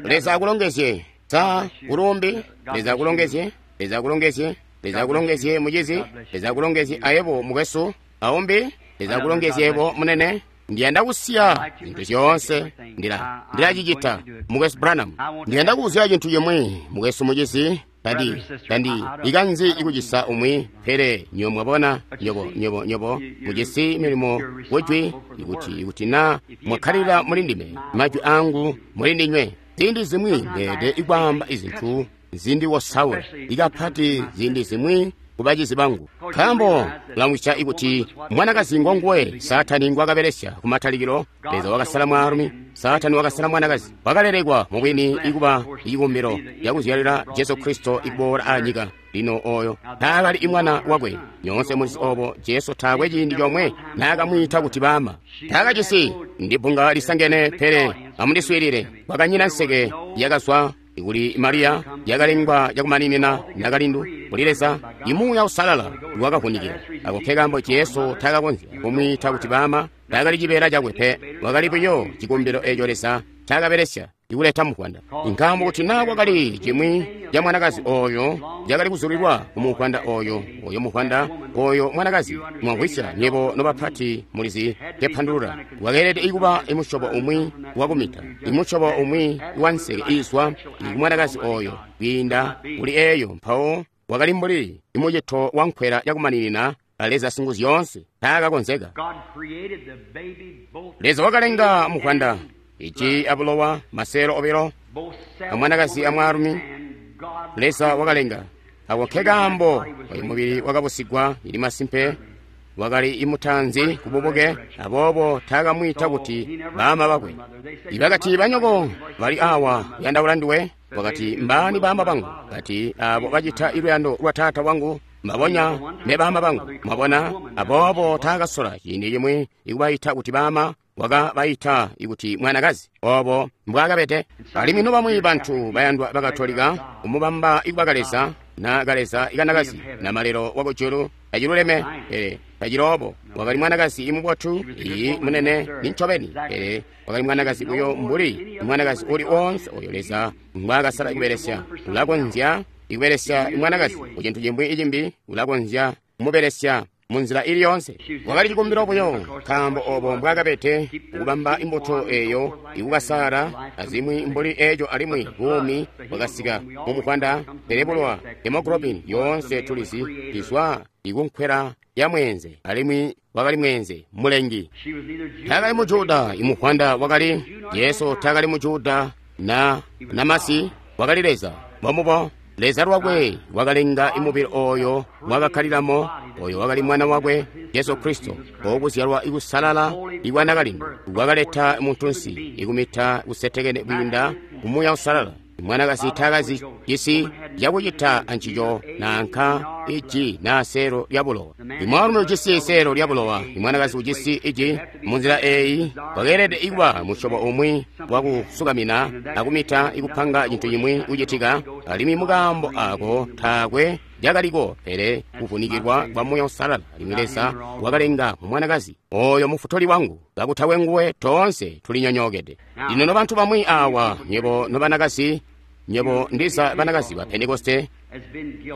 Leza akulongezye. Sa kulumbi? Leza akulongezye. Leza akulongezye. Leza akulongezye, mucizi. Leza akulongezye ayebo, mukwesu. Aumbi? Leza akulongezye yebo, munene. Ndiyanda kusiya zintu zyoonse. Ndila ndilacicita, mukwesu Branham. Ndiyanda kuuziya cintu cimwi, mukwesu, mucizi. Tandi tandi ikanzi ikucisa umwi, pele nyobo mwabona, nyobo nyobo nyobo mujisi milimo wejwi, ikuti ikuti na mwakkalira muli ndime, majwi angu muli ndinywe. Ziindi zimwi ndeede ikwaamba izintu zindiwosaula, ikapati ziindi zimwi kubacizi bangu, nkaambo lamwisya ikuti mwanakazi ngonguwe Saatani ngwakabelesya kumatalikilo. Leza wakasala mwaalumi, Saatani wakasala mwanakazi. Wakalelekwa mubwini ikuba icikumbilo cakuzyalila Jesu Kristo ikuboola anyika. Lino oyo taakali imwana wakwe. Nyoonse mulizi obo. Jesu taakwe ciindi comwe naakamwiita kuti baama. Taakajisi ndi bbunga lisangene, pele amundiswiilile, kwakanyina nseke yakazwa kuli Mariya yakalengwa cakumaninina nakalindu kuli Leza. Imuuya Usalala wakavunikila. Ako nkekaambo Jesu taakakonzya kumwiita kuti baama. Taakali cibeela cakwe pe, wakali buyo cikumbilo eco Leza ncaakabelesya ikuleta muvwanda. Nkaambo kuti naa kwakali cimwi ca mwanakazi oyo cakali kuzulilwa ku muvwanda oyo, oyo muvwanda oyo mwanakazi, mwamvwisya nyebo nobapati mulizi kepandulula, wakeelede ikuba imusyobo umwi wakumita, imusyobo umwi wanseke iizwa kumwanakazi oyo kwiinda kuli eyo. Mpawo wakali mbuli imucito wankwela yakumaninina a Leza Singuzyoonse. Taakakonzeka. Leza wakalenga muvwanda, iji abulowa, maselo obilo, amwanakazi amwaalumi. Leza wakalenga. Ako nkekaambo oyu mubili wakabusigwa ili masimpe wakali imutanzi kububuke. Aboobo taakamwiita kuti baama bakwe. Ibakati, banyoko bali awa kuyandaula nduwe. Wakati, mbaani baama bangu? Kati, abo bacita iluyando lwa taata wangu mbabonya ne baama bangu. Mwabona? Aboobo taakasola ciindi cimwi ikubayita kuti baama, wakabayita ikuti mwanakazi. Obo mbwakabede. Alimwi nobamwi bantu bayandwa bakatolika kumubamba ikuba kaleza na kaleza ikanakazi na malelo wakujulu. Taciluleme, pele taciloobo. Wakali mwanakazi imubotu, iyi munene nincobeni, pele wakali mwanakazi uyo mbuli mwanakazi uli wonse oyo Leza ngwaakasala kubelesya. Ulakonzya ikubelesya mwanakazi ku cintu cimwi icimbi, ulakonzya kumubelesya munzila ili yonse. Wakali cikumbilo buyo, nkaambo obo mbwakabede kubamba imbuto eyo ikukasaala azimwi mbuli eco, alimwi buumi bwakasika mumuvwanda. Pele bulowa, hemoglobin yoonse tulizi izwa ikunkwela ya mweenze, alimwi wakali mweenze mulengi. Taakali mujuda imuvwanda wakali Jesu, taakali mujuda na namasi, wakali Leza. Mbomubo Leza lwakwe wakalenga imubili oyo mwakakkalilamo, oyo wakali mwana wakwe Jesu Kristo, okuzyalwa ikusalala ikwanakalindu wakaleta muntunsi ikumita kusetekene kwiinda kumuuya usalala. Mwanakazi taakazi cisi cakucita ancico nanka iji naa selo lya bulowa. Imwaalumi ujisi selo lya bulowa, imwanakazi ujisi iji. Munzila eyi wakeelede ikuba musyobo umwi wakusukamina akumita ikupanga cintu cimwi kucitika, alimwi mukaambo ako taakwe cakaliko pele kuvunikilwa kwa Muuya Usalala. Alimwi Leza wakalenga mwanakazi oyo mufutuli wangu, kakutakwe nguwe toonse tulinyonyookede. Lino nobantu bamwi awa, nyebo nobanakazi, nyebo ndiza banakazi ba Pentekoste,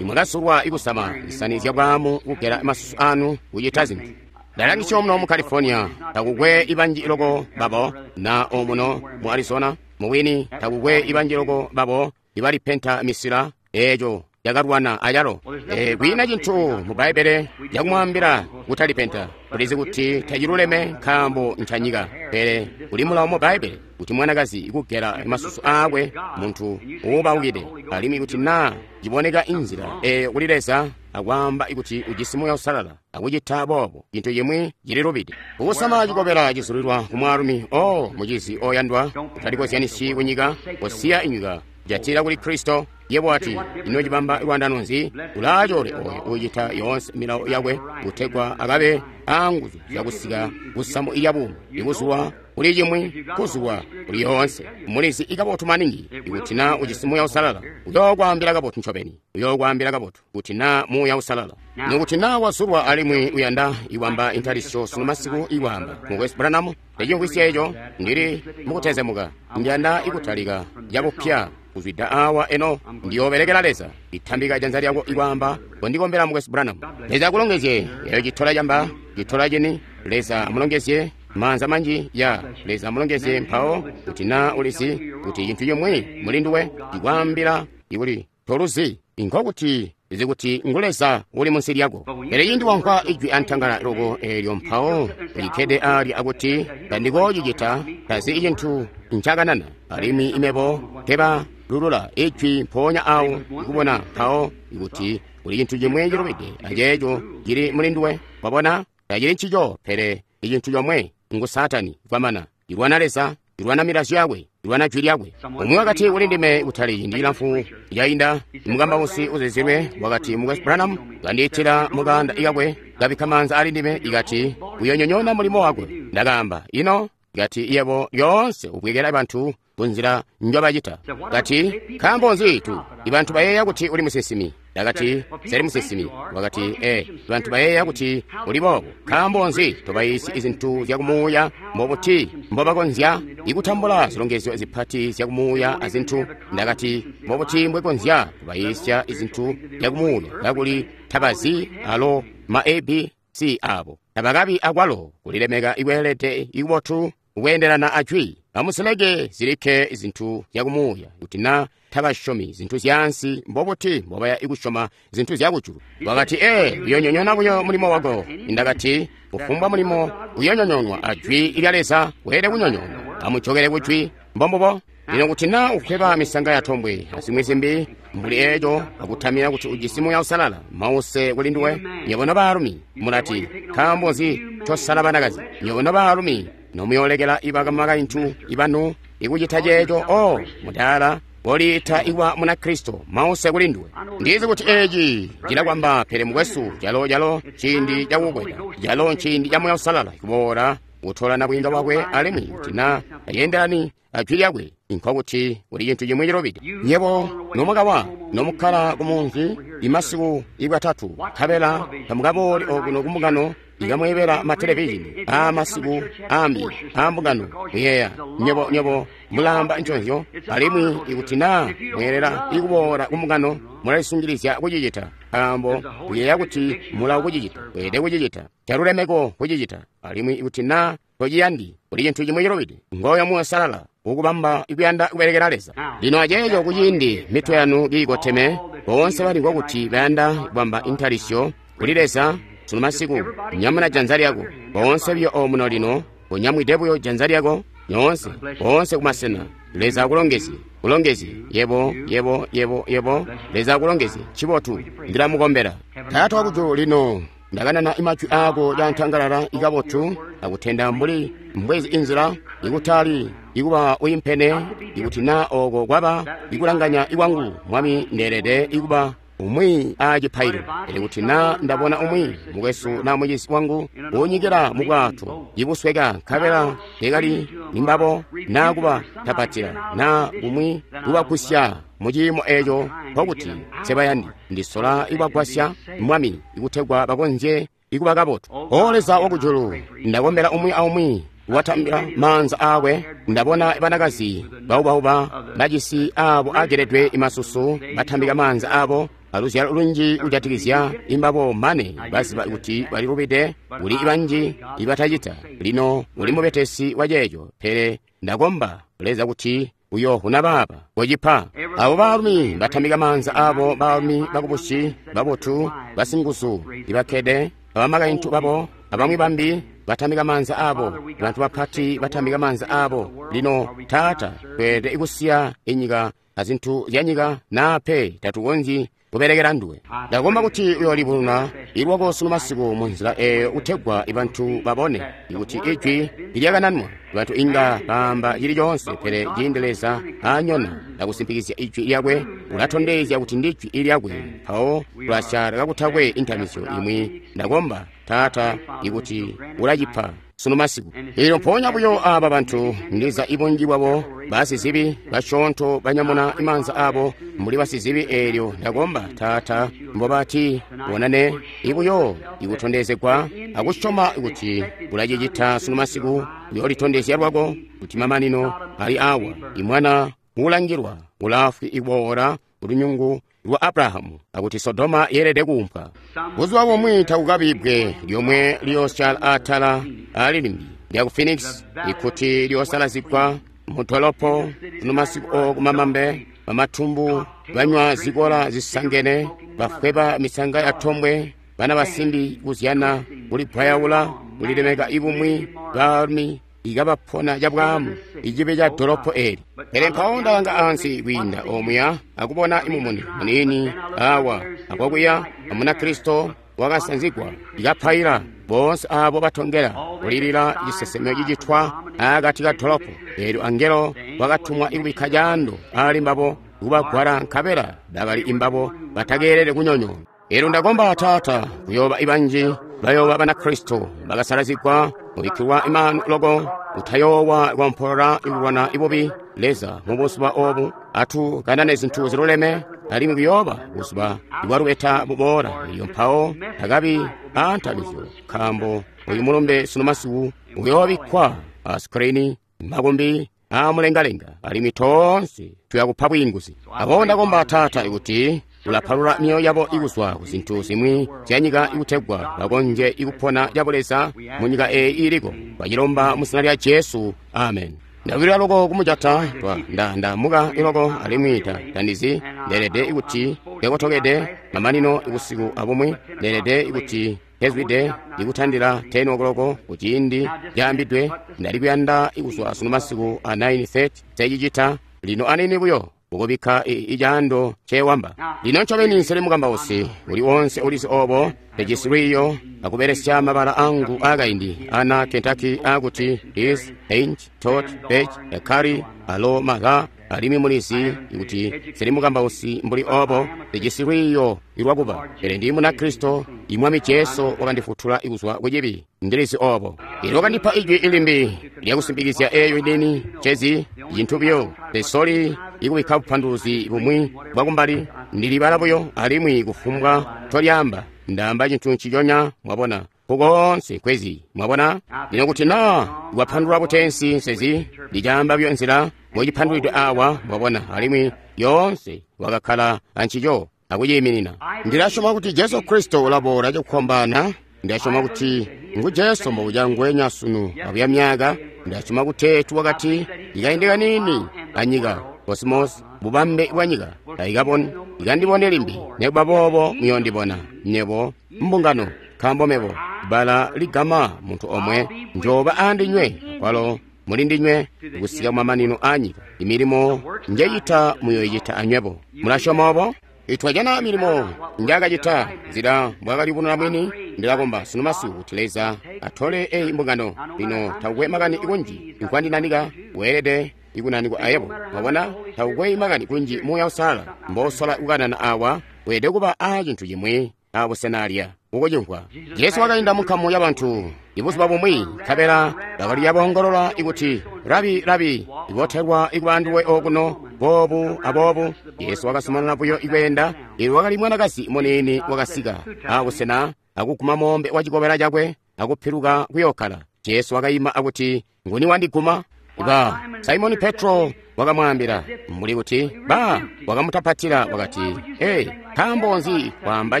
imwakasulwa ikusama zisani zyabwaamu, kugela masusu anu, kucita zintu. Ndalangisya omuno mu California, takukwe ibanji loko babo, na omuno mu Arizona, mubwini takukwe ibanji loko babo ibalipenta misila eco yakalwana ayalo. E, kwiina cintu mu Bbaibbele yakumwaambila kutalipenta. Tulizi kuti taciluleme nkaambo ncanyika, pele kuli mulawo mu Bbaibbele kuti mwanakazi ikugela masusu aakwe muntu uubaukide, alimwi kuti naa ciboneka inzila eyo kuli Leza akwaamba kuti ujisi Muuya Usalala akucita boobo, cintu cimwi cililubide. Ukusama cikobela cizulilwa ku mwaalumi o mucizi oyandwa, utalikozyanisyi kunyika, kosiya inyika, jatila kuli Kristo. Yebo ati, ino cibamba lwandano nzi? Ulaachole oyo ucita yoonse milawo yakwe kutegwa akabe aanguzu zyakusika kusamu ilya buumi, ikuzulwa kuli cimwi, kuzulwa kuli yoonse. Mulizi ikabotu maningi ikuti na ujisi Muuya Usalala, uyookwaambila kabotu ncobeni, uyookwaambila kabotu kuti na Muuya Usalala. Nikuti na wazulwa alimwi uyanda iwamba intalisyo sunu masiku iwamba mukwesu Branham, ndicimvwisya eco, ndili mukutezemuka, ndiyanda ikutalika yakupya Kuzwida awa eno ndiyoobelekela Leza. Itambika janza lyako ikwaamba, kondikombela Mukwesu Branham. Leza akulongezye. Eyo citola camba, citola cini. Leza amulongezye. Maanza manji ya Leza amulongezye. Mpawo kuti na ulizi kuti cintu chimwi muli nduwe ikwaambila ikuli toluzi, inkokuti izi kuti ngu Leza uli munsi lyako. Pele cindi wamvwa ijwi antangala loko eelyo, mpawo likkede alya akuti tandikoocicita, tazi cintu ncakanana, alimwi imebo teba lulula ijwi mpoonya awo ikubona mpawo ikuti kuli cintu chimwe cilubide aceeco cili muli nduwe. Wabona, tacili ncico, pele icintu chomwe ngu Saatani kwamana. Ilwana Leza, ilwana milazyo yakwe, ilwana jwi lyakwe. Umwi wakati kuli ndime kutali ciindi cilamfu cainda, mukambausi uzizilwe wakati, Mukwesu Branham kandiitila mukanda ikakwe, kabikka maanza ali ndime, ikati uyonyonyoona mulimo wakwe. Ndakaamba, ino? Ikati yebo lyoonse ubwekela bantu kunzila njobacita. Kati, nkaambo nzi tu ibantu bayeeya kuti uli musinsimi? Ndakati, seli musinsimi. Wakati, e, bantu bayeeya kuti uli boobo. Nkaambo nzi tobayiisi izintu zyakumuuya? Mbobuti mbobakonzya ikutambula zilongezyo zipati zyakumuuya azintu? Ndakati, mbobuti mbwekonzya kubayiisya izintu zyakumuuya kakuli tabazi alo ma A B C abo? Tabakabi akwalo kulilemeka ikweelede ikubotu kukweendelana ajwi. Amusileke zilikke zintu zyakumuuya. Kuti na tabasyomi zintu zyaansi, mbobuti mbobaya ikusyoma zintu zyakujulu? Wakati, ee, uyonyonyona buyo mulimo wako. Ndakati, kufumbwa mulimo uyonyonyonwa ajwi lya Leza weelede kunyonyonwa. Amujokele kujwi. Mbombubo. Lino kuti na ukweba misanga ya tombwe azimwi zimbi mbuli eeco akutamira kuti ujisi Muuya Uusalala, mause kuli nduwe. Nywebo nobaalumi mulati, nkaambo nzi ncosala banakazi? Nywebo nobaalumi nomuyolekela ibakamakaintu ibanu ikucita ceeco, o mudaala boliita iwa Munakristo, mause kuli nduwe. Ndizi kuti eeci cilakwamba, pele mukwesu, calo calo ciindi cakukwela, calo nciindi ca Muuya Uusalala kuboola kutola nabwiinga bwakwe, alimwi kuti na ayendelani ajwi lyakwe, nkokuti kuli cintu chimwe cilubide. Nyebo nomukawa nomukkala kumunzi imasiku ikwatatu, nkabela tamukabooli okuno kumbungano ikamweebela matelevizhini aamasiku ambi aambungano. Muyeeya nyebo nyebo mulamba nconzyo, alimwi ikuti naa mweelela ikuboola kumbungano mulalisungilizya kucicita, nkaambo muyeeya kuti mulawo kucicita, weelede kucicita calulemeko kucicita. Alimwi ikuti naa tociyandi, kuli cintu chimwe cilubide. Ngoyo Muuya Uusalala ukubamba ikuyanda kubelekela Leza. Lino aceeco kuciindi mitwe yanu kiikoteme, boonse balimvwa kuti bayanda kubamba intalisyo kuli Leza sunu masiku, nyamuna janza lyako. Boonse buyo omuno lino, unyamwide buyo janza lyako nyoonse, boonse kumasena. Leza akulongezye, kulongezye yebo, yebo, yebo, yebo. Leza akulongezye. Chibotu, ndilamukombela. Taata wakujulu, lino ndakanana imajwi aako cantangalala ikabotu akutenda mbuli mbwezi inzila ikutali ikuba uyimpene. Ikuti na oko kwaba ikulanganya ikwangu, Mwami, ndeelede ikuba umwi aacipaililo. Pele kuti na ndabona umwi mukwesu na mucizi wangu unyikila mubwato ibusweka, nkabela tekali nimbabo na kuba tapatila na kumwi kubagusya muciimo eeco, nkokuti nsebayandi. Ndisola ikubagwasya, Mwami, ikutegwa bakonzye ikuba kabotu. O Leza wakujulu, ndakombela umwi aumwi watambila maanza aakwe. Ndabona banakazi baubauba bajisi aabo ageledwe imasusu batambika maanza aabo aluzyalo lunji kujatikizya imbabo, mane baziba kuti balilubide. Kuli ibanji ibatacita. Lino uli mubetesi wa ceeco, pele ndakomba Leza kuti uyoovuna baaba kocipa abo baalumi batambika maanza aabo, baalumi bakubusi babotu basinguzu ibakkede abamakaintu babo abamwi bambi batambika maanza aabo, bantu bapati batambika maanza aabo. Lino Taata, tweelede ikusiya inyika azintu zyanyika, naa pe tatukonzyi kubelekela nduwe. Ndakomba kuti uyoolibununa ilwako sunu masiku munzila eeyo kutegwa ibantu babone ikuti ijwi ilyakananwa. Bantu inga baamba cili coonse, pele ciindi Leza aanyona akusimpikizya ijwi lyakwe, ulatondezya kuti ndijwi ilyakwe, mpawo tulasyala kakutakwe intamisyo imwi. Ndakomba Taata ikuti ulacipa sunu masiku. Elyo mpoonya buyo aaba bantu, ndiza ibunji bwabo basizibi basyoonto banyamuna imaanza aabo mbuli basizibi. Eelyo ndakomba Taata mbobati bonane ibuyo ikutondezegwa akusyoma kuti ulacicita sunu masiku. Uyoolitondezya lwako kuti mamanino ali awa, imwana uulangilwa ulaafwi ikuboola lunyungu lwa Abrahamu, akuti Sodoma yeelede kuumpwa. Buzuba bumwi takukabi bbwe lyomwe liyoosyaala atala ali limbi lyaku Phoenix, ikuti liyoosalazigwa mudolopo masiku okumamambe, bamatumbu banywa zikola zisangene, bafweba misanga ya tombwe, bana basimbi kuzyana, kulipwayaula, kulilemeka ibumwi, baalumi ikabapona cabwaamu icibe ca dolopo eli. Pele mpawo ndalanga ansi kwiinda omuya akubona imumuni muniini awa akwakuya Amunakristo wakasanzigwa ikapaila boonse abo batongela kulilila cisesemyo cicitwa akati ka dolopo. Eelyo angelo wakatumwa ikubikka caando ali mbabo kubagwala, nkabela bakali imbabo batakeelele kunyonyoona. Eelyo ndakomba Taata kuyooba ibanji bayooba Banakristo bakasalazigwa kubikkilwa imanu loko, kutayoowa kwampolola ikulwana ibubi. Leza mubuzuba obu atu kanane zintu ziluleme, alimwi kuyooba buzuba bwalubeta buboola. Iyo mpawo takabi aantabizyo, nkaambo uyu mulumbe sunu masiku uyoobikkwa a skrini makumbi aamulengalenga, alimwi toonse tuyakupa bwiinguzi. Aboobo ndakomba Taata ikuti ulapalula myoyo yabo ikuzwa ku zintu zimwi zyanyika ikutegwa bakonzye ikupona cabuleza mu nyika eyi iliko. Twacilomba mu zina lya Jesu, amen. Ndawilila loko kumujata twa nda ndamuka iloko, alimwi ta tandizi ndeelede ikuti ndekotokede mamanino ikusiku abumwi, ndeelede ikuti hezwide ikutandila ten o'clock kuciindi caambidwe. Ndali kuyanda ikuzwa sunu masiku a nine thirty secicita lino anini buyo ukubikka icaando cewamba. Lino ncobeni nseli mukambausi uli wonse ulizi obo, ndijisi lwiiyo akubelesya mabala angu akaindi ana Kentucky akuti is ain't tot page ekari alo maga, alimwi mulizi ikuti nseli mukambausi mbuli obo, ndijisi lwiiyo ilwakuba, pele ndi Munakristo. Imwami Jesu wakandifutula ikuzwa kucibi, ndilizi obo. Ilo wakandipa ijwi ilimbi lyakusimbikizya eyo inini cezi cintu buyo tesoli ikubikka bupanduluzi bumwi bwakumbali, ndilibala buyo alimwi kufumbwa tolyaamba ndaamba cintu nciconya, mwabona, kukoonse kwezi, mwabona. Lino kuti naa wapandulula butensi nsezi ndicaamba buyo nzila mbocipandulwidwe awa, mwabona, alimwi yoonse wakakkala ancico akuciiminina. Ndilasyoma kuti Jesu Kristo ulaboola cakukombana. Ndasyoma kuti ngu Jesu mbobuca ngwenya sunu akuya myaka. Ndasyoma kuti wakati ikaindi kanini anyika kosmos bubambe bwa nyika taikaboni ikandibone limbi, nekuba boobo muyondibona nyebo mbungano, nkaambo mebo bala ligama muntu omwe njoba andinywe kwalo muli ndinywe kusika kumamanino a nyika. Imilimo njecita muyoyicita anywebo. Mulasyoma obo? Itwajana milimo njakacita nzila mbwakalibunula mwini. Ndilakomba sunu masiku kuti Leza atole eyi mbungano. Lino takukwe makani kunji nkwandinanika, weelede ikunanikwa ayebo. Mwabona, takukwe makani kunji Muuya Uusalala mbosola kukanana awa, weelede kuba a cintu cimwi abusenalya ukucimvwa. Jesu wakainda munkamu ya bantu ibuzuba bumwi, nkabela bakali yaboongolola ikuti, Rabi, Rabi, ibotelwa ikuba anduwe okuno boobu aboobu. Jesu wakazumanana buyo ikweenda. Eelyo wakali mwanakazi muniini wakasika abusena akuguma moombe wa cikobela cakwe akupiluka kuyokkala. Jesu wakayima akuti, nguni wandiguma? Ba Simoni Petro wakamwaambila mbuli kuti ba wakamutapatila wakati, "Hey, nkaambo nzi waamba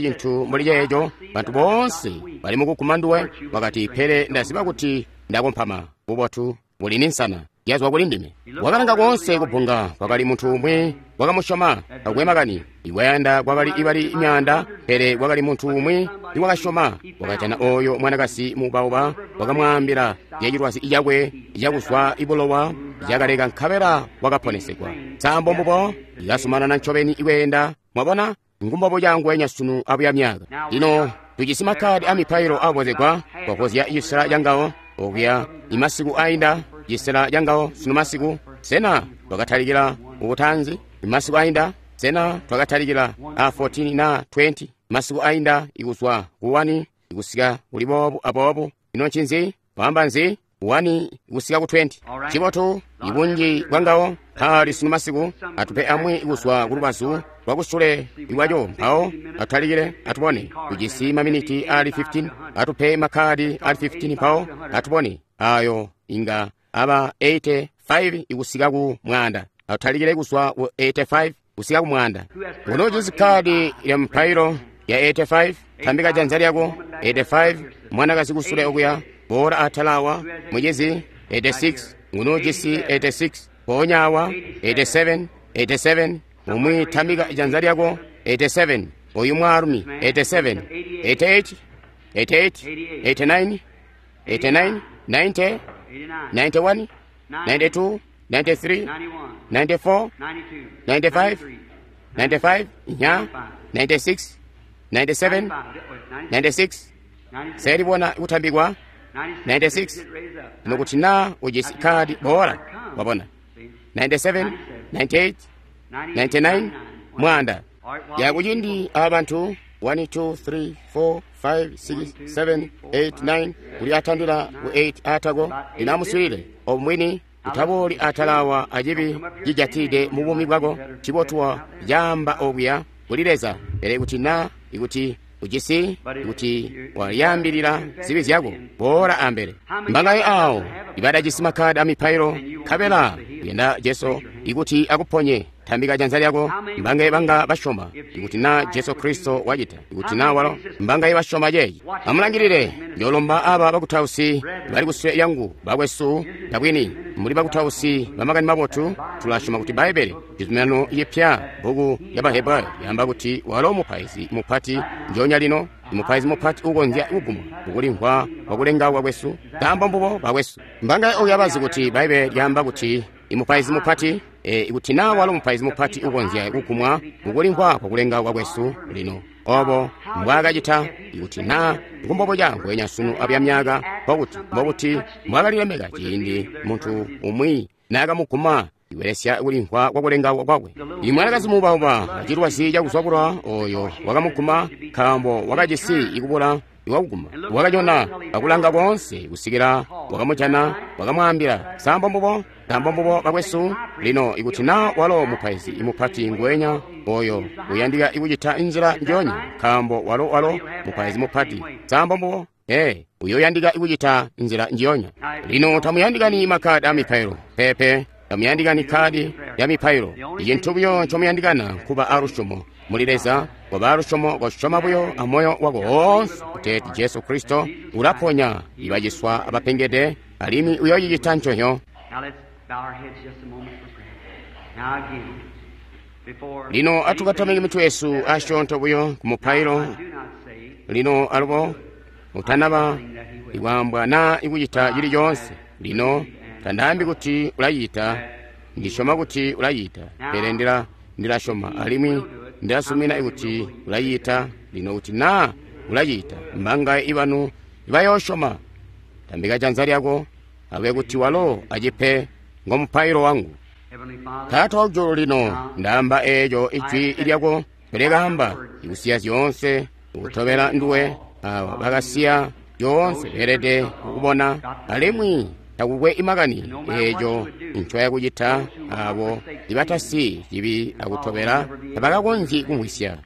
cintu mbuli ceeco? Bantu boonse bali mukuguma nduwe." Wakati, "Pele ndaziba kuti ndakompama bubotu buli ninsana yazwa kuli ndime." Wakalanga koonse kubunga, kwakali muntu umwi wakamusyoma. Takwe makani iwayanda kwakali ibali myaanda, pele kwakali muntu umwi iwakasyoma. Wakajana oyo mwanakazi mubauba, wakamwaambila zyacilwazi cakwe cakuzwa ibulowa zyakaleka, nkabela wakaponesegwa. Nsambo mbubo ikazumanana ncobeni ikweenda. Mwabona, ngumbobo cangwenya sunu abuya myaka. Lino tujisi makkadi amipailo abozegwa kwakozya cisela cangawo okuya imasiku ainda, cisela cangawo sunu masiku. Sena twakatalikila ubutanzi imasiku ainda? Sena twakatalikila a fourteen na twenty masiku ainda, ikuzwa ku one ikusika kuli boobu aboobu? Ino ncinzi wamba nzi? one ikusika ku twenty. Cibotu ibunji bwangawo mpali sunu masiku. Atupe amwi ikuzwa ku lubazu lwakusule iwaco, mpawo atutalikile atubone. Tujisi maminiti ali fifteen. Atupe makkadi ali fifteen, mpawo atubone ayo inga aba eighty-five ikusika ku mwaanda. Atalikile kuzwa ku eighty-five kusika ku mwanda. Unoojisi kkaadi lya mupailo ya eighty-five, tambika janza lyako. eighty-five, mwanakazi kusule okuya, boola atala awa, mucizi. eighty-six, ngunoojisi eighty-six, mpoonya awa. eighty-seven, eighty-seven, umwi tambika janza lyako. eighty-seven, oyu mwaalumi. eighty-seven, eighty-eight, eighty-eight, eighty-nine, eighty-nine, ninety, ninety-one, ninety-two, ninety-three, ninety-four, ninety-five, ninety-five, nya, ninety-six, ninety-seven, ninety-six, selibona kutambikwa, ninety-six, nokuti na ujisi kadi bora, wabona, ninety-seven, ninety-eight, ninety-nine, mwanda. Yakuchindi abantu one, two, three, four, five, six, seven, eight, nine kuli atandila ku eight atako linamuswile obumwini utabooli atalawa ajibi jijatide mu bumi bwako chibotuwa yamba okuya kuli Leza pele kuti na ikuti ujisi kuti waliyambilira zibi zyako boola ambele. Mbangaye awo ibadajisi makhadi a mipailo nkabela kuyenda Jesu ikuti akuponye tambika janza lyako. Mbangaye banga basyoma ikuti na Jesu Kristo wacita ikuti na walo mbangaye basyoma ceeci. Amulangilile njolomba aba bakutausi bali kusule yangu bakwesu tabwini muli bakutausi bamakani mabotu. Tulasyoma kuti Bbaibele cizuminano cipya bbuku ya Bahebrayo yamba kuti walo mupaizi mupati njonya lino mupaizi mupati ukonzya kugumwa kukulimvwa kwakulengauka kwesu nkaambo mbubo bakwesu. Mbangaye oyo abazi kuti Bbaibele lyamba kuti imupaizi mupati e, ikuti na walo mupaizi mupati ukonzya kugumwa kukulimvwa kwakulengauka kwesu lino obo mbwakacita ikuti na nkumbobo cangwenya sunu apya myaka mbokuti mbokuti mbwakalilemeka ciindi muntu umwi naakamuguma ibelesya kulimvwa kwakulengauka kwakwe. Imwanakazi muubauba acilwazi cakuzwabulwa oyo wakamuguma nkaambo wakajisi ikubula iwakuguma wakanyona akulanga koonse kusikila wakamujana wakamwaambila sambo mbubo nkaambo mbubo bakwesu. Lino ikuti na walo mupaizi mupati ngwenya oyo uyandika ikucita inzila njonya nkaambo walo walo mupaizi mupati sambo mbubo ee uyoyandika ikucita nzila njiyonya. Lino tamuyandikani makhadi a mipailo pepe tamuyandikani khadi ya mipailo. Icintu buyo ncomuyandikana nkuba alusyomo muli Leza. Koba alusyomo kosyoma buyo amoyo wako woonse kuteeti Jesu Kristo ulaponya ibaciswa abapengede alimwi uyoocicita nconyo. Lino atukatamike mitwe yesu asyoonto buyo ku mupailo. Lino alubo utanaba ikwambwa na ikucita cili coonse. Lino tandaambi kuti ulacita, ndisyoma kuti ulacita, pele ndila ndilasyoma alimwi ndilasumina kuti ulacita. Lino kuti na ulacita, mbangaye ibanu ibayoosyoma. Tambika janza lyako abe kuti walo acipe ngomupailo wangu. Taata wakujulu, lino ndaamba eeco ijwi lyako pele kaamba ikusiya zyoonse ukutobela nduwe. Awa bakasiya zyoonse beelede kukubona alimwi takukwe imakani eeco ncoyakucita. Abo ibatasi cibi akutobela tabakakonzyi kumvwisya.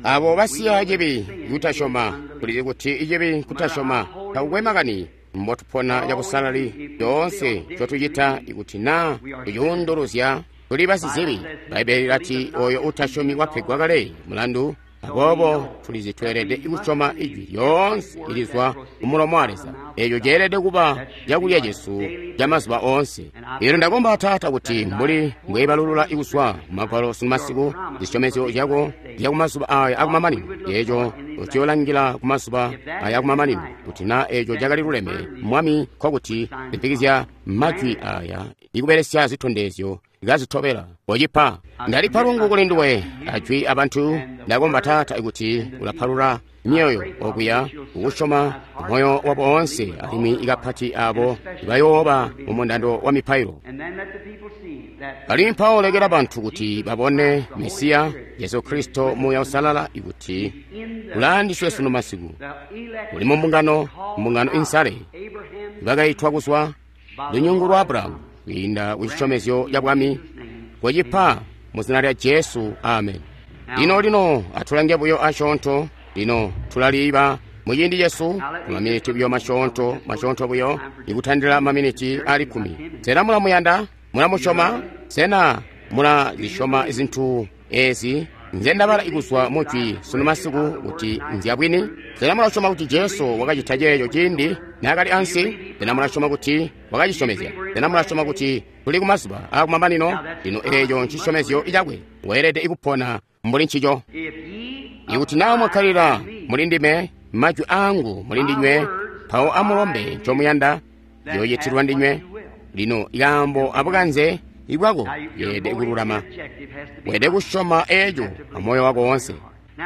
Abo basiya cibi kutasyoma, tulizi kuti icibi kutasyoma. Takukwe makani mbotupona cabusalali zyoonse ncotucita ikuti na tucuunduluzya tuli basizibi. Bbaibele lilati oyo utasyomi wapegwa kale mulandu. Aboobo tulizi tweelede kusyoma ijwi lyoonse ilizwa kumulomo wa Leza. Eeco ceelede kuba cakulya cesu camazuba oonse. Eelyo ndakomba Taata kuti mbuli mbwebalulula ikuswa kumagwalo sunu masiku zisyomezyo zyako zyakumazuba aya akumamanino, eeco uciyoolangila kumazuba aya akumamanino kuti na eeco cakali luleme Mwami, nkokuti zipikizya majwi aya ikubelesya zitondezyo kazitobela kocipa. Ndalipa lungu kuli nduwe ajwi abantu. Ndakomba Taata kuti ulapalula myoyo okuya ukusyoma moyo wabo oonse alimwi ikapati abo ibayooba mu mundando wa mipailo. Alimwi mpawo lekela bantu kuti babone Mesiya Jesu Kristo Muuya Usalala ikuti ulaandiswe sunu masiku uli mu mbungano, mbungano insale ibakaitwa kuzwa lunyungu lwa Abrahamu kwiinda ku cisyomezyo ca bwami kocipa mu zina lya Jesu, amen. Lino lino atulange buyo asyoonto. Lino tulaliiba muciindi cesu kumaminiti buyo masyoonto masyoonto buyo ikutandila maminiti ali kkumi. Sena mulamuyanda? Mula musyoma? Sena mula zisyoma zintu ezi nze ndabala ikuzwa mujwi sunu masiku kuti nzyabwini? Sena mulasyoma kuti Jesu wakacita ceeco ciindi naakali ansi? Sena mulasyoma kuti wakacisyomezya? Sena mulasyoma kuti tuli kumazuba aakumamanino? Lino eeco ncisyomezyo cakwe. Weelede kupona mbuli ncico. Ikuti naa mwakkalila muli ndime, majwi aangu muli ndinywe, mpawo amulombe ncomuyanda, yooyitilwa ndinywe. Lino ikaambo abukanze ibwako yeelede kululama. Weelede kusyoma eeco amoyo wako woonse.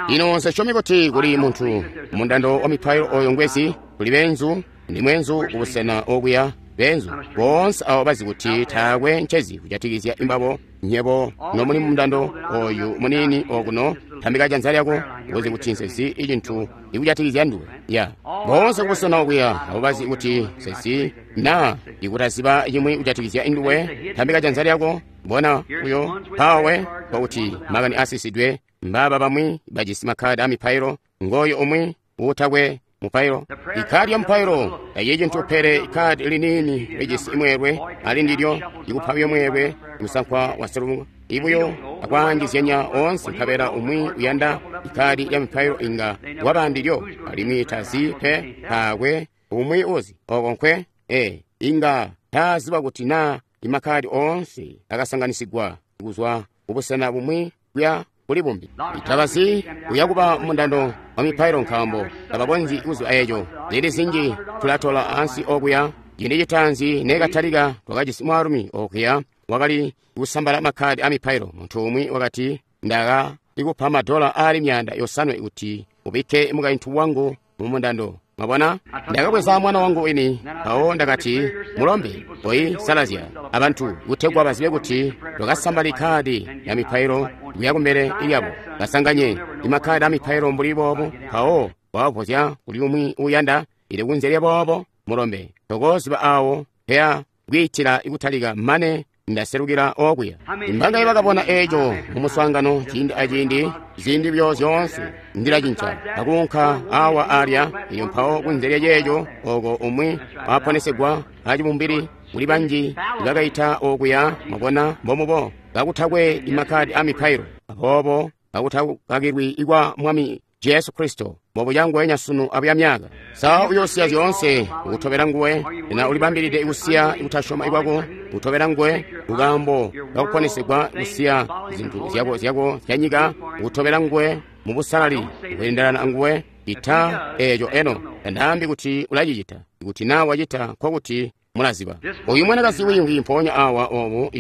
Lino nsesyomi kuti kuli muntu mundando wa mipailo oyo ngwezi, kuli beenzu, ndi mweenzu kubusena okuya, beenzu boonse abo bazi kuti taakwe ncezi kujatikizya imbabo. Nyebo nomuli mundando oyu muniini okuno, tambika janza lyako uzi kuti nsezi icintu ikujatikizya nduwe. Ya boonse kubusena okuya abo bazi kuti nsezi na ikutaziba cimwi kujatikizya nduwe, tambika janza lyako. Bona uyo mpawe kwakuti makani asisidwe. Mbaba bamwi bajisi makhadi a mipailo, ngoyo umwi uutakwe mupailo. Ikhadi ya mupailo tayi cintu pele ikhadi liniini lijisi imweelwe ali ndilyo, ikupa buyo mweelwe musankwa wa selungu ibuyo akwaanjizyanya oonse, nkabela umwi uyanda ikhadi lya mipailo inga waba ndilyo alimwi tazi pe, taakwe umwi uzi oko nkwe e inga taziba kuti naa imakhadi oonse akasanganisigwa kuzwa kubusena bumwi kuya kuli bumbi. Tabazi uya kuba mundando wa mipailo nkaambo tabakonzyi kuziba eeco. Ziindi zinji tulatola ansi okuya. Ciindi citaanzi neekatalika twakajisi mwaalumi okuya wakali kusambala makhadi a mipailo. Muntu umwi wakati, ndaka ikupa madola aali myaanda yosanwe kuti ubikke mukaintu wangu mu mundando. Mwabona, ndakabweza mwana wangu wini, mpawo ndakati, mulombe oyi salazya abantu kutegwa bazibe kuti twakasambala ikhadi ya mipailo kuya kumbele lyabo, basanganye imakhadi a mipailo mbuli boobo, mpawo wabavozya kuli umwi uyanda ili kunze lya boobo. Mulombe tokoziba awo peya kwiitila ikutalika mane ndaselukila okuya. Imbangaye bakabona eeco mu muswaangano ciindi aciindi, ziindi byo zyoonse ndilacinca akuunka awa alya. Iyo mpawo kunze lya ceeco oko umwi waponesegwa acibumbili, kuli banji bakaita okuya. Mwabona mbomubo kakutakwe imakhadi a mipailo, aboobo kakutakakilwi ikwa Mwami Jesu Kristo mbobucangwenya sunu abuya myaka. Sa uyosiya zyoonse ukutobela nguwe? Na ulibambilide kusiya kutasyoma kwako kutobela nguwe kukaambo kakuponesegwa, kusiya zintu zyako zyako zya nyika kutobela nguwe mu busalali kweendelana anguwe? Ita eeco eno tandaambi kuti ulacicita. Kuti naa wacita nkokuti mulaziba. Oyu mwanakazi wiimvwi mpoonya awa obu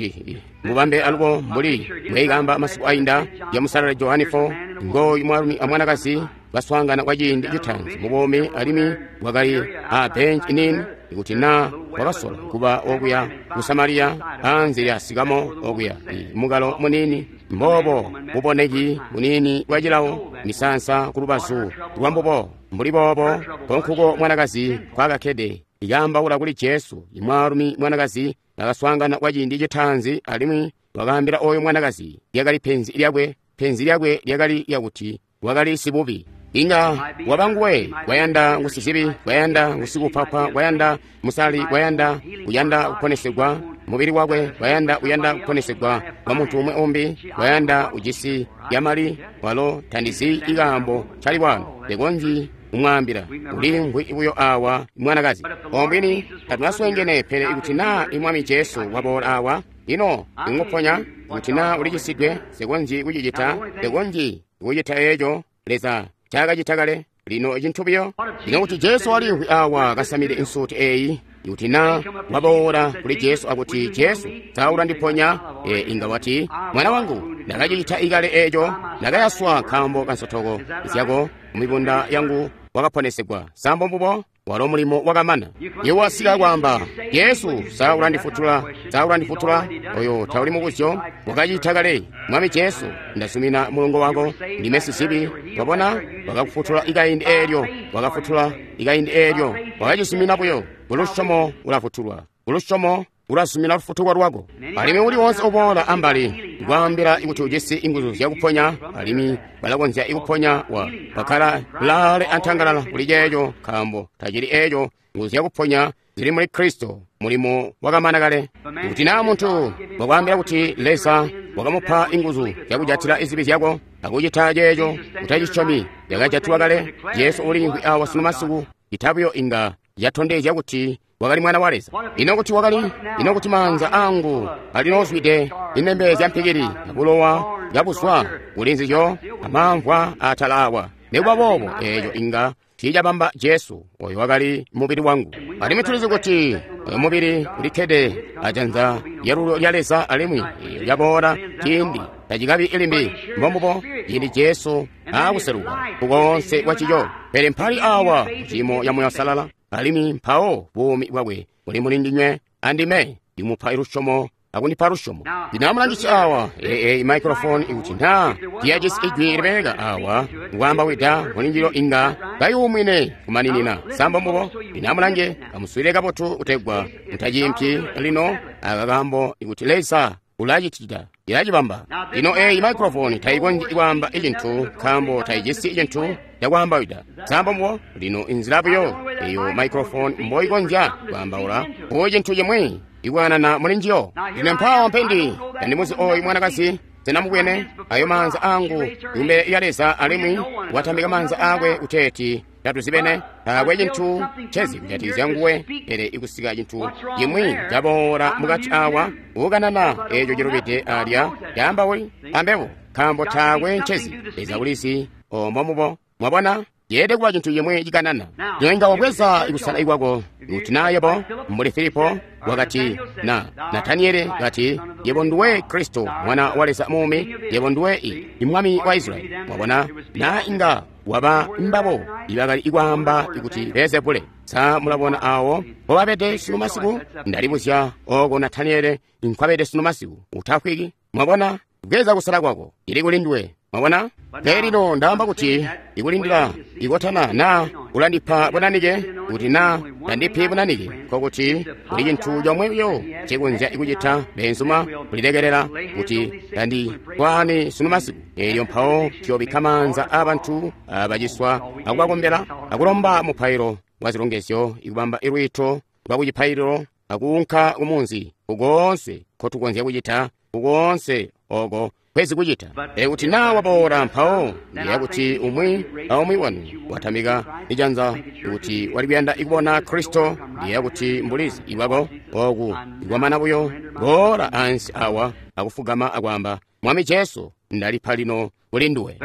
mubambe alubo mbuli mbweikamba masiku ainda ya musalala Johane four. Ngoyu mwaalumi amwanakazi baswaangana kwa ciindi citaanzi mubuumi, alimwi wakali a bench nini. Ikuti naa wakasola kuba okuya ku Samariya anze lya sikamo okuya mukalo munini mboobo buboneki munini bwa cilawo, misansa ku lubazu lwa mbubo mbuli boobo konkuko mwanakazi kwakakkede ikaambaula kuli Jesu. Imwaalumi mwanakazi bakaswaangana kwa ciindi citaanzi, alimwi wakaambila oyo mwanakazi lyakali penzi lyakwe. Penzi lyakwe lyakali lyakuti wakali sibubi. Inga waba nguwe kwayanda ngusizibi, kwayanda ngusikupapa, kwayanda musali, kwayanda uyanda kuponesegwa mubili wakwe, kwayanda uyanda kuponesegwa kwa muntu umwe umbi, kwayanda ujisi yamali. Walo tandizi ikaambo cali wano, tekonzyi kumwaambila. Ulimvwi buyo awa mwanakazi ombwini tatunaswengene, pele ikuti naa imwami Jesu waboola awa ino inguponya, kuti naa ulicisidwe, sekonzyi kucicita, sekonzyi kucita eeco Leza ncaakacita kale. Lino cintu buyo lino kuti Jesu walimvwi awa kasamide insuti eyi, ikuti naa waboola kuli Jesu akuti, Jesu, sa ulandiponya? E, inga wati, mwana wangu, ndakacicita ikale eeco, ndakayaswa nkaambo kansotoko zyako, mumibunda yangu wakaponesegwa. Sambo mbubo walo mulimo wakamana. Iwe wasika kwaamba, Jesu, sa ulandifutula, sa ulandifutula? Oyo tauli mubuzyo, wakacita kale. Mwami Jesu, ndasumina mulongo wako, ndime sizibi. Wabona, wakakufutula ikaindi eelyo, wakafutula ikaindi eelyo, wakacisumina buyo. Kulusyomo ulafutulwa, kulusyomo Ulazumina lufutuko lwako. Alimwi uli wonse uboola ambali kwaambila kuti ujisi inguzu zyakuponya, alimwi balakonzya ikuponya wa bakkala laale antangalala kuli ceeco, nkaambo tacili eeco. Nguzu zyakuponya zili muli Kristo, mulimo wakamana kale. Kuti naa muntu wakwaambila kuti Leza wakamupa inguzu zyakujatila izibi zyako akucita ceeco, utacisyomi, zyakajatilwa kale. Jesu uliimvwi awa sunu masiku, itabuyo inga yatondezya kuti wakali mwana wa Leza. Ino kuti wakali, ino kuti maanza angu alinoozwide inembe zya mpikili abulowa bwabuzwa kuli nzizyo amamvwa atala awa. Nikuba boobo eeco inga tiicabamba Jesu oyo wakali mubili wangu. Alimwi tulizi kuti oyo mubili ulikkede ajanza lyalulyo lya Leza, alimwi eeyo lyaboola ciindi tacikabi ilimbi. Mbombubo ciindi Jesu aakuseluka kukoonse kwa cico. Pele mpali awa muciimo ya Moyo Salala, alimwi mpawo buumi bwakwe buli muli ndinywe andime, ndimupa lusyomo akundipa lusyomo. Lino amulangisi awa eyi microphone ikuti naa tiyajisi ijwi libeleka awa ngwaambawida mulinjilo inga kayuumwine kumaninina. Sambo mbubo. Lino amulange, kamuswile kabotu kutegwa mutaciimpyi lino aka kaambo ikuti Leza ulacitita ilacibamba. Lino eyi microphone tayikonzyi kwaamba icintu nkaambo tayijisi icintu cakwaambawida. Sambo mbubo. Lino inzila buyo eyo microphone mboikonzya kwaambaula ku cintu cimwi ikwanana muli njiyo. Lino mpawo mpendi tandimuzi oyu mwanakazi, senamubwene ayo maanza angu kumbele ya Leza, alimwi watambika maanza akwe kuteeti tatuzibene. Taakwe cintu cezi kujatikizya nguwe, pele ikusika cintu cimwi caboola mukati awa ukanana eeco cilubide alya caambauli ambebo, nkaambo taakwe ncezi. Leza ulizi ombo mubo. Mwabona, yeede kuba cintu cimwi cikanana. Lino inga wabweza ikusala kwako kuti naa yebo mbuli Filipo wakati na Nataniele kati, yebo nduwe Kristo mwana wa Leza muumi, yebo nduwe i mwami wa Israyeli. Mwabona, naa inga waba mbabo ibakali ikwaamba ikuti Beelzebule. Sa mulabona awo mbobabede sunu masiku? Ndalibuzya oko Nataniele nkwabede sunu masiku. Utafwiki. Mwabona, bweza kusala kwako, ili kuli nduwe. Mwabona? Pele lino ndaamba kuti ikulindila ikotana naa ulandipa bunanike, kuti naa tandipi bunanike, nkokuti kuli cintu comwe buyo cikonzya ikucita beenzuma kulilekelela kuti tandikwaani sunu masiku. Eelyo mpawo tuyobikka maanza aabantu abaciswa akubakombela akulomba mupailo wa zilongezyo, ikubamba ilwiito lwa kucipaililo akuunka kumunzi kukoonse nkotukonzya kucita, kukoonse oko kwezi kucita. Pele kuti naa waboola mpawo ndiya kuti umwi aumwi wanu watamika ijanza kuti wali kuyanda ikubona Kristo, ndiya kuti mbulizi ibwako oku ikwamana buyo boola ansi awa akufugama akwaamba, Mwami Jesu, ndalipa lino kuli nduwe.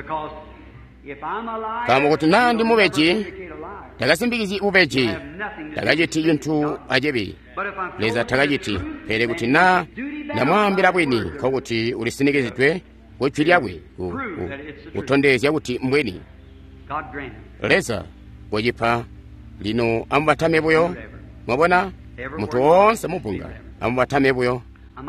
Nkaambo kuti naa ndi mubeji, takasimbikizyi bubeji, takaciti cintu acibi. Leza takaciti. Pele kuti naa ndamwaambila bwini, nkokuti ulisinikizidwe ku jwi lyakwe kutondezya kuti mbwini. Leza kucipa. Lino amubatame buyo. Mwabona, muntu woonse mubunga amubatame buyo.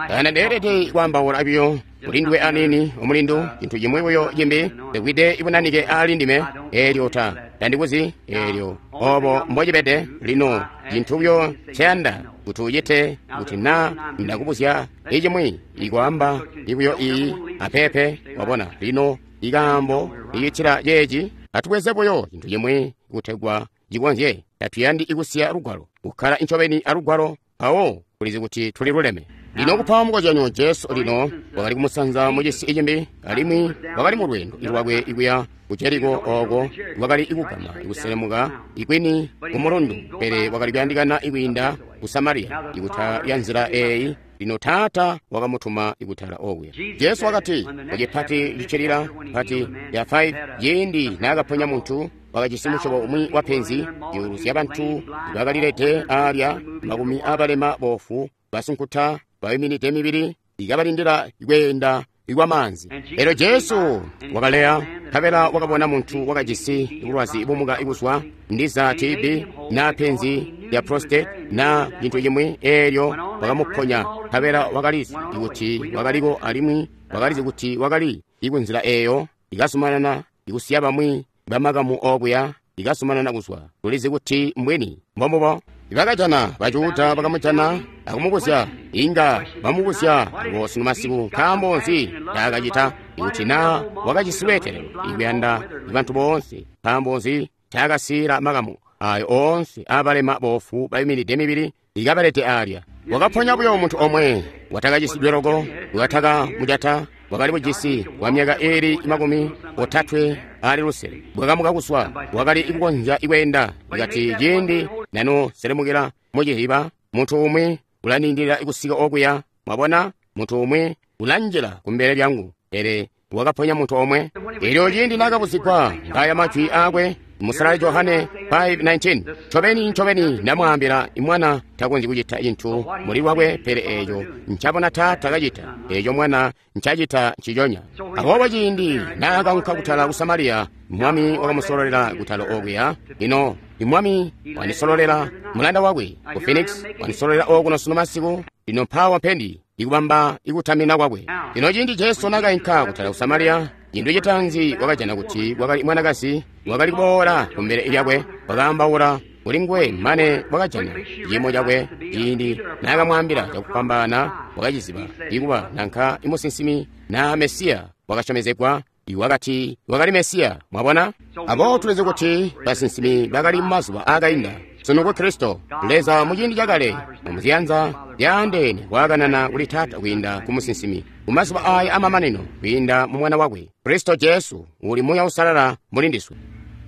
Kana ndeelede kwaambaula buyo kulinduwe aniini omulindu cintu cimwi buyo cimbi likwide ibunanike aali ndime, eelyo ta tandikuzi eelyo obo mbocibede. Lino cintu buyo nceyanda kuti ucite, kuti naa ndakubuzya icimwi ikwaamba ibuyo iyi apepe. Wabona, lino ikaambo icitila ceeci, atubweze buyo cintu cimwi kutegwa cikonzye. Tatuyandi ikusiya lugwalo, kukkala incobeni alugwalo, mpawo kulizi kuti tuli luleme. Lino kupa mukozyanyo, Jesu lino wakali kumusanza mucisi icimbi, alimwi wakali mu lweendo lwakwe ikuya ku Jeriko, oko wakali ikugama ikuselemuka ikwini ku mulundu, pele wakali kuyandikana ikwiinda ku Samariya ikuta ya nzila eyi. Lino Taata wakamutuma ikutala okuya. Jesu wakati kucipati cicilila pati ya faifi, ciindi naakaponya muntu wakajisi musyobo umwi wa penzi, zyuulu zya bantu bakalilede alya, makumi abalema, bofu, basunkuta, bayuminide mibili, ikabalindila kweenda ikwamaanzi. Elyo Jesu wakaleya, nkabela wakabona muntu wakajisi bulwazi bumuka ibuzwa ndiza T B na penzi lya prostate na cintu cimwi, eelyo wakamuponya, nkabela wakalizi kuti wakaliko, alimwi wakalizi kuti wakali ikunzila eeyo ikazumanana ikusiya bamwi bamakamu okuya ikazumanana kuzwa. Tulizi kuti mbwini mbombubo. Bakajana baJuda bakamujana akumubuzya, inga bamubuzya abo sunu masiku, nkaambo nzi taakacita ikuti naa wakajisi lweetelelo ikuyanda bantu boonse, nkaambo nzi taakasiila makamu ayo oonse aabalema boofu bayuminide mibili ikabalete aalya. Wakaponya buyo muntu omwe watakacisidwe loko, watakamujata, wakali bujisi kwa myaka iili makumi otatwe ali lusele, bwakamuka kuswa, wakali kukonzya kweenda. Ikati ciindi nano selemukila muciziba, muntu umwi ulanindilila kusika okuya. Mwabona, muntu umwi ulanjila kumbele lyangu. Pele wakaponya muntu omwe. Elyo ciindi naakabuzigwa ngaya majwi aakwe, Musalali Johane five nineteen, ncobeni ncobeni ndamwaambila, mwana takonzyi kucita cintu muli lwakwe, pele eeco ncabona Taata kacita, eeco mwana ncacita nciconya. Aboobo ciindi naakaunka kutala ku Samariya, Mwami wakamusololela kutala okuya. Lino Mwami wandisololela mulanda wakwe ku Phoenix, wandisololela okuno sunu masiku. Lino mpaawa mpendi ikubamba ikutamina kwakwe. Lino ciindi Jesu naakainka kutala ku Samariya, cintu citaanzi wakajana kuti wakali mwanakazi wakali kuboola kumbele lyakwe, wakaambaula kuli nguwe mane wakajana ciimo cakwe. Ciindi naakamwaambila cakufwambaana, wakaciziba ikuba nanka imusinsimi na Mesiya wakasyomezegwa, iwakati wakali Mesiya. Mwabona? Aboobo tulizi kuti basinsimi bakali mumazuba aakainda. Sunu ku Kristo, Leza muciindi cakale muziyanza zyaandeene waakanana kuli Taata kwiinda ku musinsimi, mumazuba aaya amamanino kwiinda mu Mwana wakwe Kristo Jesu, uli Muuya Uusalala muli ndiswe.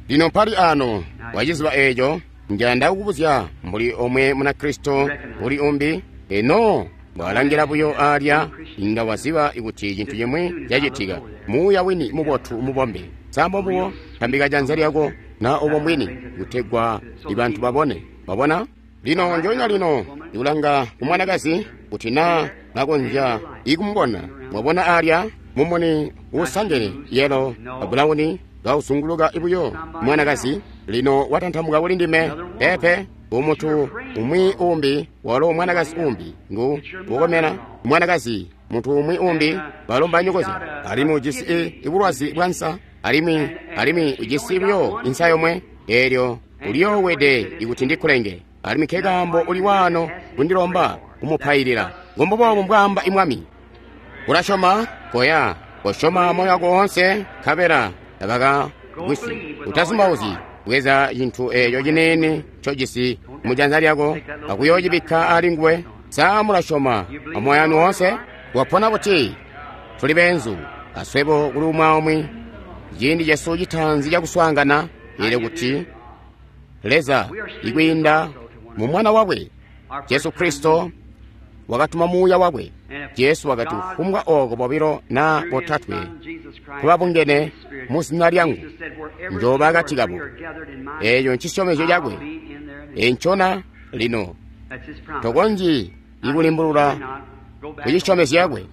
Lino mpali ano waciziba eeco, njanda kukubuzya mbuli omwe muna Kristo uli umbi, eno bwalangila buyo aalya, inga waziba kuti cintu cimwi cacitika. Muuya wini mubotu mubombe, sambo mbubo, tambika janza lyako na obo mbwini, kutegwa ibantu babone. Wabona? Lino njonya lino ndikulanga ku mwanakazi kuti naa nakonzya ikumubona. Mwabona aalya mumuni uusangene yelo abulawuni kauzunguluka buyo mwanakazi. Lino watantamuka kuli ndime. Pepe umuntu umwi umbi, walo mwanakazi umbi ngu ukomena mwanakazi, muntu umwi umbi balomba nyokozya, alimwi ujisi ibulwazi bwa nsa, alimwi alimwi ujisi buyo insa yomwe. Eelyo uliyoowede ikuti ndikulenge, alimwi nkekaambo uli waano kundilomba kumupailila. Ngombuboobo mbwaamba Mwami. Ulasyoma? Koya, kosyoma moyo wako woonse, nkabela tabakagwisyi. Utazumbauzyi. Bweza cintu eeco ciniini ncojisi mujanza lyako akuyoocibikka ali nguwe. Sa mulasyoma amoyo wanu woonse? Wapona buti? Tuli beenzu aswebo kuli umwi aumwi. Ciindi cesu citaanzi cakuswaangana, eelyo kuti Leza ikwiinda mu Mwana wakwe Jesu Kristo wakatuma Muuya wakwe. Jesu wakati, kufumbwa ooko bobilo na botatwe kubabungene mu zina lyangu, njooba akati kabo. Eeco ncisyomezyo cakwe. Encona lino tokonzyi ikulimbulula kucisyomezyo cakwe.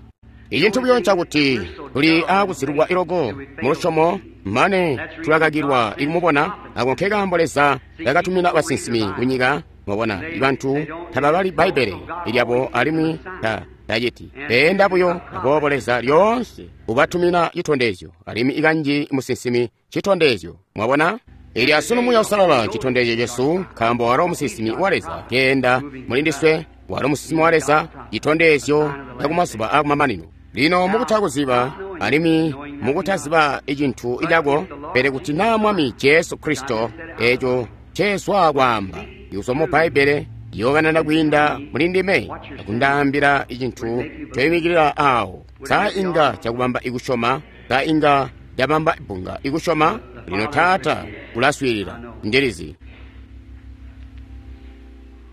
Icintu buyo ncakuti tuli aakuzilulwa iloko mulusyomo mane tulakakilwa ikumubona. Ako nkekaambo Leza yakatumina basinsimi kunyika. Mwabona, ibantu tababali Bbaibbele lyabo alimwi ta taciti beenda buyo. Aboobo Leza lyoonse ubatumina citondezyo, alimwi ikanji musinsimi citondezyo. Mwabona? Eli asunu Muuya Uusalala citondezyo cesu, nkaambo walo musinsimi wa Leza keenda muli ndiswe, walo musinsimi wa Leza, citondezyo cakumazuba akumamanino. Lino mukutakuziba alimwi mukutaziba icintu icako, pele kuti naa Mwami Jesu Kristo eeco ncezwa kwaamba ikuzwa mu Bbaibbele yokanana kwiinda muli ndime akundaambila icintu ncoyimikilila awo, sa inga cakubamba ikusyoma? Sa inga cabamba bbunga ikusyoma? Lino Taata ulaswiilila, ndilizi.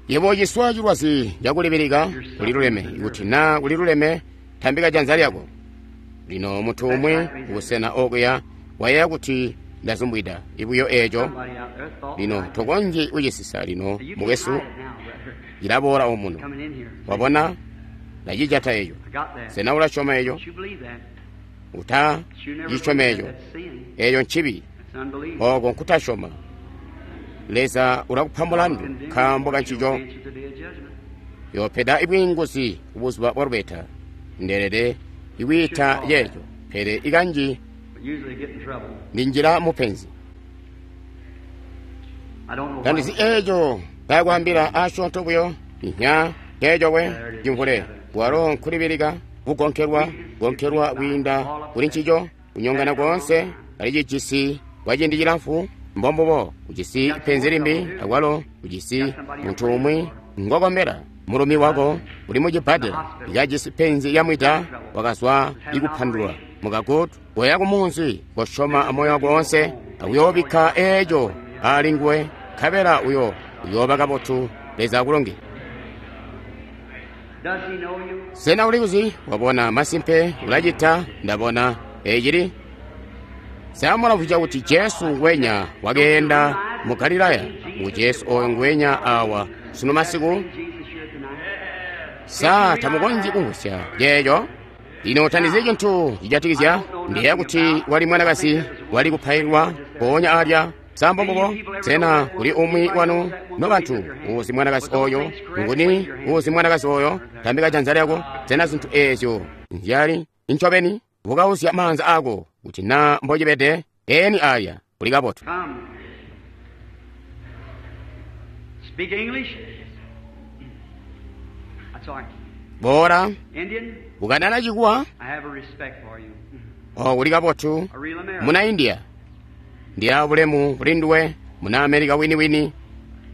Yebo uciswa cilwazi cakulibilika, kuliluleme. Ikuti naa kuliluleme, tambika janza lyako. Lino muntu umwi kubusena okuya wayeeya kuti ndazumbwida ibuyo eeco. Lino tokonzyi kucisisa lino mukwesu, cilaboola omuno. Wabona? Ndacijata eco. Sena ulasyoma eco? Uta cisyome eco. Eeco ncibi. Ooko nkutasyoma. Leza ulakupa mulandu nkaambo kancico. Yoopeda ibwiinguzi kubuzuba bwa lubeta. Ndeelede ikwiita ceeco, pele ikanji ndinjila mupenzi. Tandizi eeco Kakwaambila asyoonto buyo nya nceeco we cimvule walo nkulibilika kugonkelwa gonkelwa kwiinda kuli ncico kunyongana koonse ali cijisi kwa ciindi cilamfu mbombubo ujisi penzi limbi akwalo ujisi muntu umwi ngokombela mulumi wako uli mucibbadela ikajisi penzi lyamwida wakazwa ikupandulwa mukagutu koya kumunzi kosyoma amoyo wako wonse akuyoobikka eeco ali nguwe nkabela uyo uyooba kabotu. Leza akulonge. Does he know you? Sena uli kuzi wabona masimpe ulacita ndabona ecili samulamvwija kuti Jesu ngwenya wakeenda mu Galilaya ngu Jesu oyo ngwenya awa sunu masiku. Jesus here tonight. Sa tamukonzyi kumvwisya ceeco. Lino tandizi cintu cijatikizya ndiyeeya kuti wali mwanakazi wali kupailwa mpoonya alya sambombobo. Sena kuli umwi wanu nobantu uzi mwanakazi oyo? Nguni uzi mwanakazi oyo? Tambika janza lyako. Sena zintu eezyo nzyali ncobeni? Bukausya maanza ako kuti na mbocibede eni alya kuli kabotu. Come. Speak English? I'm sorry. Bora Indian, ukanana chikuwa I have a respect for you. o kuli kabotu. A real American. Muna India ndi abulemu kuli nduwe muna Amerika winiwini.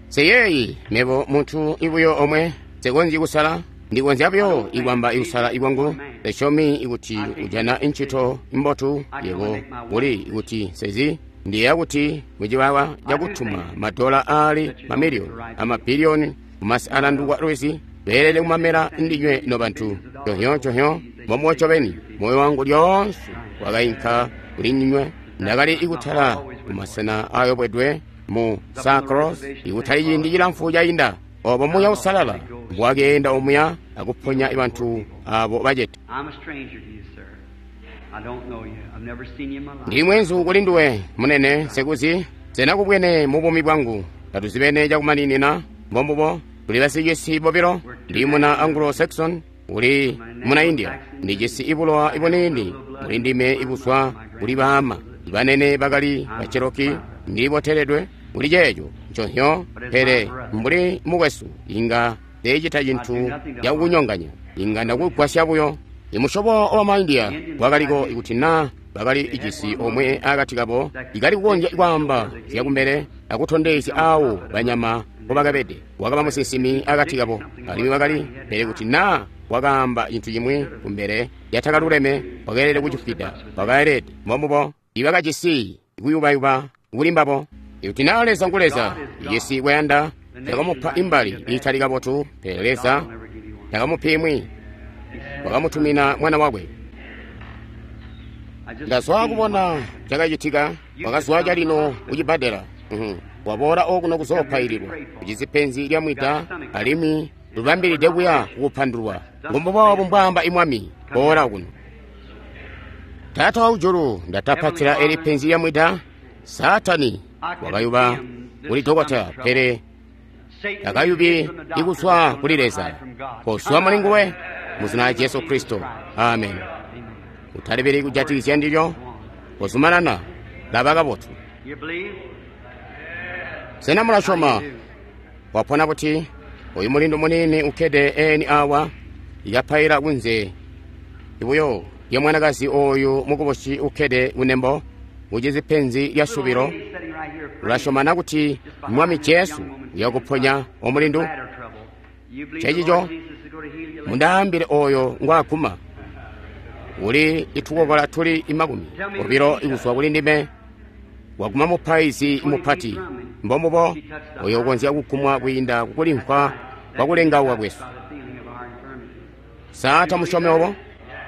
Seyeyi mebo munthu ibuyo omwe sekonzi kusala ndikonzya buyo ikwamba ikusala ikwangu lesyomi ikuti ujana ntchito imbotu yebo kuli ikuti sezi ndiyeya kuti muchiwawa chakutuma madola ali mamiliyoni amabiliyoni kumasi alandukwa lwezi beelele kumamela ndinywe no bantu chonhyochonhyo momwe chobeni moyo wangu lyonse wakayinka kuli ndinywe. Ndakali ikutala kumasena ayobwedwe mu Sacros ikutali ciindi cilamfu cayinda obo muya usalala mbwakeenda omuya akuponya bantu abo bacete. I'm a stranger to you, sir. I don't know you. I've never seen you in my life. Ndi mwenzu kuli nduwe munene sekuzi senakubwene mu bumi bwangu tatuzibene chakumaninina mbombubo tuli basicisi bobilo. Ndi muna Anglo-Saxon uli muna India ndijisi ibulowa ibunini muli ndime ibuswa kuli baama banene bakali bacheroki ndiboteledwe kuli ceeco nconhyo. Pele mbuli mukwesu inga ndecita cintu cakukunyonganya inga ndakugwasya buyo. Imusyobo wa maindia wakaliko ikuti na bakali ijisi omwe akati kabo ikali kukonzya kwaamba zyakumbele akutondezya awo banyama mbobakabede. Wakaba musinsimi akati kabo alimwi wakali pele kuti na wakaamba cintu cimwi kumbele yatakaluleme wakeelede kucifwida wakaelede mbombubo ibakajisi kuyubayuba kuli mbabo. Ikuti na Leza ngu Leza ijisi kuyanda yakamupa imbali iitali kabotu pele Leza takamupa imwi wakamutumina mwana wakwe. I just Ndazwa kubona chakachitika wakazwa chalino kuchibbadela. Mhm. Waboola okuno kuzoopayilirwa ujisi penzi lya mwida alimwi lubambilide kuya kukupandulwa ngombobobo mbwaamba imwami. Boola kuno. Taata wa ujulu ndatapatila eli penzi lya mwida. Satani wakayuba kuli dokota pele Satan takayubi from the doctor, ikuswa but kuli Leza. hide from God. Koswa muli nguwe muzina la Jesu Kristo. Amen. Utalibili kujatikizya ndilyo kozumanana laba kabotu. You believe? Sena mulasyoma? Wapona kuti oyu mulindu munini ukkede eni awa ikapaila kunze ibuyo lya mwanakazi oyu mukubusi ukkede kunembo ujizi penzi lya subilo. Lady sitting right here praying. Ulasyomana kuti Mwami Jesu uyakuponya omulindu? Bladder trouble. You believe the Chechicho Lord Jesus is going to heal you? mundaambile oyo ngwaguma uli itukokola tuli imakumi obilo ikuzwa kuli ndime waguma mupaizi mupati mbombubo oyo ukonzya kugumwa kwiinda kukulimvwa kwa kulengauka kwesu. By the feeling of our infirmity. Sa tamusyome obo?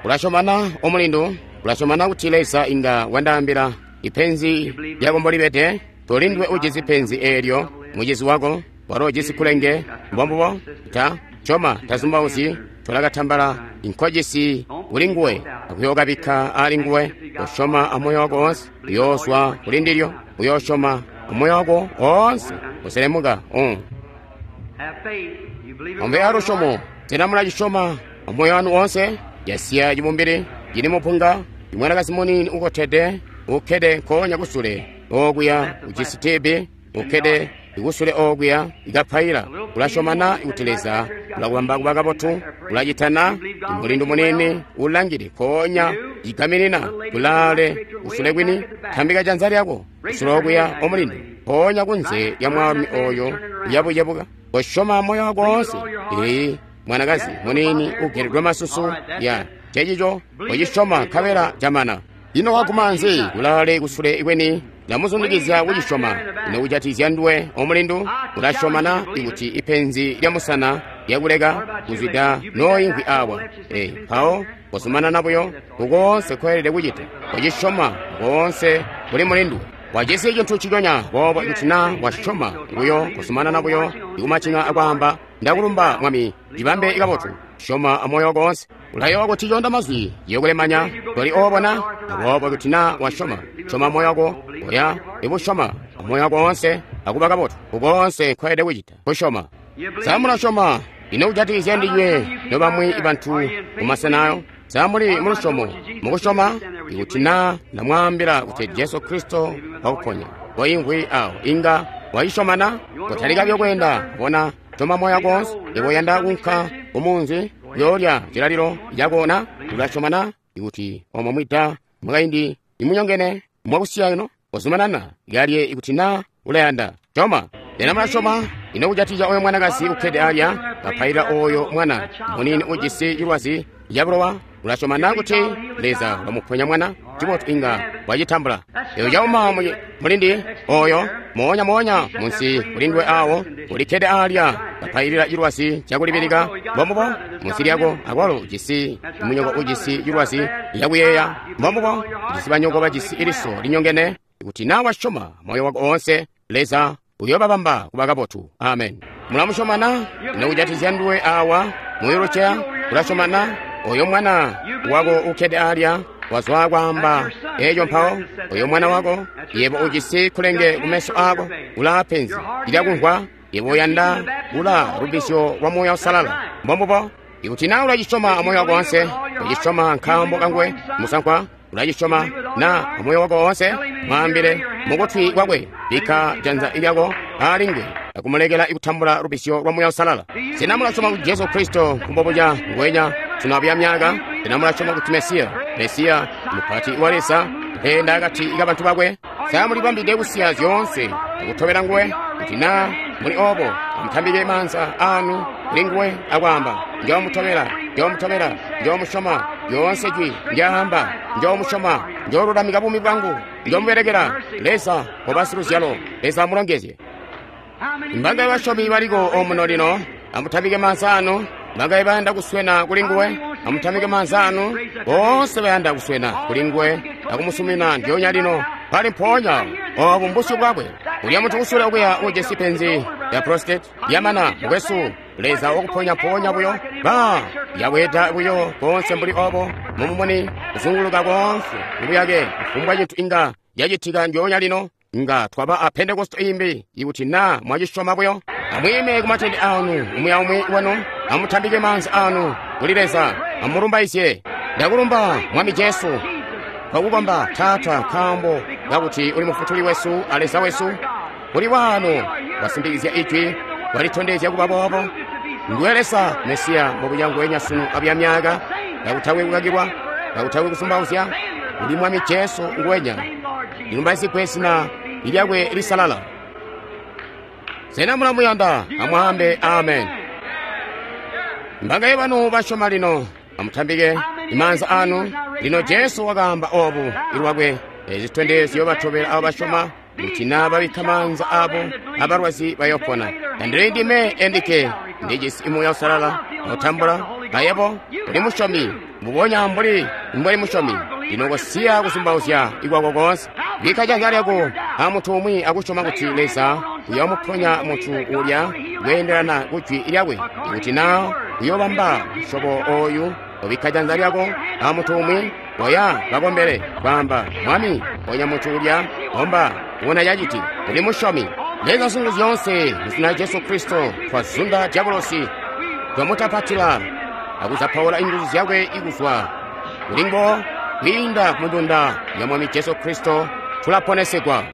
Ulasyomana omulindu? Ulasyomana kuti Leza inga wandaambila ipenzi lyako mbolibede? Tolindwe ujisi penzi eelyo mucizi wako walo ujisi kulenge mbombubo ta coma tazumbauzi tolakatambala inkojisi kuli nguwe akuyokabikka ali nguwe. Usyoma amoyo wako wonse uyooswa kuli ndilyo uyoosyoma amoyo wako wonse uselemuka. Um. Have faith. You believe it with Ombe all your alusyomo heart? sena mulacisyoma amoyo wanu wonse? Yasiya cibumbili cili mupunga imwanakazi munini ukotede ukkede nkoonya kusule okuya ujisi tibi ukkede Ikusule okuya ikapaila. Ulasyomana kuti Leza ulakubamba kuba kabotu? Ulacitana? Mulindu munini ulangile mpoonya igaminina kulaale kusule kwini. Tambika janza lyako kusule okuya omulindu, mpoonya kunze lya mwaalumi oyo uyabucebuka. Kosyoma moyo wako woonse. Ee, mwanakazi munini ugeledwe masusu ya cecico kocisyoma nkabela camana. Ino waguma nzi kulaale kusule kweni? Ndamuzundikizya kucisyoma. Ino kujatikizya nduwe omulindu? Ulasyomana ikuti ipenzi lya musana lyakuleka kuzwida nooimvwi awa? Ee, mpawo kozumanana buyo kukoonse koelede kucita. Kocisyoma koonse kuli mulindu. Wajisi cintu ciconya boobo ikuti naa wasyoma buyo, kozumanana buyo ikumacinga akwaamba, ndakulumba Mwami, cibambe kabotu. Syoma amoyo wako woonse. Ulayowa kuti conda mazwi yokulemanya toli oobona. Aboobo ikuti naa wasyoma, syoma moyo wako, oya ikusyoma amoyo wako woonse akuba kabotu. Kukoonse nkoelede kucita kusyoma. Sa mulasyoma? Ino kujatikizya ndinywe nobamwi bantu kumasenayo? Sa muli mulusyomo mukusyoma? Ikuti naa ndamwaambila kuti Jesu Kristo wakuponya, koimvwi awo inga wacisyomana? Kotalika buyo kweenda, bona, syoma moyo wako woonse. Yebo uyanda kuunka kumunzi kuyoolya cilalilo cakona? Ulasyomana ikuti omo mwida mwakaindi imunyongene mwakusiya ino? Kozumanana kalye ikuti naa ulayanda. Syoma. Sena mulasyoma? Ino kujatikizya oyo mwanakazi ukkede alya kapailila oyo mwana munini ujisi cilwazi cabulowa? Ulasyomana kuti Leza ulamuponya mwana? Cibotu, inga wacitambula. Eyo cauma mulindi oyo moonya moonya munsi kulindwe awo ulikkede alya kapailila cilwazi cakulibilika. Mbombubo, munsi lyako akwalo ujisi munyoko ujisi cilwazi cakuyeeya. Mbombubo, ujisi banyoko bajisi iliso linyongene. Ikuti naa wasyoma moyo wako oonse, Leza uyoobabamba kuba kabotu. Amen. Mulamusyomana? Ino kujatikizya nduwe awa muyuluceya? Ulasyomana? Oyo mwana wako ukkede alya wazwa kwaamba eco mpawo. Oyo mwana wako, yebo ujisi kulenge kumeso ako, ulaa penzi lyakumvwa, yebo uyanda ula lubisyo lwa Muuya Uusalala. Mbombubo. Ikuti naa ulacisyoma amoyo wako woonse, ucisyoma nkaambo kanguwe musankwa, ulacisyoma na amoyo wako woonse, mwaambile mukutwi kwakwe, bikka janza lyako alinguwe akumulekela ikutambula lubisyo lwa Muuya Uusalala. Sena mulasyoma kuti Jesu Kristo mbobuca nguwenya sunu abuya myaka? Sena mulasyoma kuti Mesiya, Mesiya mupati wa Leza, mpeenda akati kabantu bakwe? Sa mulibambide kusiya zyoonse akutobela nguwe? Kuti naa muli obo, amutambike maanza anu kuli nguwe akwaamba, njoomutobela, njoomutobela, njoomusyoma, lyoonse jwi ndyaamba, njoomusyoma, njoolulamika buumi bwangu, njoomubelekela. Leza koba siluzyalo. Leza amulongezye. Mbangaye basyomi baliko omuno lino? Amutambike maanza anu. Mbangaye bayanda kuswena kuli nguwe? Amutambike maanza anu. Boonse bayanda kuswena kuli nguwe akumusumina ndyoonya lino pali mpoonya obu mbusyu bwakwe. Ulya muntu kusule okuya ujisi penzi ya prostate yamana, mukwesu, Leza wakuponya mpoonya buyo. Ba yabweeda buyo koonse mbuli obo mumumuni kuzunguluka koonse mubuyake. Kufumbwa cintu inga yacitika ndyoonya lino. Nga twaba a Pentekoste imbi ikuti naa mwacisyoma buyo. Amwiime kumatende anu umwi aumwi wanu, amutambike maanza anu kuli Leza, amulumbaizye. Ndakulumba Mwami Jesu, twakukomba Taata, nkaambo kakuti uli mufutuli wesu a Leza wesu. Kuli wano wasimbikizya ijwi, walitondezya kuba boobo. Nduwe Leza Mesiya mbobuca nguwenya sunu abuya myaka, kakutakwe kukakilwa, kakutakwe kusumbauzya. Uli Mwami Jesu nguwenya, lilumbaizigwe zina lyakwe lisalala. Sena mulamuyanda? Amwaambe amen. Mbangaye banu basyoma lino? Amutambike maanza anu. Lino Jesu wakaamba obu ilwakwe, ezi zitondezyo batobela abo basyoma, kuti naa babikka maanza abo abalwazi bayopona. Tandili ndime endike ndijisi Muuya Uusalala otambula ayebo uli musyomi mbubonya mbuli mbwali musyomi. Lino kosiya kusumbauzya ikwako koonse. Bikka janza lyako amuntu umwi akusyoma kuti Leza uyoomuponya muntu ulya kweendelana kujwi lyakwe. Ikuti naa uyoobamba musyobo oyu, obikka janza lyako amuntu umwi, oya bakombele kwaamba, Mwami, ponya muntu ulya, omba ubona caciti. Uli musyomi. Leza zintu zyoonse muzina lya Jesu Kristo twazunda diabolosi, twamutapatila akuzapaula inguzu zyakwe ikuzwa kulinguwo kwiinda kumudunda ya Mwami Jesu Kristo tulaponesegwa.